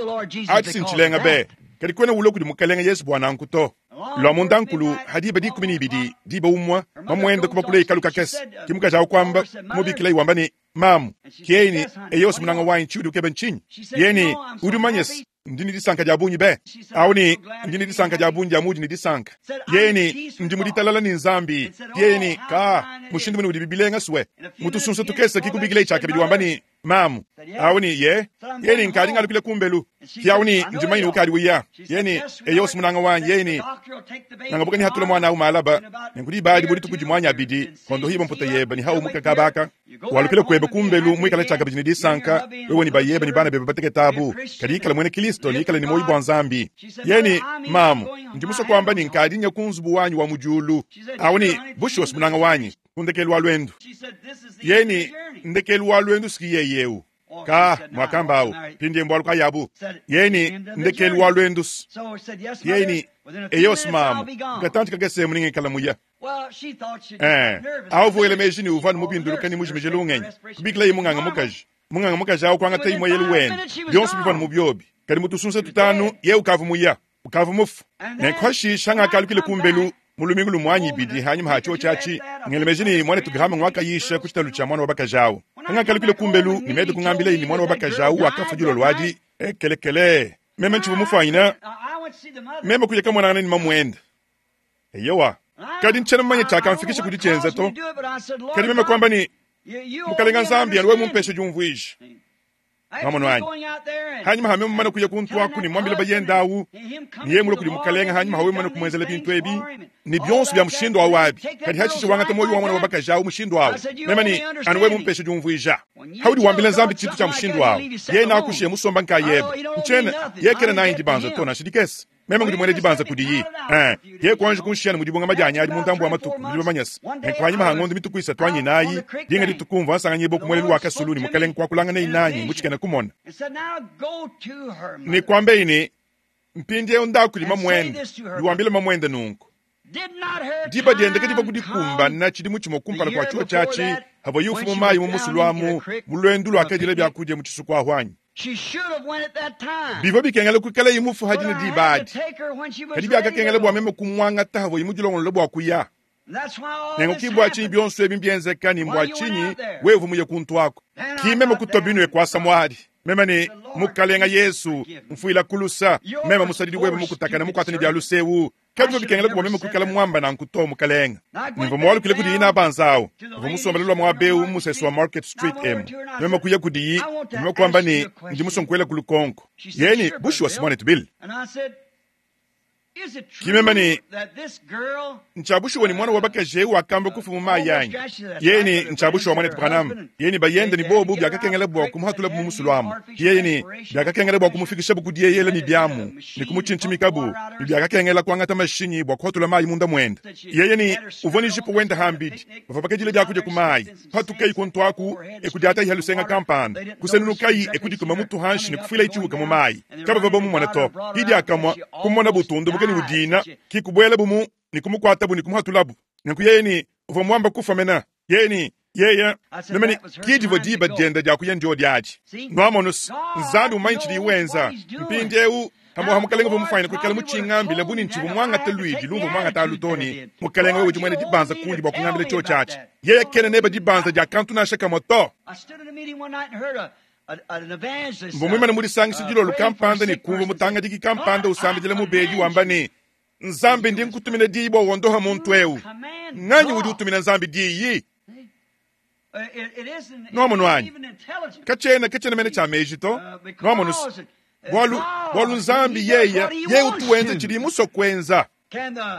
achi sinchilenga be kadi kwena ulo kudi mukalenga Yesu bwana anku to. Lwa munda nkulu hadiba dikumi ni ibidi diba umwa mamwenda kuba kule ikalu kakese kimukaja akwamba mubikila iwamba ni mamu kiyeni eyosi munanga wanyi chiudi ukebe nchinyi. Yeni udi umanyesi ndi ni disanka dia bunyi be au ni ndi ni disanka dia bunyi dia mudi ni disanka. Yeni ndi muditalala ni Nzambi. Yeni ka mushindu mune udi bibilenga swe mutusunsa tukese kikubikila ichaka bidi wamba ni Mamu awu ni ye yeni nkadi ngalukile kumbelu. Ki ni ndimanyine ukadi wiya. Yeni eyo simunanga wanyi yeni nangabuka ni hatula mwana awu malaba. Nenkudi badi budi tukuji mwanya abidi. Kondo hibo mputa yeba ni hau muka kabaka. Walukile kweba kumbelu mwikala chaka bijini disanka. Wewe ni bayeba ni bana beba bateke tabu. Kadi ikala mwene Kristo ni ikala ni moyi bwa Nzambi. Yeni mamu ndimuso kwamba ni nkadi nya kunzubu wanyi wa mujulu. Awu ni bushi wa simunanga wanyi. Kundekelu wa lwendu. Yeni ndekelu wa lwendu sikiye yeu. Ka mwakambao pindi mbwaluka yabu. Yeni ndekelu wa lwendu. Yeni eyos mamu katanti kagese muninge kalamuya. Eh, awu ele mejini uvanu mubinduluka ni mujimije lungenyi. Kubikila imunganga mukaji. Munganga mukaji awu kwanga tayi moyelu wen. Bionso bivanu mubyobi. Kali mutusunse tutanu ye ukavu muya. Ukavu mufu. Nenkwashi shanga kalukile kumbelu mulumingu lumwanyi bidi hanyuma hacho chachi ngelemejini mwana tugrama ngwaka yisha kuchitalu cha mwana wabakajawo nga kalukile kumbelu ni medo kungambile ni mwana wabakajawo wakafa julo lwadi ekelekele meme nchivu mufanyina meme kuja kama mwana ni mamwenda eyowa kadi nchena mmanye chaka mfikisha kudichenza to kadi meme kwamba ni mukalenga Nzambi aliwe mumpeshe jumvuishi Mamono wanyi hanyuma hame mumana kuja kuntwaku ni mwambile bayendawu ni yemule kuli mukalenga hanyuma hawe mumana kumwenzela bintu ebi ni byonso bya mushindo awabi kadi hachishi wangata moyo wa mwana wabakajawu mushindo awu mema ni anuwe mumpeshe jumvuija haudi wambile Nzambi chitu cha mushindo awu ye nakushiye musomba nkayeba nchena yekera nayi ndibanza tona shidikesi meme ngudi mwene dibanza kudiyi eh ye kwanje kunshiyana mudibonga majanya ali muntambo wa matuku mudiba manyasi enkwanyima hangondo mitukuisa twanyi nayi dinga ditukumva nsanganye bo kumwele lwa kasuluni mukalenga kwakulanga nei nanyi muchikena kumona ni kwambe ini mpindi unda kulima mwende liwambile mamwende nunku diba diendeke diba kudikumba na chidimu chimo kumpala kwa chuo chachi havo yufu mumayi mumusulwamu mulwendu lwakadile byakudya muchisuku ahwanyi. Bivo bikengele kukala imufu hadine dibadi. Kadi byakakengele bwa meme kumwanga tahavo imujilongolo bwa kuya. Nengo kibwa chinyi byonso ebi mbyenzeka ni mbwa chinyi wevu muye kuntwako. Kimeme kutobinwe kwa samwadi. Meme ni mukalenga Yesu mfuila kulusa meme musadidi wewe mukutakana mukwatani bya lusewu. Kadi bikengele bwa meme kukala mwamba na nkuto mukalenga. Nivo mwalu kile kudi ina banzao. Nivo musombelelwa mwabeu musesu wa Market Street M. Meme kuya kudi meme kwamba ni ndimusonkwela kulukonko. Yeni bushi wa Simone Tubil. Kimema ni nchabushi wani mwana wabakaje wakamba kufu mumayanyi. Yeni nchabushi wa mwana Branham. Yeni bayende ni bobu byakakengele bwa kumuhatula mumusulwamu. Yeni byakakengele bwa kumufikisha bukudiye yele ni byamu. Ni kumuchinchimikabu. Byakakengela kwangata mashinyi bwa kuhatula mayi munda mwenda. Yeye uvoni jipo wenda hambidi. Bavabakajile byakuja kumayi. Patukai kontwaku ekujata ihalusenga kampanda. Kusenunukai ekudikuma mutu hanshi ni kufila ichibuka mumayi. Kaba babomu mwana top. Hidi akamwa kumona butundu bukeni udina kikubwela bumu ni kumukwatabu ni kumuhatulabu. Nenku yeni uva mwamba kufa mena. Yeni yeye nemeni kidivo diba dienda dia kuyendio diaji. Nwamonus nzandu manchi wenza. Mpindi eu hamo hamukalenga vumufanya kukala muchingambile buni nchivu mwanga teluidi lumvu mwanga talutoni mukalenga wewe jumwene dibanza kundi bwa kungambile cho chachi. Yeye kene neba dibanza dia kantu na shaka moto. Mbomwimana muri sangisi jilo lukampanda ni kumva mutanga diki kampanda usambijele mubedi wambani Nzambi ndi nkutumina diyi bwa wondoha muntu eu. Nganyi udi utumina Nzambi diyi. Nomono anyi. Kachena kachena mene cha mejito. Nomono Bwalu bwalu Nzambi yeya ye utuwenza chili muso kwenza.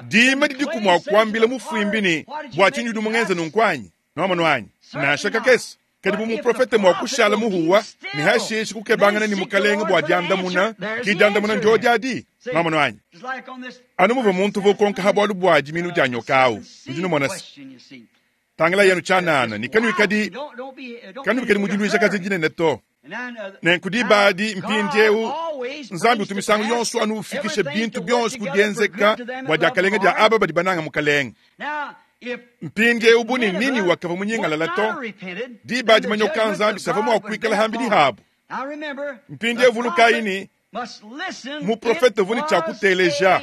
Dima didi kumwa kwambile mufuimbini bwa chinyudu mungenza nunkwanyi. Nomono anyi. Na shaka kesi. Kadi mu profete mwa kushala muhuwa ni hashishi kukebangana ni mukalenga bwa diandamuna kidiandamuna njo diadi nomono anyi. Anu muva muntu vokonka habwalu bwa jiminu janyokawu. Ndino mona tangala yenu chanana ni kanu ikadi kanu ikadi mujuluisha kazi jine neto. Nenkudibadi mpindiewu Nzambi utumisangu yonso anu ufikishe bintu byonso kudienzeka bwa diakalenga dia aba badi bananga mukalenga. Mpindiewu buni nini wakava munyingala lato dibadi manyoka Nzambi sava mwa kuikala hambili habu. Mpindiewu vulukaini muprofete vuni chakuteleja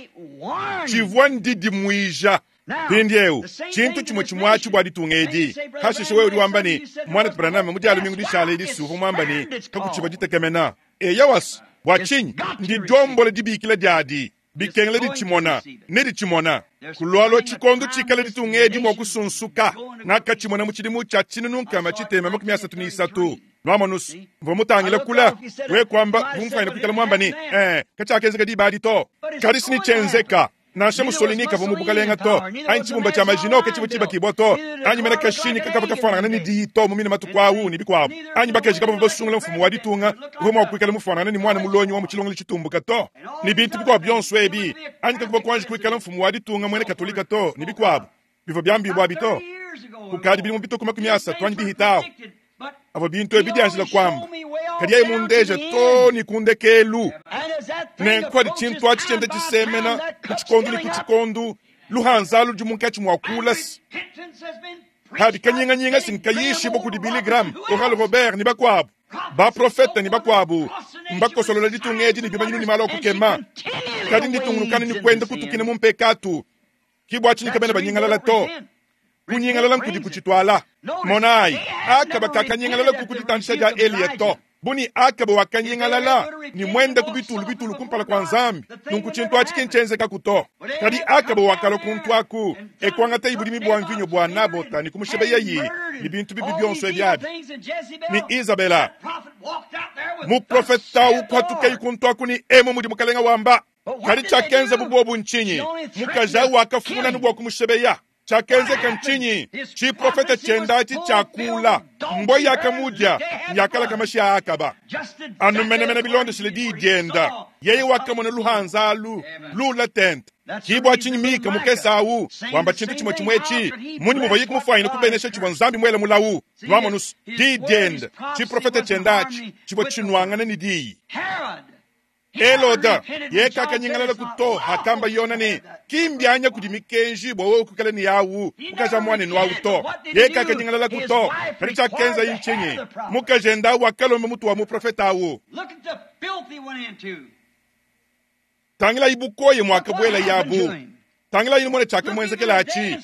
chivwa ndidi muija. Pindiewu chintu chimwe chimwachi bwa ditungedi hashishe wewe uliwambani mwana Branham mudialu mingu dishale disuvu mwambani kakuchiba ditekemena eyawas bwa chinyi ndi jombole dibikila diadi bikengele dichimona ne dichimona kulwalo chikondo chikale ditungedi mwa kusunsuka nakachimona muchidimu cha chinununkama chitema makumi asatu ni isatu Nwamonus, mvua mutangile kula, we kwamba mumfanya kuikala mwamba ni, eh, kachakezeka dibadi to. Kadisi ni chenzeka. Nansha Mussolini kavua mu bukalenga to, anyi tshibumba tshia Maginot ke tshivua tshibakibua to, anyi mena kashini kakavua kafuanangana ne diyi to mu mine matuku awu ne bikuabu, anyi bakaji kabavua basungula mfumu wa ditunga uvua mua kuikala mufuanangana ne mwana mulonyi wa mu tshilongelo tshitumbuka to, ne bintu bikuabu bionso ebi, anyi kakuvua kuanji kuikala mfumu wa ditunga muena katolika to, ne bikuabu bivua biambibua abi to. Kukadi bidimu bitue ku makumi asatu anyi bihita aho, avua bintu ebi bidianjila kuamba, kadi yeye mundeja to ne ku ndekelu. Nenku adi tshintu atshi tshienda tshisemena ku tshikondu ne ku tshikondu, luhanza ludi munkatshi mua kula hadi kanyinganyinga sinkayishibwa kudi Billy Graham, Oral Robert ne bakuabu baprofete ne bakuabu mbakosolola ditunga edi ne bimanyinu ne malu a kukema, kadi nditungunukana ne kuenda kutukina mu mpekatu kibwa tshinyi kabena banyingalala to. Kunyingalala nkudi kuchitwala. Monayi Akaba kakanyingalala kukuditandisha dia Eliya to. Buni Akaba wakanyingalala ni mwenda kubitulu bitulu kumpala kwa Nzambi, nunku tshintu atshi kinchenzeka kuto. Kadi Akaba wakala kuntwaku ekwangata ibulimi bwa mvinyo bwa Nabota ni kumushebeya yi ni bintu bibi byonso ebyabi ni Isabela muprofeta ukwatuka ikuntwaku ni emu mudi mukalenga wamba. Kadi chakenza bubobu nchinyi mukaja wakafuna nubwa kumushebeya. Chakenzeka nchinyi chiprofeta chendachi chakula mbo yakamudya yakala kamasha Akaba anumenemene bilondeshile didienda yeye wakamona luhanzalu lula tente kibwa chinyi Mika mukesau wamba chintu chimwe chimwechi munyi muva yikumufwanyina kubenesha chibwa Nzambi mwele mulawu lwamonus didienda chiprofeta chendachi chibwa chinwangana ni diyi. Eloda yekakanyingalala kuto hakamba yona ni kimbyanya kudi mikenji bwa wewe kukala ni yawu mukaja mwane nwa uto yekakanyingalala kuto kadi chakenza inchinyi mukajenda wakalombe mutu wa muprofeta awu tangila ibukoye mwakabwela yabu tangila ino mwana chakamwenzekela achi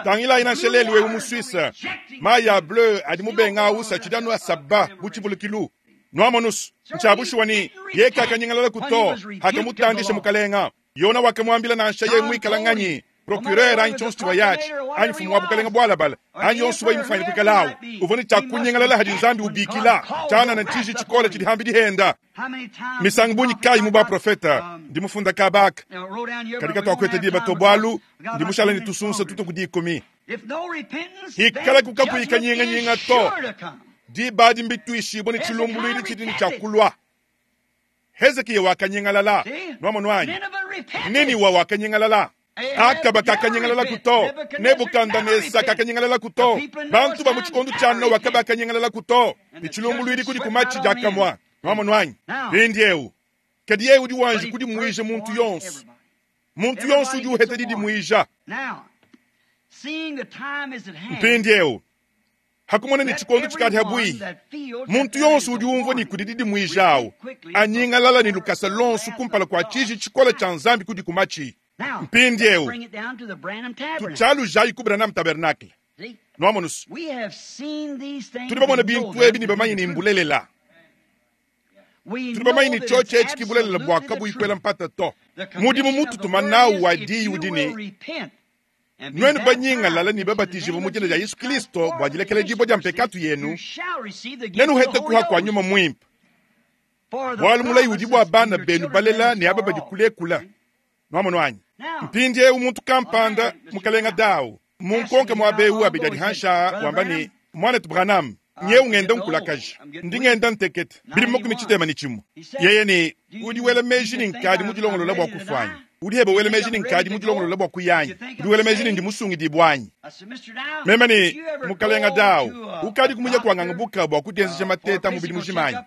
tangila ina shelelu wewe mu Suisse maya bleu adi mubenga awusa chidanu asaba buchibulukilu Nwamonus nchabushuwa ni yekakanyingalala kuto hakamutandisha mukalenga yona wakamwambila nansha ye mwikala nganyi procureur anyi chonso chiwa yachi anyi mfumu wa bukalenga bwalabala anyi yonso wa imufanya kuikalawu uvone chakunyingalala hadi Nzambi ubikila chana na ntiji chikola chidi hambi dihenda misangu bunyi kayi mu baprofeta ndi mufunda kabaka kadika twakwete diba tobwalu ndi mushala ni tusunsa tuto kudikumi hikala kukakuyikanyinganyinga to dibadi mbitwishibwa ni chilumbulwili chidi ni chakulwa. Hezekiya wakanyingalala nwamonwanyi Niniwa wakanyingalala Akaba kakanyingalala kuto Nebukadneza kakanyingalala kuto bantu ba mu chikondo cha Noa kabakanyingalala kuto ni chilumbulwili kudi kumachi jakamwa nwamonwanyi Bindiewu kadi yewu udi wanji kudi muija muntu yonso muntu yonso udi uheta didi muija Mpindiewu hakumona ni chikondo chikati habui muntu yonso udi umvwa ni kudi didi muijawo anyingalala ni lukasa lonso kumpala kwa chiji chikola cha Nzambi kudi kumachi. Mpindiewu tuchalu jayi ku Branham Tabernacle nwamonus tuli bamona bintu ebi ni bamanyi ni mbulelela tuli bamanyi ni choche echi kibulelela bwaka buikwela mpata to mudimu mutu tumanawu wa diyi udini nwenu banyingalala ni babatijibwa mu jina lya Yesu Kristo bwajilekela jibo lya mpekatu yenu nenu hete kuha kwa nyuma mwimpa bwalu mulayi udi bwa bana benu balela ne aba badi kulekula nwamonwanyi mpindiewu muntu kampanda mukalenga dawu munkonke mwabewu abidi adi hansha wamba ni mwanetu Branham nyewu ngenda nkulakaja ndi ngenda ntekete bili makumi tshitema ni chimwe yeye ni udi wela meji ni nkadi mudilongolola bwa kufwanya udi hebe wela meji ni nkadi mudilongolola bwa kuyanyi udi wela meji ni ndi musungidi bwanyi meme ni mukalenga dawu ukadi kumunya kwanganga buka bwa kudienzesha mateta mubili mujimanyi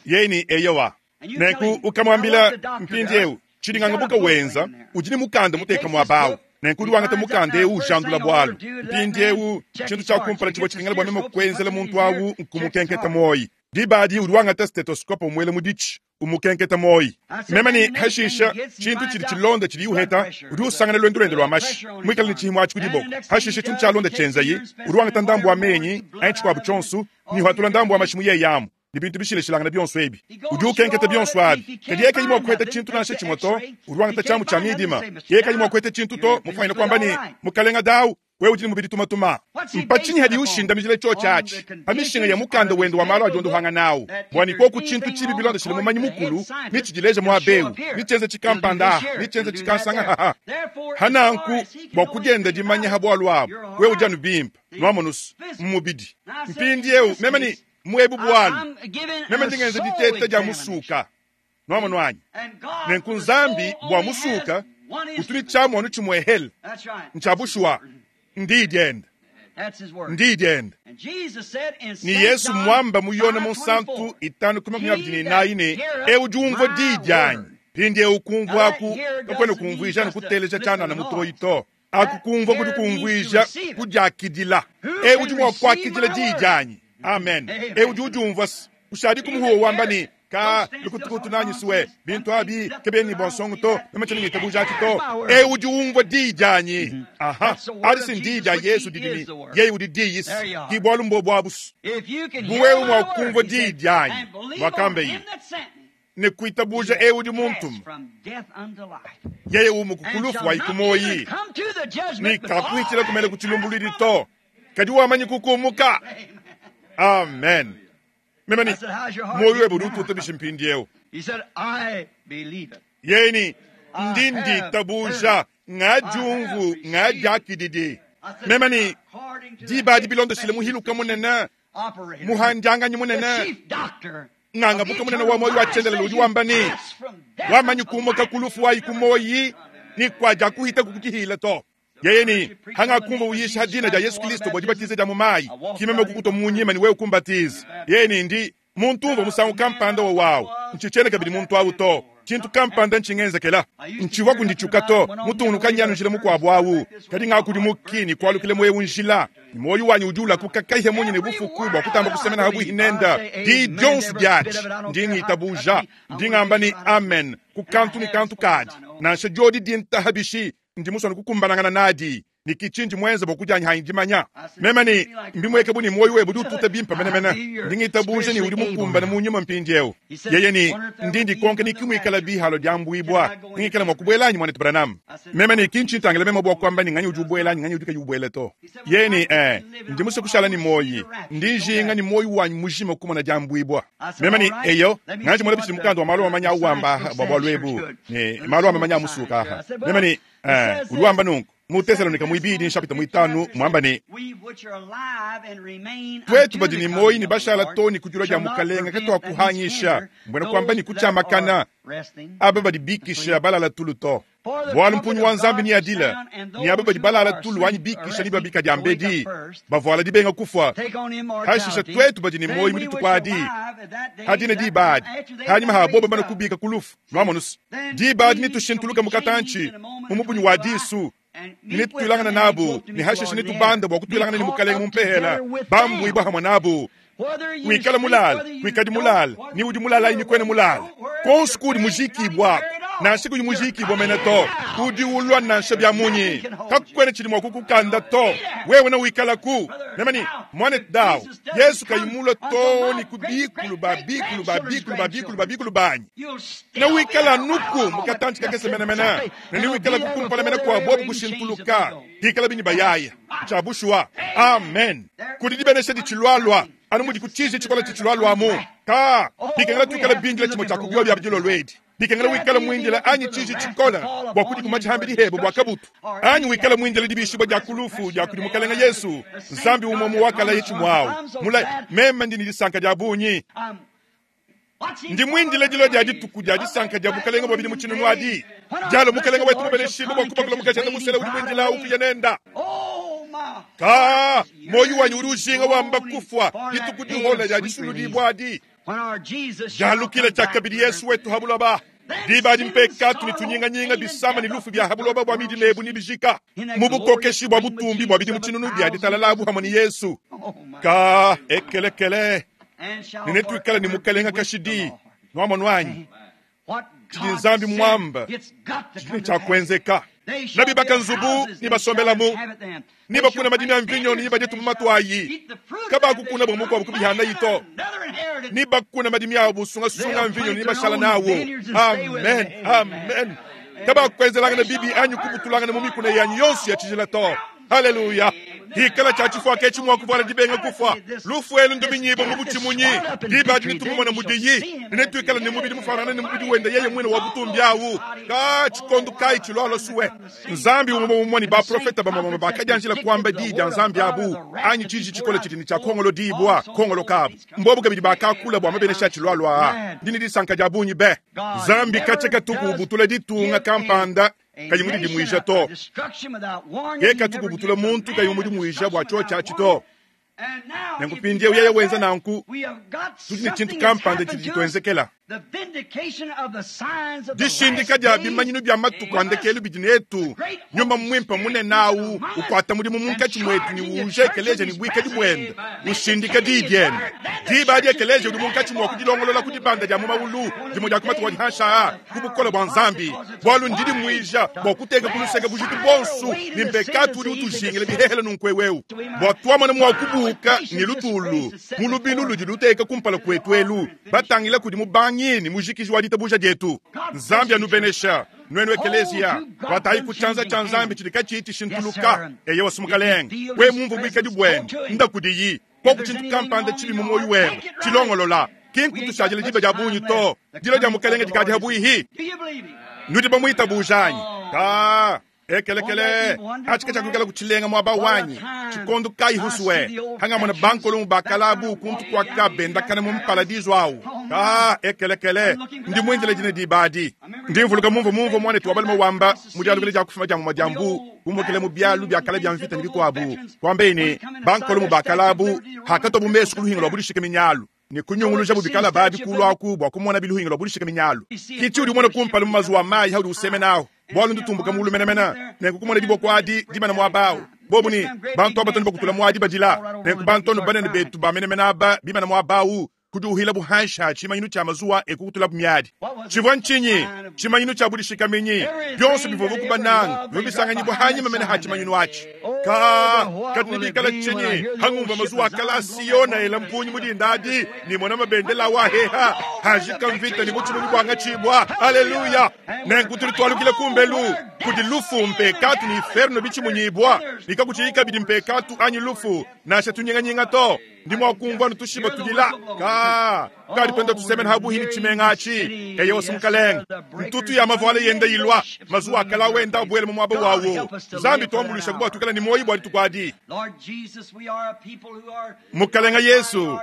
yeye ni eyowa nenku ukamwambila mpindiewu tshidinganga buka wenza udi ni mukanda muteka mwabawu nenku udi wangata mukanda ewu ujandula bwalu mpindiewu tshintu tshia kumpala tshivua tshikengela bwa meme kuenzela muntu awu nkumukenketa moyi dibadi udi wangata stethoscope umwele mudichi umukenketa moyi meme ni hashisha tshintu tshidi tshilonda tshidi uheta udi usangana lwendo lwende lwa mashi mwikala ni tshihimo atshi kudiboko hashisha tshintu tshialonda tshenzayi udi wangata ndambu wa menyi anyi tshikuabu tshonso ni uhatula ndambu wa mashi muyeyamu ni bintu bishileshilangana bionso ebi udi ukenketa bionso abi kadi yeye kayi mua kuheta tshintu nansha tshimwe to udi wangata tshiamu tshia midima yeye kayi mua kuheta tshintu to mufanyina kuamba ni mukalenga dawu Wewe udi ne mubidi tumatuma. Mpatshinyi hadi ushindamijila tshiotshi atshi pa mishinga ya mukanda wende wa malu adiondohanga nawu bua ne koku tshintu tshibi bilondeshile mumanyi mukulu ni tshidileja muaba ni tshienza tshikampanda aha ni tshienza tshikansanga haha hananku bua kudienda dimanya ha bualu abu wewe udi anu bimpe nwamonusu mumubidi mpindiewu meme ni muebu bualu meme ndingenza diteta dia musuka nwamonu anyi nenku nzambi bua musuka utuli tshiamonu tshimuehele ntshiabushuwa ndi dienda ndi dienda ni Yesu mwamba muyona munsantu itanu kumi makumi abidi n'inayi ne ewu diumvua di dianyi pindi ewu kumvuaku kakwena kumvuija ne kuteleja tshianana mutoyi to akukumvua kudi kumvuija kudiakidila ewu udi mua kuakidila di dianyi amen ewu udi udiumvua kushadi kumuhuwa wamba ni ka lukutukutu nanyi suwe bintu abi kebeni bonsongo to meme ngitabuja to e udi umvua di dianyi aha adi ndi dia Yesu didimi yeye udi di yisi ki bwalu mbo bwabusu buwe mwa kumvua di dianyi wakambe yi ne kuitabuja e udi muntu yeye umukukulufu wa ikumoyi ni kakuitila kumele kuchilumbulidi to kadi wamanyi kukumuka amen Memani, moyo webe udi ututa bishimpindiewu. Yeni, ndi nditabuja ngajumvu ngajakididi. Memani, diba di bilondeshile muhiluka munene, muhanjanganyi munene, ngangabuka munene wa moyo wa udi wamba ni, wamanyi kumuka kulufu wa ikumoyi, ni kwaja kuhita kukutihila to. Yeye ni hanga kumva uyisha dina ja Yesu Kristo bwa dibatize ja mumayi kimeme kukuto munyima ni wewe kumbatiza yeye ni ndi muntu umva musangu kampanda wa wawu nchichene kabidi muntu awu to chintu kampanda nchingenzekela nchiwa kundichuka to mutungunuka nyanu njila mukwabo awu kadi ngakudi mukini kwalukile mwewu njila moyo wanyi udi ulakukakaihe munyi ne bufuku bwa kutamba kusemena habu hinenda di dionso diachi ndi ngitabuja ndi ngamba ni amen kukantu ni kantu kadi nansha jodi dintahabishi ndi musona kukumbanangana nadi ni kichinji mwenza bokujanya haindimanya mema ni mbimweke buni moyo webu udi ututa bimpa menemene ndi ngitabuje ni udi mukumbana munyuma mpindiewu yeye ni ndi ndikonke ni kimwikala bihalo diambuibwa ngikala mwakubwelanyi mwana Branham mema ni kinchintangela mema bwa kwamba ni nganyi udi ubwelanyi nganyi udi kayubwele to yeye ni eh ndi musa kushala ni moyi ndi njinga ni moyi wanyu mujima kumona diambuibwa mema ni eyo nganje mwana bichi mukando wa malo amanya awamba bwa lwebu ni malo amanya musuka aha mema ni eh udi wamba nunku mu Tesalonika mwibidi nshapita mwitanu mwamba ni twetu badi ni moyi ni bashala toni kujula ja mukalenga katwakuhanyisha mbwena kwamba ni kuchamakana aba badi bikisha balala tulu to bwalu mpunyu wa nzambi ni adila ni aba badi balala tulu wanyi bikisha ni babika dia mbedi bavuala dibenga kufwa hashisha twetu badi ni moyi muditukwadi hadina dibadi hanyuma haboba bana kubika kulufu lwamonusu dibadi nitushintuluka mukatanchi mumupunyu wa disu nitwilangana nabo ni hashisha nitubanda bwa kutwilangana ni mukalenga mumpehela bambu ibwa hamwe nabo wikala mulala wikadi mulala ni udi mulala ini kwene mulala konsu kudi mujikibwa nansha kudi mujikibwa mene to udi ulwa nansha bya munyi kakwene chili mwa kukukanda to wewe na wikala ku nemani mwane dawo Yesu kayimulwa to ni kubikulu babikulu babikulu babikulu babikulu banyi na wikala nuku mukatanchi kakese menemene nani wikala kukumpala mene kwa bobu kushintuluka hikala bini bayaya chabushwa amen kudi dibenesha dichilwalwa anu mudi kuchije chikola chichilwalwamu ka bikengela twikala bindila chimo chakubiwa bya bijilo lwedi bikengela wikala mwindila anyi chiji chikola bwa kudi kumachihambili hebo bwa kabutu anyi wikala mwindila dibishibwa dia kulufu dia kudi mukalenga Yesu nzambi umomu wakala yechimwawu mula mema ndi nilisanka dia bunyi ndi mwindile dilo dia dituku dia disanka dia bukalenga bwa bidi muchinu nwadi jalo mukalenga wetu mubeleshibwa bwa kubakula mukachanda musela udi mwindila ukija nenda ka moyo wanyu uri ujinga wamba kufwa dituku dihola dia disulu dibwadi jalukile chakabidi Yesu wetu habulaba diba dimpekatu ni tunyinganyinga bisama ni lufu bya habuloba bwa midi nebu ni bijika mubukokeshi bwa butumbi bwa bidi muchinunu bya ditalalabu hamwe ni Yesu ka ekelekele ninetwikala ni mukalenga kashidi nwamonu chidi nzambi mwamba chidi chakwenzeka nabibaka nzubu nibasombelamu nibakuna madimi ya mvinyo nibajetu mumatwayi kabakukuna bwa mukubihana yito nibakuna madimi yabo busungasunga mvinyo nibashala nawo amen amen kabakwenzelanga na bibi anyu kubutulanga na mumikuna yanyu yonsi ya chijila to Haleluya! Hikala tshia tshifuaka etshi mua kuvuala dibenga kufua. Lufu elu nduminyibue mu butshimunyi. Diba adi netumumone mudiyi, ne netuikale ne mubidi mufuanangane ne mubidi wende yeye muine wa butumbi awu. Ka tshikondo kayi tshilualua suwe? Nzambi umue umue ne baprofeta bamue bamue bakadianjila kuamba diyi dia Nzambi abu, anyi tshiji tshikole tshidi ne tshia kongolodibua kongolokabu. Mbobu kabidi bakakula bua mabenesha atshilualua aa. Ndi ne disanka dia bungi be. Nzambi katshia katuku ubutula ditunga kampanda kayi mudidimuija to. Yeye katuku ubutula muntu kayi mumudimuija bua tshiotshi atshi to. Nenku mpindieu yeye wenza nanku, tudi ne tshintu kampanda tshidi tshituenzekela. Dishindika dia bimanyinu bia matuku a ndekelu bidi netu. Nyuma Muimpe munene awu ukuata mudimu munkatshi muetu ne uuja ekeleziya ne buikadi buende, ushindika diyi diende. Diba adi ekeleziya udi munkatshi mua kudilongolola ku dibanda dia mu mawulu dimue dia ku matuku adi panshi aa ku bukole bua Nzambi, bualu ndidimuija bua kuteka ku luseke bujitu buonso ne mpekatu udi utujingila bihehele nunku eu, bua tuamona mua kubuuka ne lutulu mu lubilu ludi luteka kumpala kuetu elu, batangila kudi mubangi ne mujikiji wa ditabuja dietu. Nzambi anubenesha nuenu ekeleziya. Kuatayi ku tshianza tshia Nzambi tshidi katshiyi tshishintuluka. Eyewa Mukalenge, we mumvue buikadi buende, nda kudiyi. Koku tshintu kampanda tshibi mu muoyo webe, tshilongolola. Ki nkutushadila diba dia bungi to. Dilo dia Mukalenge dikadi pabuihi. Nudi bamuitabuja anyi? Ka ekelekele atshi katshiakuikala kutshilenga muaba wanyi. Tshikondo kayi husuwe hangamona bankolomu bakalabu kuntu kuaka bendakana mu mparadizu awu. Ka ekelekele ndi muindile dine diba adi. Ndi mvuluka mumvua mumvua muanetu wa balume wamba mu dialukila dia kufuma dia muma dia mbu kumukila mu bialu bia kale bia mvita ne bikuabu, kuambeyi ne bankolomu bakalabu hakatobu mesu ku luhinga lua budishika minyalu ne kunyunguluja bikala babi kuluaku bua kumona biluhinga lua budishika minyalu. Kitshi udi umona kumpala mu mazuwa mayi haudi usemenaho, bualu ndutumbuka mulu menemene, nenku kumona diboko adi dimana muaba awu. Bobu ne bantu abatoni bakutula muadi badila, nenku bantu banene betu ba menemene aba bimana muaba awu kudiuhila buhansha tshimanyinu tshia mazuwa ekukutula miadi. Tshivua ntshinyi? Tshimanyinu tshia budishikaminyi. Bionso bivua kubananga bivua bisanganyibua hanyima mene ha tshimanyinu atshi. Ka kadi nibikala tshinyi hangumva mazuwa kala Siona ela mpunyi mudindadi ni mona mabendela wa heha hajika mvita ni butshimunyi bwanga tshibwa. Haleluya! Nenku tudi tualukila kumbelu kudi lufu mpekatu ni inferno bitshimunyibwa nikakutshiika bidi mpekatu anyi lufu nasha tunyinganyinga to. Ndi mua kumvua nutushiba tudila ka kadi twenda tusemena habuhi ni tshimenga atshi. Eyewa Mukalenge, ntutu ya mavuala yenda ilwa mazuwa akala wenda abuele mu muaba wawo. Nzambi tuambulisha kubwa tukala ni moyi bwa dituku adi. Mukalenge Yesu,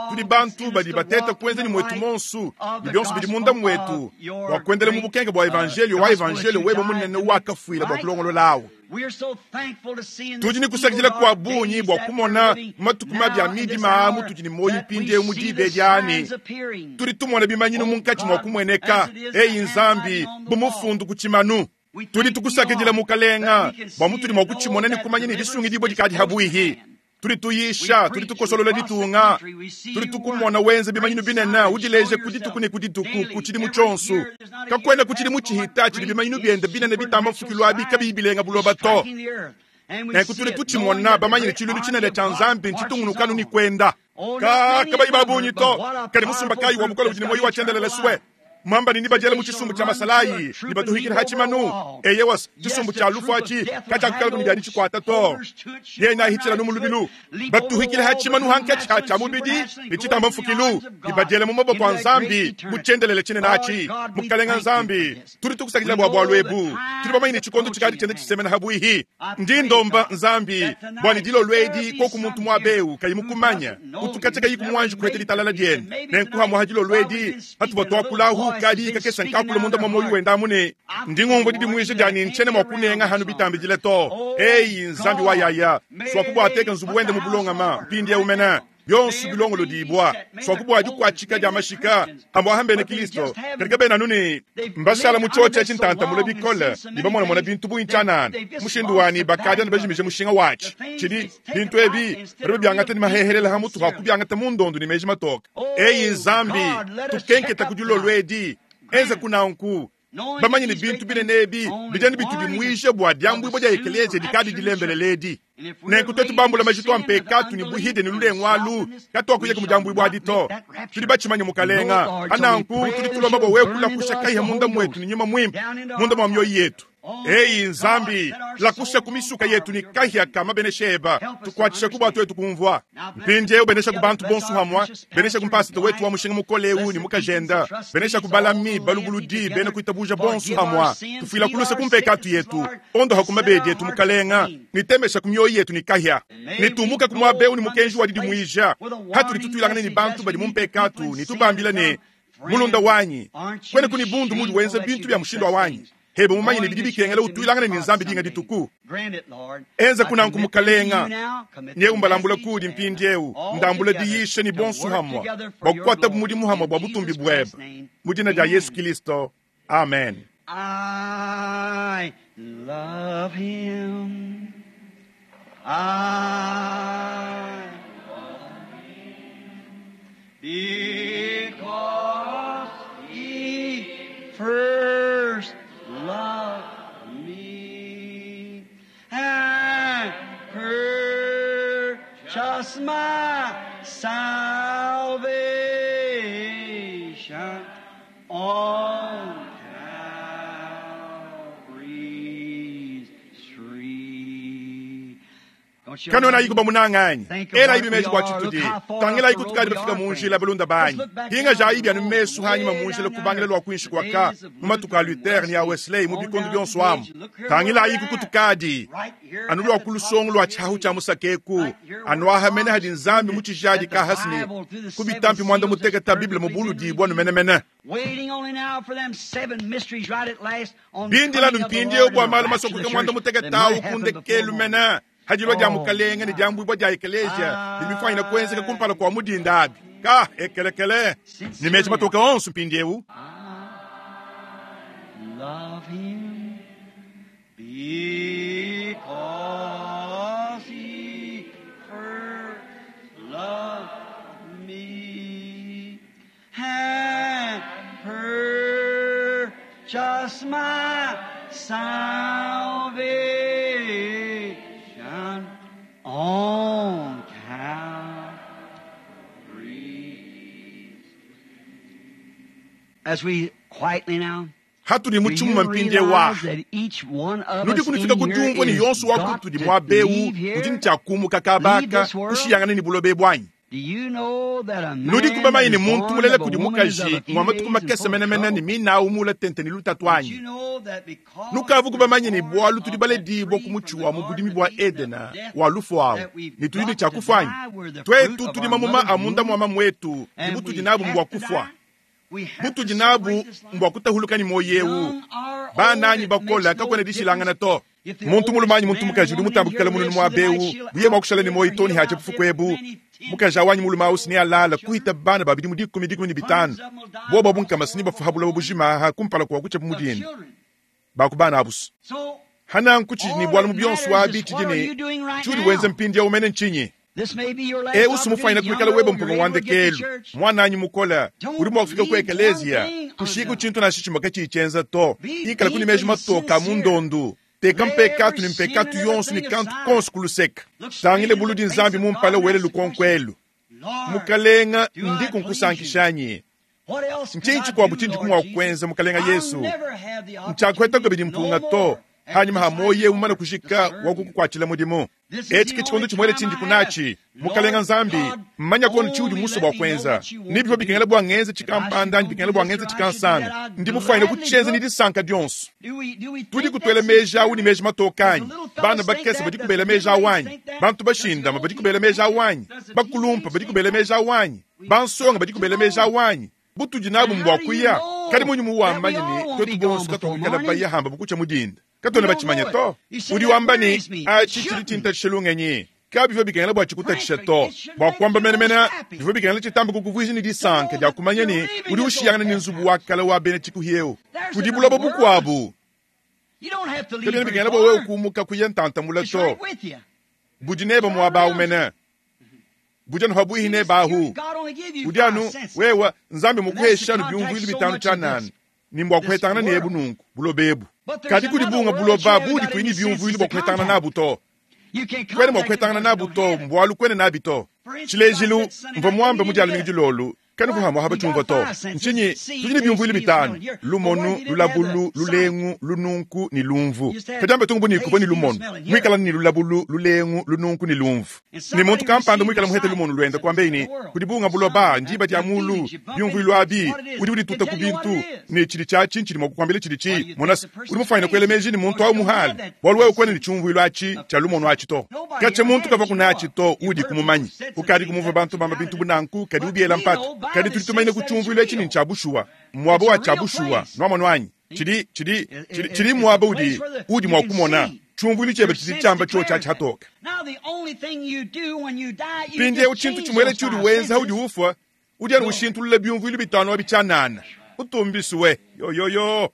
tudi bantu badi bateta kuenza ni mwetu monsu ni bionso bidi munda mwetu bua kuendela mu bukenke bua evangelio wa evangelio webe munene wakafuila bua kulongololawo. Tudi ni kusakidila kwa bungi bua kumona matuku mabi a midima mutudi ni moyi mpindieu mu diba edi ani. Tudi tumona bimanyinu munkatshi mua kumueneka. Eyi Nzambi bu mufundu ku tshimanu. Tudi tukusakidila Mukalenga bua mutudi mua kutshimona ne kumanya ne disungidibua dikadi habuihi. Tudi tuyisha, tudi tukosolola ditunga, tudi tukumona wenza bimanyinu binene udileje ku dituku ne ku dituku ku tshidimu tshionso. Kakwena ku tshidimu tshihita tshidi bimanyinu biende binene bitamba mfukilu abi kabiyi bilenga buloba to. Nenku tudi tutshimona bamanye ne tshilulu tshinene tshia Nzambi ntshitungunukanu ni kwenda. Ka kabayi babungi to, kadi musumba kayi wa bukole budi ne moyi wa tshiendelele suwe. Mwamba ni bajela mu tshisumbu tshia masalayi ni batuhikila hachimanu. Eyewa tshisumbu tshia lufu atshi katshiakukala kuni bia ditshikwata to. Yena ahitshila nu mu lubilu batuhikila hachimanu hankatshi ha tshia mubidi ni tshitamba mfukilu ni bajela mu maboko a Nzambi mu tshiendelele tshinene atshi. Mukalenga Nzambi, tudi tukusakidila bua bualu ebu. Tudi bamanye ne tshikondo tshikadi tshiende tshisemena habuihi. Ndi ndomba Nzambi bua ne dilolo edi koku muntu muabeu kayi mukumanya utukatshe kayi kumuanji kuheta ditalala diende. Nenku hamuha dilolo edi hatuvua tuakulahu kadi kakesa nkakula munda mwa moyo wenda amune. Ndi ngumvua didimuija dia ne ntshene mua kunenga hanu bitambidile to. Eyi Nzambi wa yaya swakubua ateka nzubu wende mu bulongama mpindieu mene bionso bilongolo dibua swakubua dikuatshika dia mashika ambua hambene Kristo kadi kabena anu ne mbashala mu tshiotshi tshintanta mule bikole ne bamonamona bintu bungi tshianana mushindu wani bakadi ne bajimije mushinga watshi tshidi bintu ebi badi babiangata ne mahehelela ha mutu ha kubiangata mu ndondo ne meji matoka. Eyi Nzambi tukenketa ku dilolo edi enza kunanku bamanye ne bintu binene ebi bijani bitudimuije bua diambuibua dia ekeleziya dikadi dilembelele edi. Nenku twetu bambula majitu a mpekatu ne buhide ne lulengu alu katuakuya ku mudiambuibua adi to. Tudi batshimanye Mukalenga ananku tudi tulomba bua wewe kulakusha kaiha munda mwetu ne nyuma muimpe munda mua mioyo yetu. Eyi Nzambi, lakusha ku misuka yetu ni kahia kama benesheba tukwatisha ku batu wetu kumvwa mpindiewu benesha ku bantu bonso hamwa benesha ku mpasita wetu wa mushinga mukoleu ni mukajenda benesha ku balami balubuludi bene kuitabuja bonso hamwa tufila kuluse kumpekatu yetu ondo hakumabedi yetu mukalenga nitemesha ku mioyo yetu ni kahia nitumuka ku mwabeu ni mukenji wa didimwija hatuli tutwilangane ni bantu badi mumpekatu nitubambila ne mulunda wanyi kwene kuni bundu mudi wenza bintu bya mushindo wanyi hebe mumanye ne bidi bikengela utwilangane ni nzambi dinga dituku enza kunanku mukalenga nyewu mbalambula kudi mpindiewu ndambula diyisha ni bonsu hamwa bwakukwata bumudimu hamwa bwa butumbi bwebe mu dina dia Yesu Kristo, amen. I love him. I love him because he first loved me and purchased my salvation on Calvary's tree. Don't you kanona yikuba munang'anyi Think of ela what ibi we meji kwa are. chitudi Look how far tangela up the iku tukadi road we bafika are, munjila friends. balunda banyi Let's look back hinga down ja the ibi anu road, mesu hanyuma way munjila down kubangila there. lwa kwinshi The kwaka days of mu matuku a Luther and Luther ni a Wesley, Wesley mu on bikondo down byonso the amu age. Look here tangila where iku we're at. kutukadi Right here anu at lwa the kulusongo top lwa of the chahu cha hill. musakeku Right here where anu ahamene God hadi nzambi mu chijadi that the ka hasini Bible through the seven kubitampi mwanda seals has muteketa biblia mu perfectly been buludibwa revealed. numenemene Waiting only now for them seven mysteries right at last on the bindila coming of the numpindiewu Lord and bwa the malu rapture of masokoke the mwanda church that muteketawu might happen before kundekelu morning. mena hajilwa dia Oh, mukalenga ni my. dia mbwibwa dia ekelesia limifwanyina kuenzeka kumpala kwa mudinda abi ka ekelekele ni meji matoka onso mpindiewu I love him because he first loved me and purchased my salvation on Calvary. As we quietly now hatuli Do muchimuma you mpindiewu wa realize that each one of nudi us kunifika in here kudiumvwa ni is yonso wa got kutudi to mwabewu leave here? udi ntiakumuka Leave kabaka this world? kushiyangana ni bulobe bwanyi Do you know that a nudi man kuba that mayi ni is muntu born mulele of a kudi woman is of mukaji a few ngwa matuku days and makese full of menemene ni trouble? minawu mula tente ni lutatu Did you anyi know that because nukavu we're kubamanye ni born bwalu tuli of that baledibwa tree ku muchi from the wa mu garden budimi of bwa Eden of Edena death, wa lufu awo that we've ni tulini got to chakufanya die, we're the fruit twetu of tuli our mamuma mother's amunda womb, mwama mwetu ni and butudi we nabu have mbwa to kufwa die. We have to butudi nabu separate this life. mbwa kutahuluka ni moyo ewu Young or old, bananyi it bakola makes no kakwene dishilangana difference. to If the muntu oldest mulumanyi muntu man or mukaji udi woman in mutambukila here mununu lives through the night, mwabewu she'll buye mwakushala ni outlive moyo or toni he'll hache outlive bufukwebu many tens mukaji awanyi mulume ausi ni alala children. kuhita bana babidi mu dikumi dikumi ni bitano Hundreds of them will die bobo across the bunkamasi ni world bafuha bulabo before bujimaha kumpala kwa kucha of mudini children. bakubana abusu So hana nkuchi ni all bwalu that mu byonso matters wabi is what are chidini you doing right chuli wenze now? mpindi ya umene nchinyi This may be your last ewu sumufanyina opportunity. kuikala Young webo or old, mpunga you're able to get to wandekelu church. mwananyi mukola Don't uli mwakufika ku leave one ekeleziya thing kushiku undone. chintu na shishimaka chichenza to Be ikala kuni deeply meji matoka sincere. mundondu teka Lay mpekatu every ni sin mpekatu and yonso ni everything kantu aside. konso kuluseka Look straight tangile in the buludi face nzambi of mumpala God and wele ask the question, lukonkwelu Lord, mukalenga do I ndi please you? kunkusankishanyi What else could nchinyi I chikwabu do, chindi Lord kumwa Jesus? kwenza mukalenga I'll Yesu never have the nchakweta opportunity kabidi no mpunga to more at hanyuma this hamoye time umana to kushika serve you. wakukukwachila mudimu This is the eci ke only chikondo chimwele time chindi I kunachi have. mukalenga Lord nzambi God, mmanya kono chiudi only muso let bwa me know kwenza what you want nibyo to bikengela do. bwa ngenze If I should chikampanda go do bikengela bwa this ngenze or I should do that, chikansanga I'd ndi mufaine gladly kuchenza do ni it. disanka dyonso Do we, do we tudi think kutwela that's meji awu sincere? ni meji Does the matokanyi little bana fellows think bakese that? badi Does kubela the meji middle-aged awanyi think that? bantu Does the bashindama old badi people kubela think meji that? awanyi Does the bakulumpa teenage badi think kubela that? meji awanyi We've bansonga got badi to kubela meji know. awanyi butudi nabu And how mbwa do you kuya kadi know munyu that we muwambanye all ni won't twetu be gone bonso before katwakukala morning? bayahamba bukucha mudinda We katona don't bachimanya know to it. You say udi that wamba ni worries me. It achi chili shouldn't. chintatshelungenyi kabi bikengela bwa chikutatsha Frankly, to it should bwa make kwamba you menemene most happy bivyo bikengela chitambo kukuvwizi ni to disanka know dya that kumanya you're ni leaving udi this old ushiyangana ni pet nzubu house. wa kala wa bene chikuhyewu There's kudi another bulobo world. bukwabu You don't have to leave kabina very bikengela bwa wewe far. kumuka kuya ntantamula It's to right with you. budi neba It's right mwaba around you. umene buja nhabwihi You ne just, you, bahu God only give you udi five anu senses. wewa nzambi And that's the mukuheshanu contact byumvuilu so bitano much of chanani this, nimbwa this kuhetangana nebu world. nunku bulobebu But there's kadi kudi another bunga world that you buloba haven't budi got kwini any byumvuilu senses bwa to kuhetangana contact. nabu to You can't kwene contact it mwakuhetangana because you nabu don't to have it. mbwalu kwene nabi to For instance, I chilejilu said Sunday mva night, mwambe we mudyalo didn't mingi get it. lolu Kanu kuhamwa haba chumva to. Nchinyi tujini byumvuli bitano. Lumonu, lulabulu, lulengu, lununku ni lumvu. Kajamba tungu ni kuboni lumonu. Mwikala ni lulabulu, lulengu, lununku ni lumvu. Ni muntu kampanda mwikala muhete lumonu lwenda kwambeini. Kudibunga buloba njiba dia mulu, byumvuli abi, udi udi tuta kubintu. Ni chili cha chinchi ni mwakukwambile chili chi. Monas, udi mufanya kwele meji ni muntu au muhali. Waluwe ukwene ni chumvuli achi, cha lumonu achi to. Kache muntu kava kuna achi to, udi kumumanyi. Ukadi kumuva bantu bamba bintu bunanku, kadi ubiela mpata. Kadi tulitumaine kuchumvula chini nchabushuwa. Mwabo wa chabushuwa. Nwamonu anyi. Chili, chili, chili, chili mwabo udi, udi mwakumona. Chumvuli chebe chili chamba cho cha chatoka. Pindi uchintu chimwele chudi wenza udi ufwa. Udi anu ushintulula byumvuli bitano wabichanana. Utumbisuwe. Yo yo yo.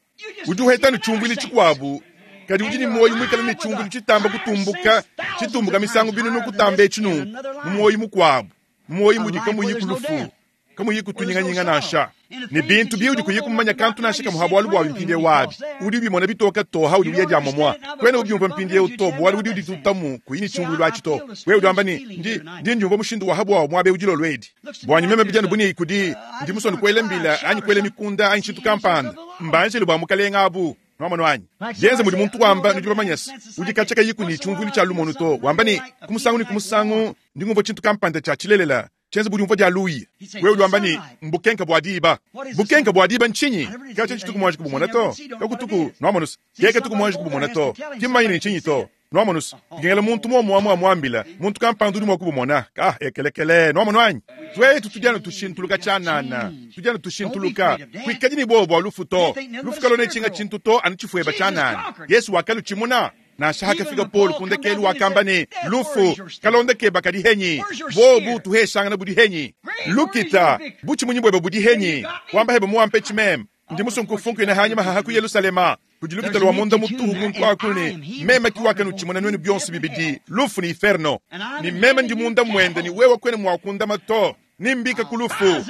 Udi uhetanu chumvuli chikwabu. Kadi udi ni moyo mwikala ni chumvuli chitamba kutumbuka. Chitumbuka misango binu nukutambe chinu. Mmoyo mukwabu. Mmoyo mudika muyikulufu. Kamu yiku tunyinganyinga nasha. Ni bintu biudi kuyikumanya kantu nasha kamuhabu walu bwa mpinde wabi. Udi bimona bitoka toha udi uyeja momwa. Kwene ubyumva mpinde utobo walu udi uditutamu kuyini chungu lwa chito. Wewe udamba ni ndi ndi njumva mushindu wa habu wa mwabe ujilo lwedi. Bwanyi meme bijana buni ikudi ndi musoni kwele mbila anyi kwele mikunda anyi chitu kampanda. Mbanje lubwa mukalenga abu. Nwamano anyi. Yenze mudi muntu wamba nudi bamanyasa. Udi kachaka yiku ni chungu cha lumono to. Wamba ni kumusangu ni kumusangu ndi ngumva chintu kampanda cha chilelela. Chenze budi umva lui. Wewe ulwamba ni mbukenka bwadiba. Bukenka bwadiba nchinyi. Kacha chituku mwaji kubumona to. Kakutuku nwamonus. Yeke tuku mwaji kubumona to. Kimanyine nchinyi to. Nwamonus. Ngela muntu mwa mwa mwambila. Muntu kampandu mwa kubumona. Ah ekelekele nwamono anyi. Twetu tujana tushintuluka chanana. Tujana tushintuluka. Kwikaji ni bobo alufu to. Lufuka lone chinga chintu to anichifueba chanana. Yesu wakalu chimuna. Na shaka fika Paul kundekelu wakamba ni lufu kalonde keba kadi henyi bobu tuheshanga na budi henyi lukita buchi munyi bwebe budi henyi wamba hebe muampe chimem ndi musunkufunku ina hanyuma hahaku Yerusalema kujilukita lwa munda mutuhu muntu akuni mema kiwaka nuchimona nwenu byonsi bibidi lufu ni inferno ni mema ndi munda mwende ni wewe kwene mwakunda mato nimbika kulufu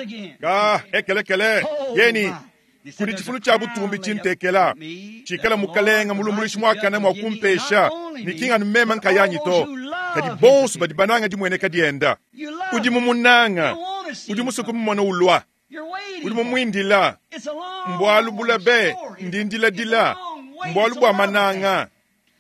ah ekelekele yeni kuli chifulu cha butumbi chintekela chikala mukalenga mulumulishi mwakana mwakumpesha nikinga numema nkayanyi to kadi bonso badi bananga dimwene kadienda udi mumunanga udi musuku mumona ulwa udi mumwindila mbwalu bulabe ndindila dila mbwalu bwa mananga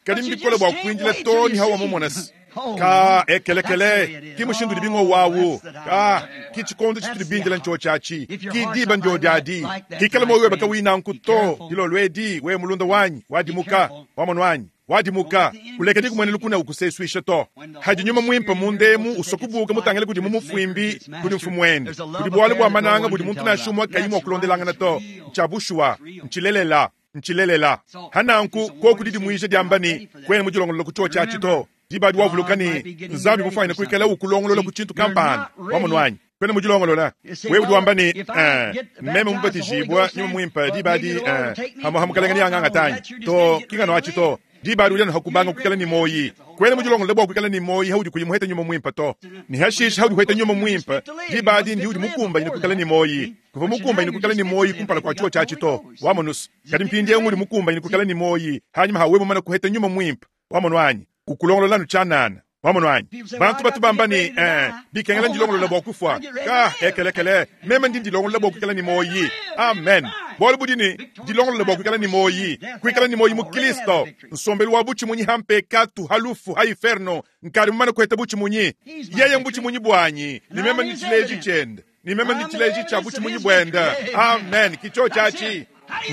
kadi mbikola bwa kwindila to ni hawa mumonasi ka ekelekele ki mushindu dibingo wawu ka ki chikondo chitulibindila ncho chachi ki diba njo dadi kikala moyo baka wina nkuto dilo lwedi we mulunda wanyi wadimuka wamono wanyi wadimuka kuleka dikumwene lukuna ukuseswisha to haji nyuma mwimpa mundemu usokubuka mutangele kudi mumufwimbi kudi mfumwende kudi bwale bwa mananga budi muntu nashumwa kayimwa okulondelangana to nchabushwa nchilelela nchilelela hananku kokudi dimwisha dyambani kwene mujilongolola kucho chachi to dibadi wavulukani nzambi mufanya kuikala ukulongolola kuchintu kampani wamonwanyi kwene mujilongolola wewe udiwambani eh meme mubatijibwa nyuma mwimpa dibadi eh hamo hamukalengani anganga tanyi to kingano achi to dibadi ulyano hakubanga kuikala ni moyi kwene mujilongolola bwa kuikala ni moyi haudi kuyimuheta nyuma mwimpa to ni hashish haudi kuheta nyuma mwimpa dibadi ndi udi mukumba ine kuikala ni moyi kuva mukumba ine kuikala ni moyi kumpala kwa chuo chachi to wamonus kadi mpindi nguli mukumba ine kuikala ni moyi hanyuma hawe mumana kuheta nyuma mwimpa wamonwanyi ukulongolola nuchanana wamonwanyi bantu batu bambani eh bikengela ndilongolola bwa kufwa ka ekelekele meme ndi ndilongolola bwa kuikala ni moyi amen bwalo budini ndilongolola bwa kuikala ni moyi kuikala ni moyi mu Kristo nsombelu wa buchi munyi hampe katu halufu ha inferno nkari mumana kuheta buchi munyi yeye mbuchi munyi bwanyi ni meme ndi chileji chende ni meme ndi chileji cha buchi munyi bwenda amen kicho chachi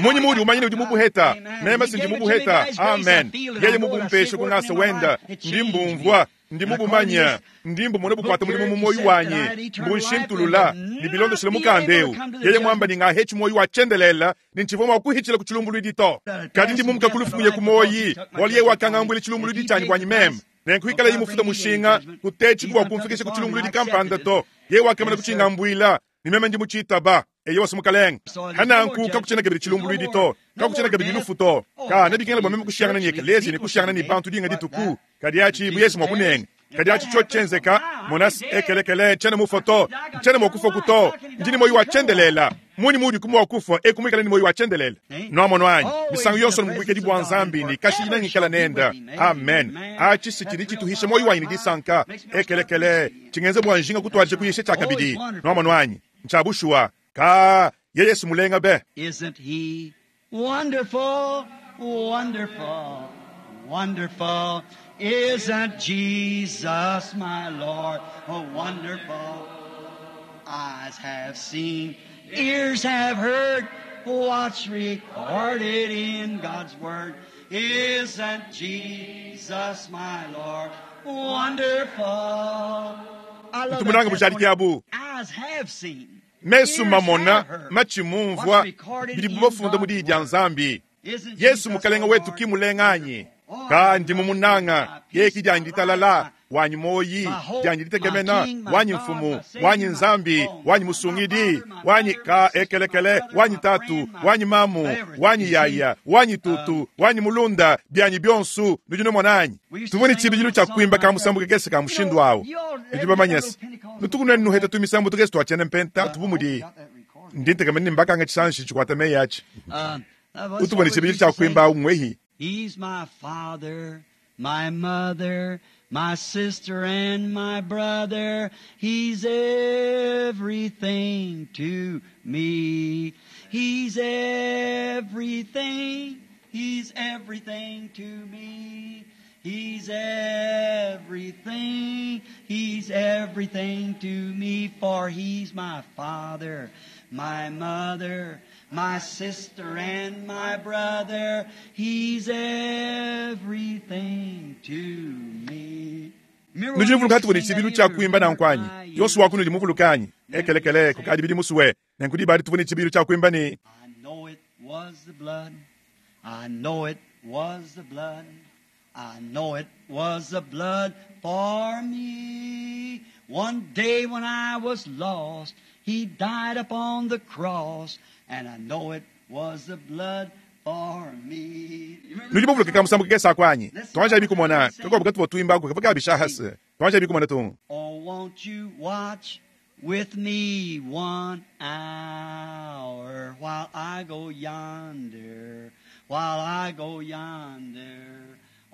munyi mudi umanyine udi mubuheta mema sindi mubuheta amen yeye mubumpeshe kungasa wenda ndi mbumvwa ndi mubumanya ndi mbumone bukwata mulimu mumoyi wanye mbunshintulula ni bilondoshile mukandeu yeye mwamba ni ngahechi moyi wachendelela ni nchivo mwakuhichila kuchilumbulwidi to kadi ndi mumuka kulufuye kumoyi waliye wakangambwile chilumbulwidi chanyi bwanyi meme nenkuikala yimufuta mushinga kutechi kuwa kumfikisha kuchilumbulwidi kampanda to ye wakamana kuchingambwila ni meme ndi muchitaba eyo wasumukalenga hananku kakuchena kabili chilumbulwidi to kakuchena kabili lufu to ka nabikengela bwa meme kushiyangana ni ekelezi ni kushiyangana ni bantu dinga dituku kadi achi buyesi mwakunenga kadi achi cho chenzeka monasi ekelekele chene mufoto chene mwakufa kuto ndini moyi wachendelela muni mudi kumwa wakufa ekumwikala ni moyi wachendelela nwamono anyi misango yonso ni bwa nzambi ni kashi inangikala nenda amen achi sichili chituhisha moyi wanyi ni disanka ekelekele chingenze bwa njinga kutwalije kuyishe chakabidi nwamono anyi Ntshia bushuwa. Ka, yeye Yesu mulenga be. Isn't he wonderful, wonderful, wonderful? Isn't Jesus my Lord oh, wonderful? Eyes have seen, ears have heard what's recorded in God's Word. Isn't Jesus my Lord wonderful? I love Ntu munanga that bujadiki testimony. abu. Eyes have seen. Mesu Ears mamona, have heard. matshi mumvua, What's recorded bidi in bubafunda God's mu diyi dia Word. Nzambi. Isn't Yesu Jesus mukalenga our wetu Lord? ki mulenganyi. Oh, Ka ndi mumunanga, my peace, yeki my dianyi ditalala, life, wanyi moyi, my hope, dianyi my ditekemena, king, my wanyi God, mfumu, my Savior, wanyi my Nzambi, oh, wanyi my musungidi, father, my wanyi mother, ka my sister, my ekelekele, brother, wanyi my tatu, friend, my wanyi mamu, everything. wanyi You see, yaya, wanyi tutu, wanyi mulunda, byanyi byonsu, nudi nomonanyi. We used to Tuvone sing a tshibidilu little tshia song kuimba ka like musambu that. kakese ka You mushindu know, awu. you all Nudi every bamanyese. little Pentecostal Nutuku nuheta tumisambu tukese twachene mpenta Uh, I hope you tuvumudi. got that recorded. Ndi ntekamene mbakanga chisanshi chikwata meyi achi. Uh, that was Utubone what we tshibidilu used to tshia sing. kuimba umwehi. He's my father, my mother, my sister and my brother. He's everything to me. He's everything. He's everything to me. He's everything. He's everything to me, for he's my father, my mother, my sister and my brother. He's everything to me. Remember Nudi when we nuvuluka used to tuvone sing that tshibidilu hymn, tshia kuimba Remember nankwanyi. my Yonso years? wakuno ndi muvulukanyi. Ekelekele kukadi bidi musuwe. Nenkudi badi tuvone tshibidilu tshia kuimba ni I know it was the blood. I know it was the blood. I know it was the blood for me. One day when I was lost, He died upon the cross, and I know it was the blood for me. You remember nudi that muvuluka song? ka musambu kakese akwanyi. Let's Twanja see bikumona, sing. kakobuka tuvo tuimba ko kavuka bishahase. Twanja bikumona tu. Oh, won't you watch with me one hour while I go yonder, while I go yonder.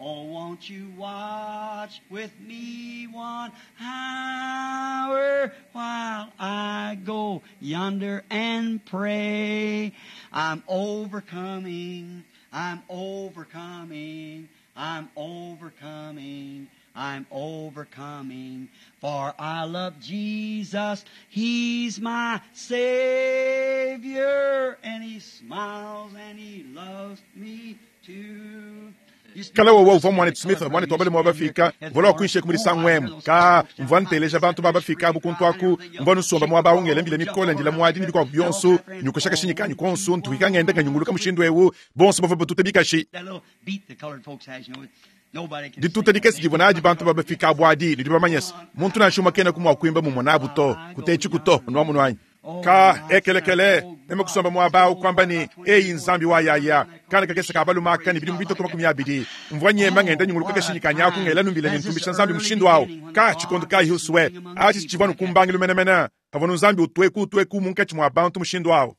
Oh, won't you watch with me one hour while I go yonder and pray? I'm overcoming, I'm overcoming, I'm overcoming. I'm overcoming, for I love Jesus. He's my Savior, and He smiles and He loves me too. Kala wowa uvua mwanetu Smith mwanetu wabale mwa bafika vola wakuinshe kumulisa ngwemu ka mvua nteleja bantu babafika abu kuntu aku mvua nusomba mwa baungele mbile mikole ndila mwadi ni bikwabu byonso nyukushaka shinyika konso ntuhika ngenda kanyunguluka mushindu ewu bonso bavua batute bikashi That little beat the colored folks has, you know, nobody can dituta sing. dikesi divua nadi bantu babafika abu adi nidi bamanyese muntu nansha kena kumwa kuimba mumona abu to kutechi kuto nwamunwanyi ka ekelekele meme kusomba mwaba kwamba ni eyi nzambi wa yaya kana kakesa kabaluma kani bidi mubito kama makumi abidi mvua nyema ngenda nyunguluka kashinyika nyaku ngela numbila nyintumbisha nzambi mushindu wawo ka chikondo ka hiuswe achi chivanu kumbangilu menemene pavanu nzambi utweku utweku munkatshi mwa bantu mushindu wawo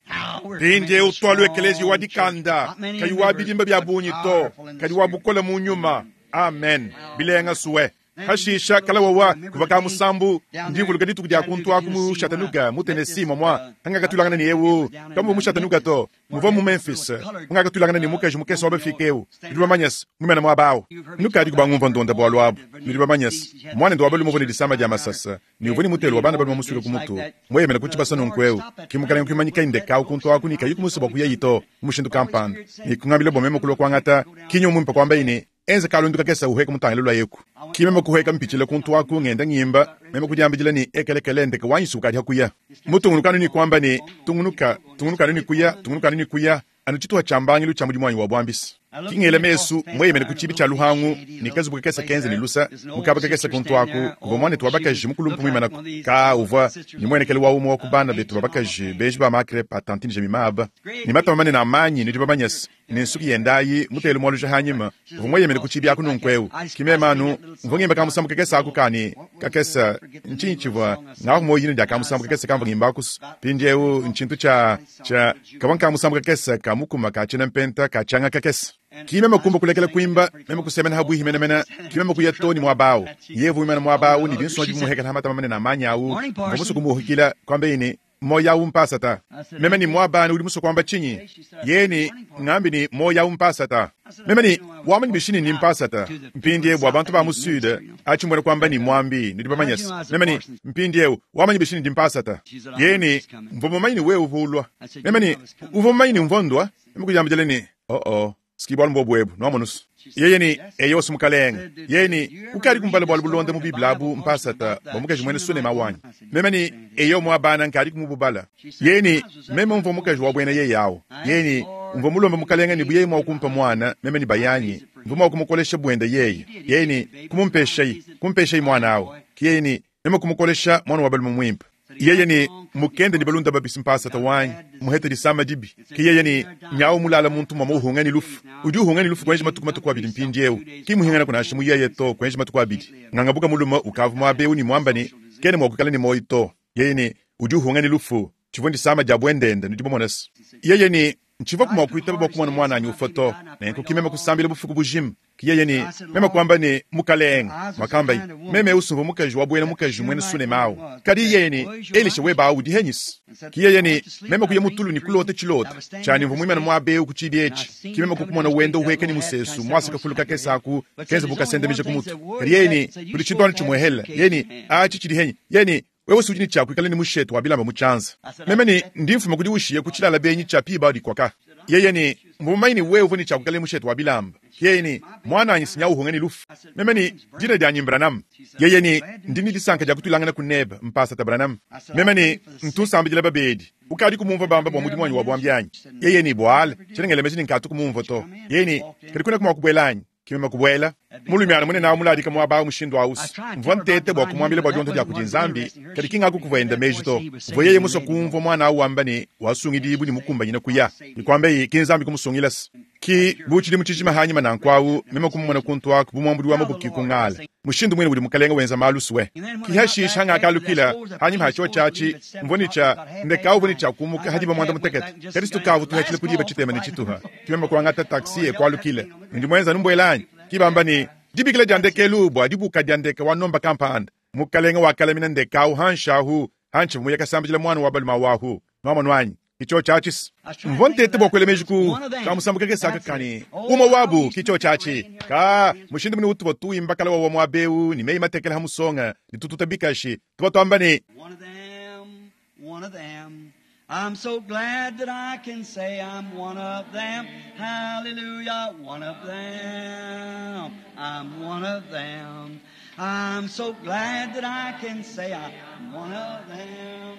pindie utwalu ekelezi wa dikanda kayi wa bidimba bya bunyi to kadi wa bukola mu nyuma amen bilenga suwe hashisha kala wawa kuva ka musambu ndivuluka dituku dia kuntu aku mu Chattanooga mu Tennessee momwa angakatulangana ni ewu kambu mu Chattanooga to muva mu Memphis angakatulangana ni mukaji mukese wabafika ewu nudi bamanyese mumena mwabawo nukadi kubangumva ndonda bwalu abu nudi bamanyese mwana ndi wabalu muvone disama dia masasa ni uvoni mutelo wa bana balu mamusuka kumutu mweyemela kuchibasa nonkweu kimukalenga kuimanyika indeka kuntu aku ni kayi kumusoba kuya yito mushindu kampanda ni kungambila bomema kulwa kwangata kinyo mumpa kwamba ine enze kalundu kakesa uheka mutangile lwa yeku kimema kuheka mpichile kuntu aku ngenda ngimba meme kudiambijila ni ekelekele ndeke wanyisuka adi hakuya mutungulukanu ni kwamba ni tungunuka tungulukanu ni kuya tungulukanu ni kuya anu chituha cha mbangilu cha mudimu wanyi wa bwambisi kingele mesu mweyemene ku chibi cha luhangu ni kazubu kakesa kenze ni lusa mukaba kakesa kuntu aku kuva mwane tuwa bakaji mukulumpu mwimanako ka uvua ni mwenekele wa umu wa kubana betu babakaji beji ba makre pa tantine jemimaba ni matama manene amanyi nidi bamanyasi ni nsuki yendayi mutele mwaluja hanyima uvua mweyemene ku chibi aku nunkweu kimemanu mvua ngimba kamusambu kakesa aku kani kakesa nchinyi chivua ngaku moyini dia kamusambu kakesa kamva ngimba akusu pindiewu nchintu cha cha kava nkamusambu kakesa kamukuma kachena mpenta kachanga kakesa kimema kumba kulekela kuimba meme kusemena habwihi menemena kimema kuya toni mwabawu yevu imana mwabawu ni binso jimuhekela hamata mamene na manyawu ngomusu kumuhikila kwamba ini Moya umpasata. Meme ni mwabani uli muso kwamba chinyi. Yeni ngambi ni moya umpasata. Meme ni wamanyi bishini ni mpasata. Mpindie bwa bantu ba musude achimbwene kwamba ni mwambi ni dibamanyas. Meme ni mpindie wamanyi bishini ndi mpasata. Yeni mvomo manyi ni wewe uvulwa. Meme ni uvomo manyi ni mvondwa. Meme kujambijele ni oh oh. Skibwa mbobwebu no monus. Yeye ni eyo sumukalenga. Yeye ni ukari kumbala bwa bulonde mu biblabu mpasata bomukaji mwene sune mawanyi. Meme ni eyo mwabana nkari kumububala. Yeye ni meme mvo mukaji wa bwene yeye yawo. Yeye ni mvo mulomba mukalenga ni buye mwa kumpa mwana meme ni bayanyi. Mvo mwa kumukolesha bwende yeye. Yeye ni kumumpesha yi, kumpesha yi mwana awo. Yeye ni meme kumukolesha mwana wa balumu mwimpa. Yeye ni mukende ni balunda babisi mpasata wanyi muhete disama dibi ki yeye ni nyawo mulala muntu mwa muhunga ni lufu udi uhunga ni lufu kwenje matuku matuku abili mpindiewu ki muhingana kuna mu yeye to kwenje matuku abili ngangabuka muluma ukavu mwabewu ni mwamba ni kene mwakukala ni moyi to yeye ni udi uhunga ni lufu chivwe disama ja bwendende ni dibomonasi yeye ni nchiva kumwa kuitaba bwa kumwana mwana anyi ufoto nenko kimema kusambila bufuku bujimu ki yeye ni mema kwamba ni mukalenga mwakamba meme usumva mukaji wa bwena mukaji mwene sune mawo kadi yeye ni elisha weba udi henyisi ki yeye ni mema kuye mutulu ni kulote chilota chani mvu mwimana mwabe kuchidi echi ki mema kukumona wendo uheke ni musesu mwasika fuluka kesaku kenza bukasendemije kumutu kadi yeye ni kuli chintwani chimwehela yeye ni achi chidi henyi yeye ni wewe sujini chako ikale ni mushetu wabilamba muchanza meme ni ndi mfuma kudi ushiye kuchilala benyi cha piba dikwaka yeye ni mbumaini wewe uvuni chako ikale mushetu wabilamba yeye ni mwana anyi sinya uhunga ni lufu meme ni dina dya nyimbranamu yeye ni ndini disanka dya kutulangana kuneba mpasa tabranamu meme ni ntusambijila babedi ukadi kumumva bamba bwa mudimu wanyi wa bwambyanyi yeye ni bwala chinengele ni nkatu kumumva to yeye ni kadi kuna kumwakubwelanyi kimema kubwela mulumyana mune nawo muladika mwaba mushindu ausi mvua ntete bwa kumwambila bwa dionto dya kudinzambi kadi kingaku kuvaenda meji to mvua yeye muso kumvwa mwana awu wamba ni wasungidibu ni mukumbanyina kuya nikwamba ki nzambi kumusungilasi ki buchili muchichima hanyima nankwawu mema kumumona kuntu aku bumwambudi wa mabuki kung'ala mushindu mwene uli mukalenga wenza malusuwe kihashisha hangakalukila hanyima hachiwa chachi mvoni cha ndekawu voni cha kumuka hadiba mwanda mutekete kadi situkavu tuhachile kudiba chitema ni chituha kimema kuangata taksi ekwalukile ndi mwenza numbwelanyi kibamba ni dibikila dya ndekelu bwa dibuka dya ndeka wanomba kampanda mukalenga wakalamina ndekawu hanshahu hanchi muyakasambijila mwana wa baluma wahu nwamanwanyi kicho chachis mvo ntete bwa meji ku kamusambuka kesaka kani uma wabu kicho chachi ka mushindu muni utuba tuimba kala wawa mwabeu ni meyi matekela hamusonga ni tututa bikashi tuba twamba ni One of them, one of them. I'm so glad that I can say I'm one of them. Hallelujah, one of them. I'm one of them. I'm so glad that I can say I'm one of them.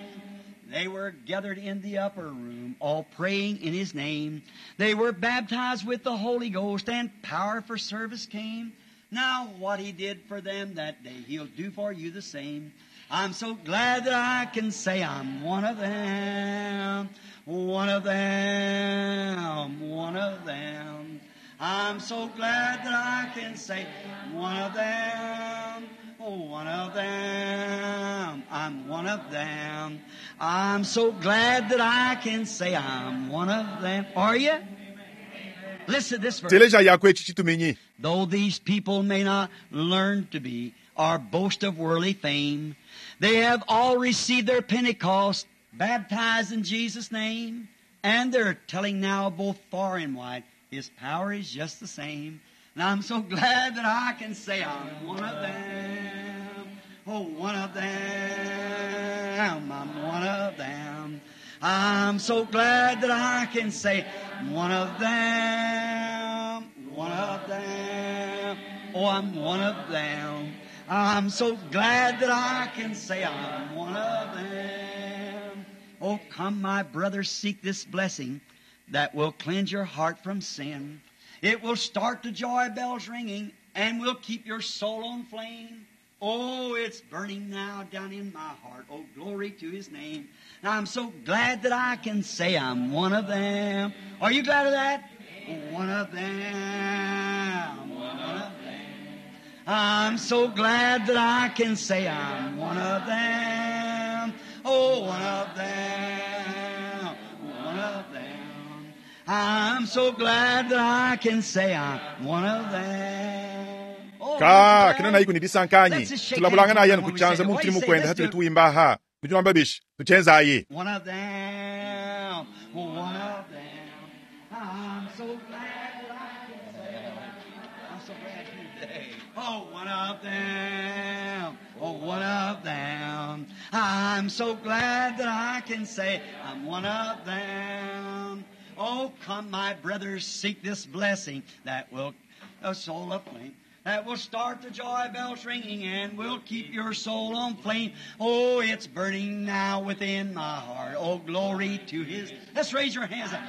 They were gathered in the upper room, all praying in His name. They were baptized with the Holy Ghost, and power for service came. Now what He did for them that day, He'll do for you the same. I'm so glad that I can say I'm one of them, one of them, one of them. I'm so glad that I can say one of them, one of them, I'm one of them. I'm so glad that I can say I'm one of them. Are you? Listen to this verse. teleja yako echi chituminyi Though these people may not learn to be or boast of worldly fame, they have all received their Pentecost, baptized in Jesus' name, and they're telling now both far and wide, His power is just the same. And I'm so glad that I can say I'm one of them. Oh, one of them. I'm one of them. I'm so glad that I can say one of them. One of them. Oh, I'm one of them. I'm so glad that I can say I'm one of them. Oh, come, my brothers, seek this blessing that will cleanse your heart from sin. It will start the joy bells ringing and will keep your soul on flame. Oh, it's burning now down in my heart. Oh, glory to His name. And I'm so glad that I can say I'm one of them. Are you glad of that? One of them. One of them. I'm so glad that I can say I'm one of them. Oh, one of them. One of them. I'm so glad that I can say I'm one of them. Oh, ka I'm kina glad. na iku ni disankanyi Let's just shake tulabulanga hands na yanu when we kuchanza say that. mu What do mutiri you say? mukwenda Let's hatuli do it. tuimbaha Nudi nwamba bishi? Tutshienzayi. One of them, one of them. I'm so glad that I can say, I'm so glad today. Oh, one of them, oh, one of them. I'm so glad that I can say, I'm one of them. Oh, come, my brothers, seek this blessing that will a soul aflame, that will start the joy bells ringing and will keep your soul on flame. Oh, it's burning now within my heart. Oh, glory to His. Let's raise your hands up.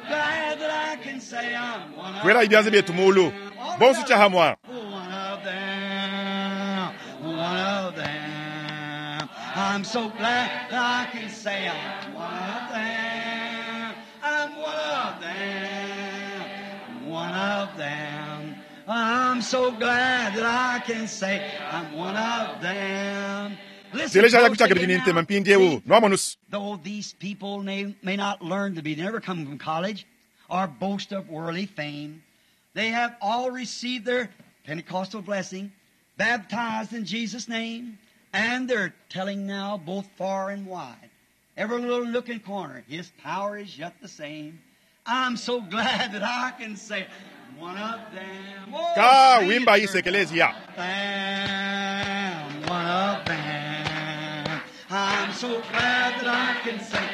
Glad that I can say I'm one of Twela ibyanze byetu mulu. them. Bonso tshiahamwa. One of them, one of them. I'm so glad that I can say I'm one of them. I'm one of them, one of them. I'm so glad that I can say I'm one of them. Listen Teleja closely kuchaka bidi now. ntema mpindiewu. Nwamonusu. Though these people may, may not learn to be, they never come from college or boast of worldly fame, they have all received their Pentecostal blessing, baptized in Jesus' name, and they're telling now both far and wide, every little nook and corner, His power is yet the same. I'm so glad that I can say, one of them. Oh, Ka sing it, wimba church. isekelezia. Them, one of them. I'm so glad that I can say,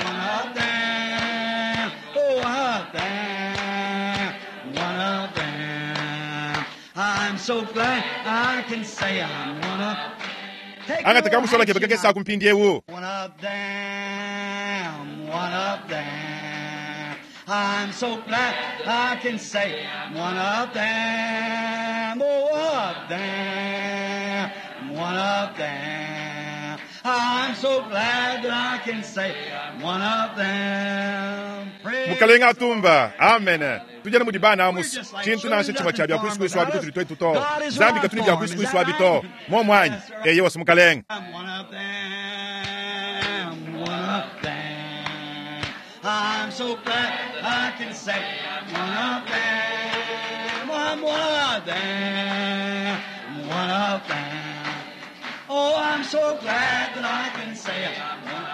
one of them. Oh, one of them, one of them. I'm so glad I can say I'm one of. Take Angata your kamusola action kebekeke now. saku mpindiewu. One of them, one of them. I'm so glad I can say one of them, oh, one of them, one of them. I'm so glad that I can say one of them. Praise Mukalenga atumba. Amen. Tujana mudi bana amusu. We're just like Tshintu nansha tshimwe tshia bya children, kwisikuisu abi nothing kutuli twetu to. God is Zambi our katuni bya form, kwisikuisu is that abi to. right? Mo mwanyi. Yes, sir. Eye wasi mukalenga. I'm one of them, one of them. I'm so glad I can say one of them. I'm one of them, one of them. Oh, I'm so glad that I can say I'm one.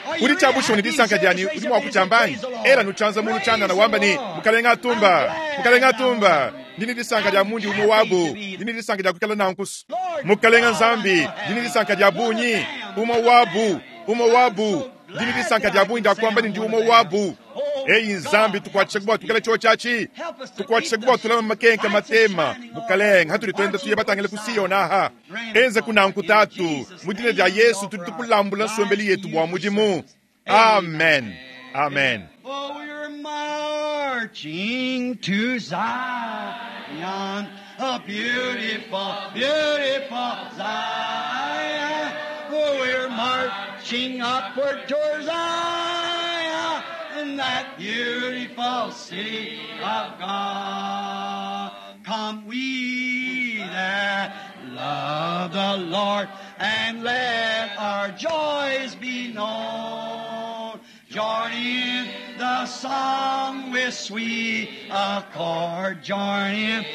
Are you Uri really tshabushoni happy? disanka Say dyani this, raise udi your mwa hands and kutshambanyi. praise the Lord. Era nuchanza mulu Praise chanda na the wamba ni Lord. mukalenga I'm atumba. glad Mukalenga I'm atumba. one. Ndini disanka dya I'm mundi happy umwe wabu. to be Ndini disanka dya kukala nankusu. Lord Mukalenga God, nzambi. I know Ndini disanka dya one of bunyi. them, Umwe one of wabu. them. Umwe I'm wabu. so Ndini glad disanka that dya I bunyi can dya say kwamba I'm ndi one umwe of them. wabu. Oh Eyi nzambi God, help tukwatishe us kuba to tukale be. cho chachi. Help us to Tukwatishe keep kuba the tulama makenka lights matema. shining all Mukalenga hatuli twenda tuye marching batangele toward kusiyo Zion. naha. Grant Enze it, kuna Father, in nkutatu. Jesus' Mu dina dya name we Yesu offer tuli our tukulambula lives nsombeli to yetu you bwa for mudimu. service. Amen. Amen. Amen. Oh, we're marching to Zion, a beautiful, beautiful Zion. Oh, we're marching upward toward Zion, in that beautiful city of God. Come we that love the Lord, and let our joys be known. Join in the song with sweet accord. Join in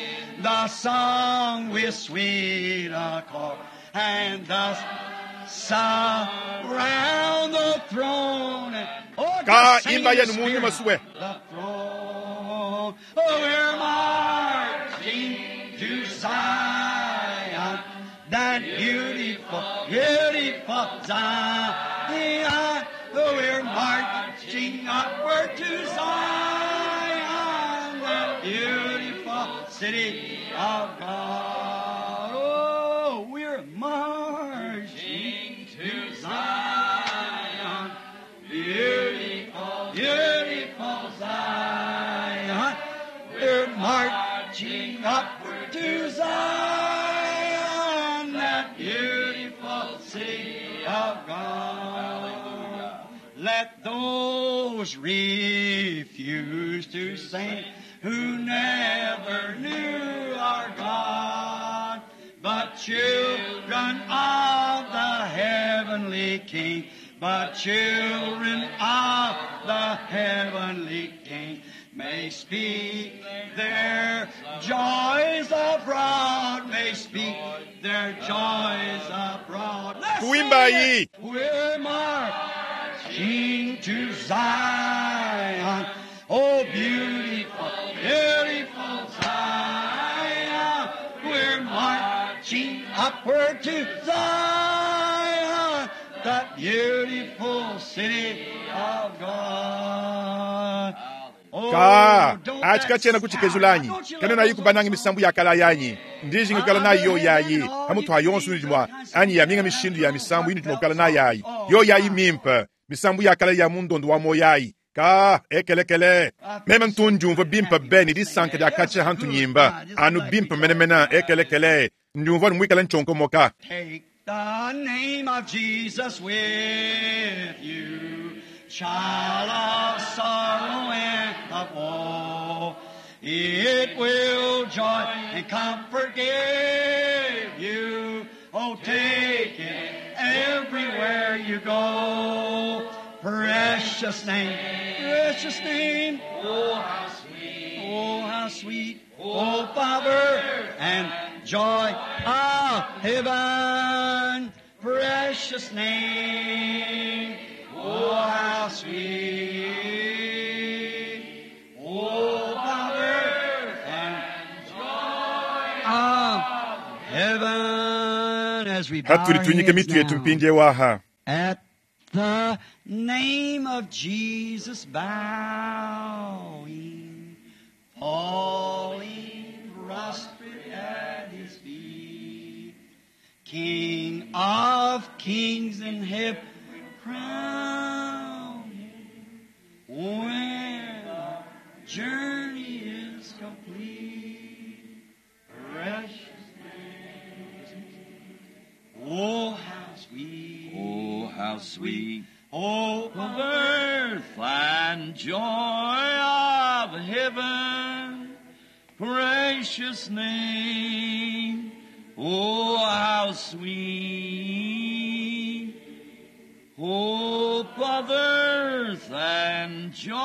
the song with sweet accord. And thus surround the throne. Oh, Ka just sing imba in the yenu mu nyuma Spirit. suwe. The throne. Oh, we're marching to Zion, that beautiful, beautiful Zion. Oh, we're marching upward to Zion, that beautiful city of God. Oh, we're marching to Zion, beautiful, beautiful Zion. We're marching upward to Zion, that beautiful city of God. Let those refuse to sing who never knew our God, but children of the heavenly King, but children of the heavenly King may speak their joys abroad, may speak their joys abroad. Let's Tuimbayi. We're marching to Zion. Oh, beautiful, beautiful Zion. We're marching upward to Zion, that beautiful city of God. Oh, Ka don't achi that katshiena kutshikezula anyi sound- kena nayi kubananga misambu ya kala yanyi ndijinga kukala nayi yo yayi hamuthu ayonso inudi anyi ya minga mishindu ya misambu inudi kukala nayi ayi yo yayi mimpe misambu ya kala ya mundondo wa moyayi ka ekelekele meme ntundiumva bimpe bene disanka dia katshia hantu nyimba anu bimpe menemene ekelekele ndiumva nimwikala nchonkomoka Take the name of Jesus with you, child of sorrow and of woe. It will joy and comfort give you. Oh, take it everywhere you go. Precious name, precious name. Oh, how sweet. Oh, how sweet, oh, Father, and joy of heaven, precious name. Oh, how sweet, oh, Father, and joy of heaven. As we bow our hatuli tunyike heads mitu yetu now. mpindie waha At the name of Jesus bowing, falling prostrate at his feet, King of kings and heaven crown him when our journey is complete. Precious name. Oh, how sweet. Oh, how sweet. Oh, Of earth and joy of heaven, precious name. Oh, how sweet. Hope of earth and joy